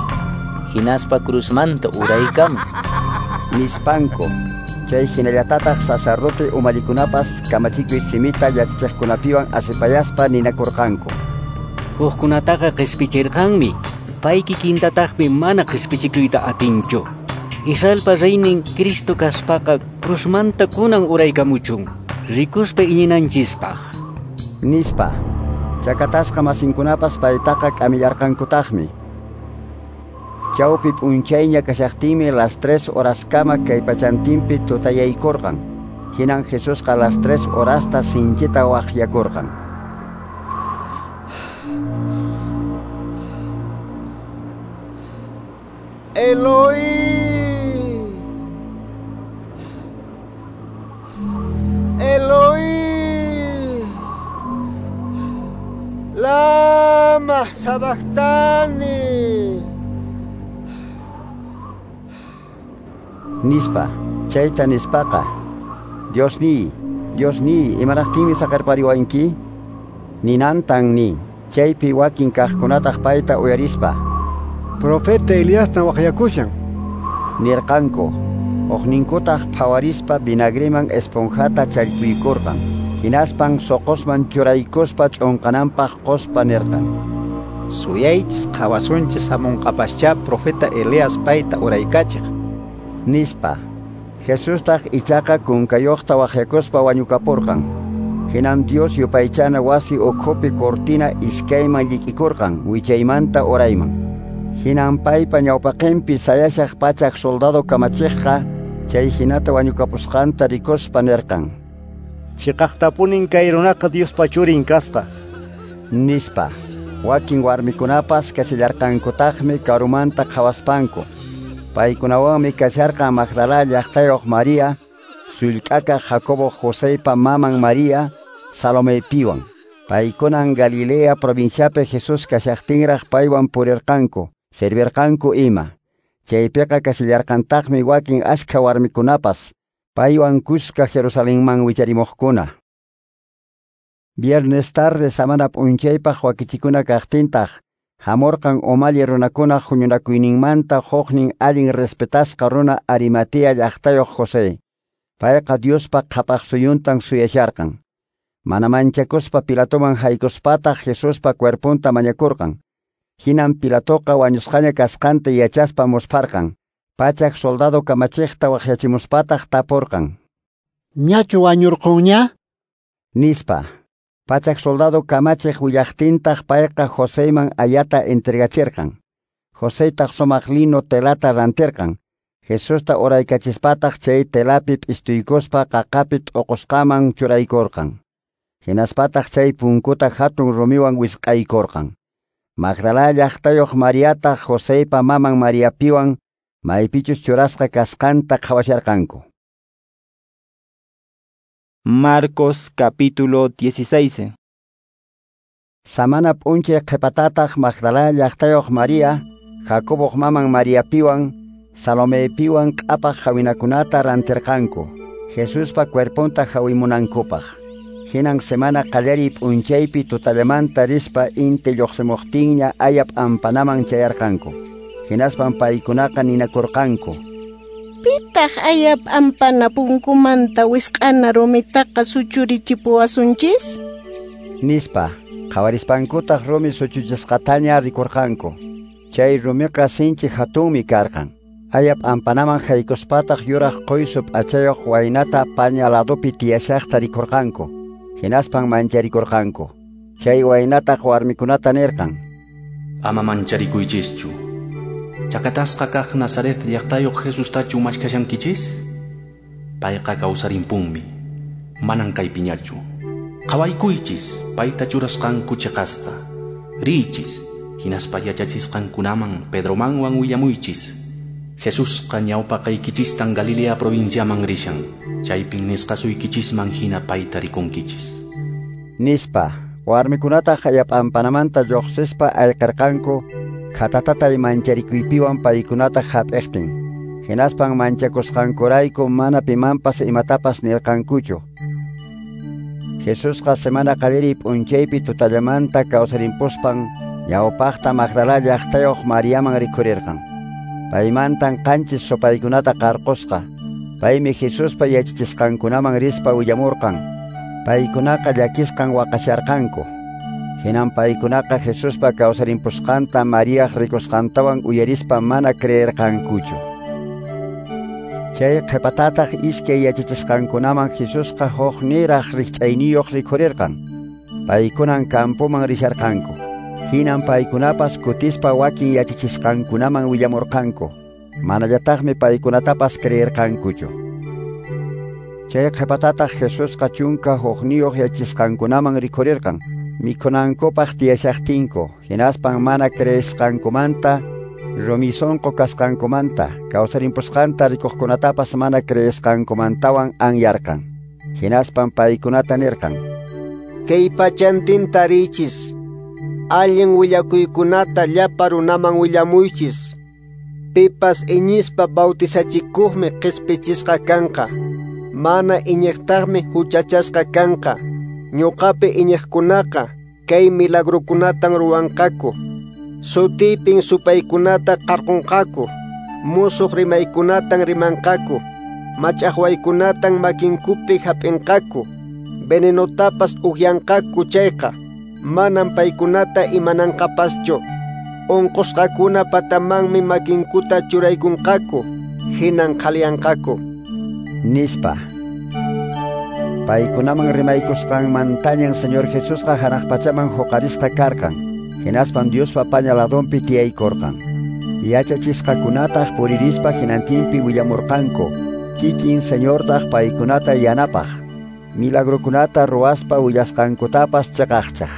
hinaspa cruzmanta uraykamuy. Nispanku. Chay hinallatataq sacerdote umallikunapas kamachikuy simita yachachiqkunapiwan asipayaspa ninakurqanku. Hukkunataqa q'ispichirqanmi, pay kikintataqmi mana q'ispichikuyta atinchu. Israelpa reynin Cristo kaspaqa cruzmanta kunan uraykamuchun, rikuspa iñinanchispaq. Nispa. Chakatasqa masinkunapas paytaqa k'amillarqankutaqmi. Chawpi p'unchayña kashaqtinmi las 3 horaskama kay pachantinpi tutayaykurqan. Hinan Jesusqa las 3 horasta sinchita waqyakurqan. Eloi, Eloi, lama sabachthani. Nispa, chayta nispaqa, Diosniy, Diosniy, imanaqtinmi saqerpariwanki? Ninantan nin. Chaypi wakin kaqkunataq payta uyarispa, Profeta Eliastan waqyakushan, nirqanku. Hukninkutaq phawarispa vinagreman esponjata challpuykurqan. Hinaspan soqosman churaykuspa ch'unqananpaq qospa nirqan. Suyaychis qhawasunchis hamunqapaschá profeta Elías payta uraykachiq. Nispa. Jesustaq ichaqa kunkayuqta waqyakuspa wañukapurqan. Hinan Dios yupaychana wasi ukhupi cortina iskayman llik'ikurqan wichaymanta urayman. Hinan paypa ñawpaqinpi sayashaq pachak soldado kamachiqqa chay hinata wañukapusqanta rikuspa nirqan. Chiqaqtapunin kay runaqa Diospa churin kasqa. Nispa. Wakin warmikunapas kashallarqankutaqmi karumanta qhawaspanku. Paykunawanmi kasharqan Magdala llaqtayuq María, sullk'akaq Jacobo Joseypa maman María, Salomepiwan. Paykunan Galilea provinciapi Jesús kashaqtinraq paywan purirqanku, servirqanku ima. Chaypiqa kashallarqantaqmi wakin ashkha warmikunapas, paywan kuska Jerusalenman wicharimuqkuna. Viernes tarde samana p'unchaypaq wakichikuna kaqtintaq, hamurqan umalli runakunaq huñunakuyninmanta huknin allin respetasqa runa Arimatea llaqtayuq José. Payqa Diospa qhapaq suyuntan suyasharqan. Mana manchakuspa Pilatoman haykuspataq Jesuspa cuerponta mañakurqan. Hinan Pilatoqa wañusqaña kasqanta yachaspa muspharqan. Pachak soldado kamachiqta waqyachimuspataq tapurqan. Ñachu wañurqunña? Nispa. Pachak soldado kamachiq willaqtintaq payqa Joseyman ayata entregachirqan. Joseytaq sumaq lino telata rantirqan. Jesusta uraykachispataq chay telapi p'istuykuspa qaqapi t'uqusqaman churaykurqan. Hinaspataq chay punkuta hatun rumiwan wisq'aykurqan. Magdala llaqtayuq Mariataq Joseypa maman Mariapiwan maypichus churasqa kasqanta qhawasharqanku. Marcos capítulo 16. Samana p'unchay qhipatataq Magdala llaqtayuq Maria, Jacoboq maman Mariapiwan, Salomepiwan q'apaq hawinakunata rantirqanku, Jesuspa cuerponta hawimunankupaq. Hinan semana qallariy p'unchaypi tutallamanta rispa inti lluqsimuqtinña aya p'ampanaman chayarqanku. Hinaspan paykunaqa ninakurqanku: Pitaq aya p'ampana punkumanta wisq'ana rumitaqa suchurichipuwasunchis? Nispa. Qhawarispankutaq rumi suchuchisqataña rikurqanku. Chay rumiqa sinchi hatunmi karqan. Aya p'ampanaman haykuspataq yuraq quysu p'achayuq waynata paña ladopi tiyashaqta rikurqanku. Hinaspan mancharikurqanku. Chay waynataq warmikunata nirqan: Ama mancharikuychischu. Chakatasqa kaq Nazaret llaqtayuq Jesustachu mashkashankichis? Payqa kawsarimpunmi. Manan kaypiñachu. Qhawaykuychis payta churasqanku chiqasta. Riychis, hinaspa yachachisqankunaman Pedromanwan willamuychis. Jesusqa ñawpaqaykichistan Galilea provinciaman rishan. Chaypin nisqasuykichisman hina payta rikunkichis. Nispa, warmikunataq aya p'ampanamanta lluqsispa ayqirqanku, khatatatay mancharikuypiwan paykunata hap'iqtin. Hinaspan manchakusqankurayku mana pimanpas imatapas nirqankuchu. Jesusqa semana qallariy p'unchaypi tutallamanta kawsarimpuspan ñawpaqta Magdala llaqtayuq Mariaman rikhurirqan. Paymantan qanchis supaykunata qarqusqa. Paymi Jesuspa yachachisqankunaman rispa willamurqan. Paykunaqa llakisqan waqasharqanku. Hinan paykunaqa Jesuspa kawsarimpusqanta Mariaq rikusqantawan uyarispa mana creerqankuchu. Chay qhipatataq iskay yachachisqankunaman Jesusqa huk niraq rikch'ayniyuq rikhurirqan. Paykunan campoman risharqanku. Hinan paykunapas kutispa wakin yachachisqankunaman willamurqanku. Manallataqmi paykunatapas creerqankuchu. Chay qhipatataq Jesusqa 11 yachachisqankunaman rikhurirqan. Mikhunankupaq tiyashaqtinku, hinaspan mana creesqankumanta, rumi sunqu kasqankumanta, kawsarimpusqanta rikuqkunatapas mana creesqankumantawan anyarqan. Hinaspan paykunata nirqan: Kay pachantinta riychis, allin willakuykunata llapa runaman willamuychis. Pipas iñispa bautizachikuqmi qispichisqa kanqa, mana iñiqtaqmi huchachasqa kanqa. Ñuqapi iñiqkunaqa kay milagrukunatan ruwanqaku. Sutiypin supaykunata qarqunqaku, musuq rimaykunatan rimanqaku, mach'aqwaykunatan makinkupi hap'inqaku, venenotapas upyanqaku chayqa, manan paykunata imananqapaschu. Unqusqakuna patamanmi makinkuta churaykunqaku, hinan qhaliyanqaku. Nispa. Paykunaman rimaykusqanmantañan Señor Jesusqa hanaq pachaman huqarisqa karqan. Hinaspan Diospa paña ladonpi tiyaykurqan. Yachachisqakunataq puririspa hinantinpi willamurqanku. Kikin Señortaq paykunata yanapaq. Milagrukunata ruwaspa willasqankutapas chiqaqchaq.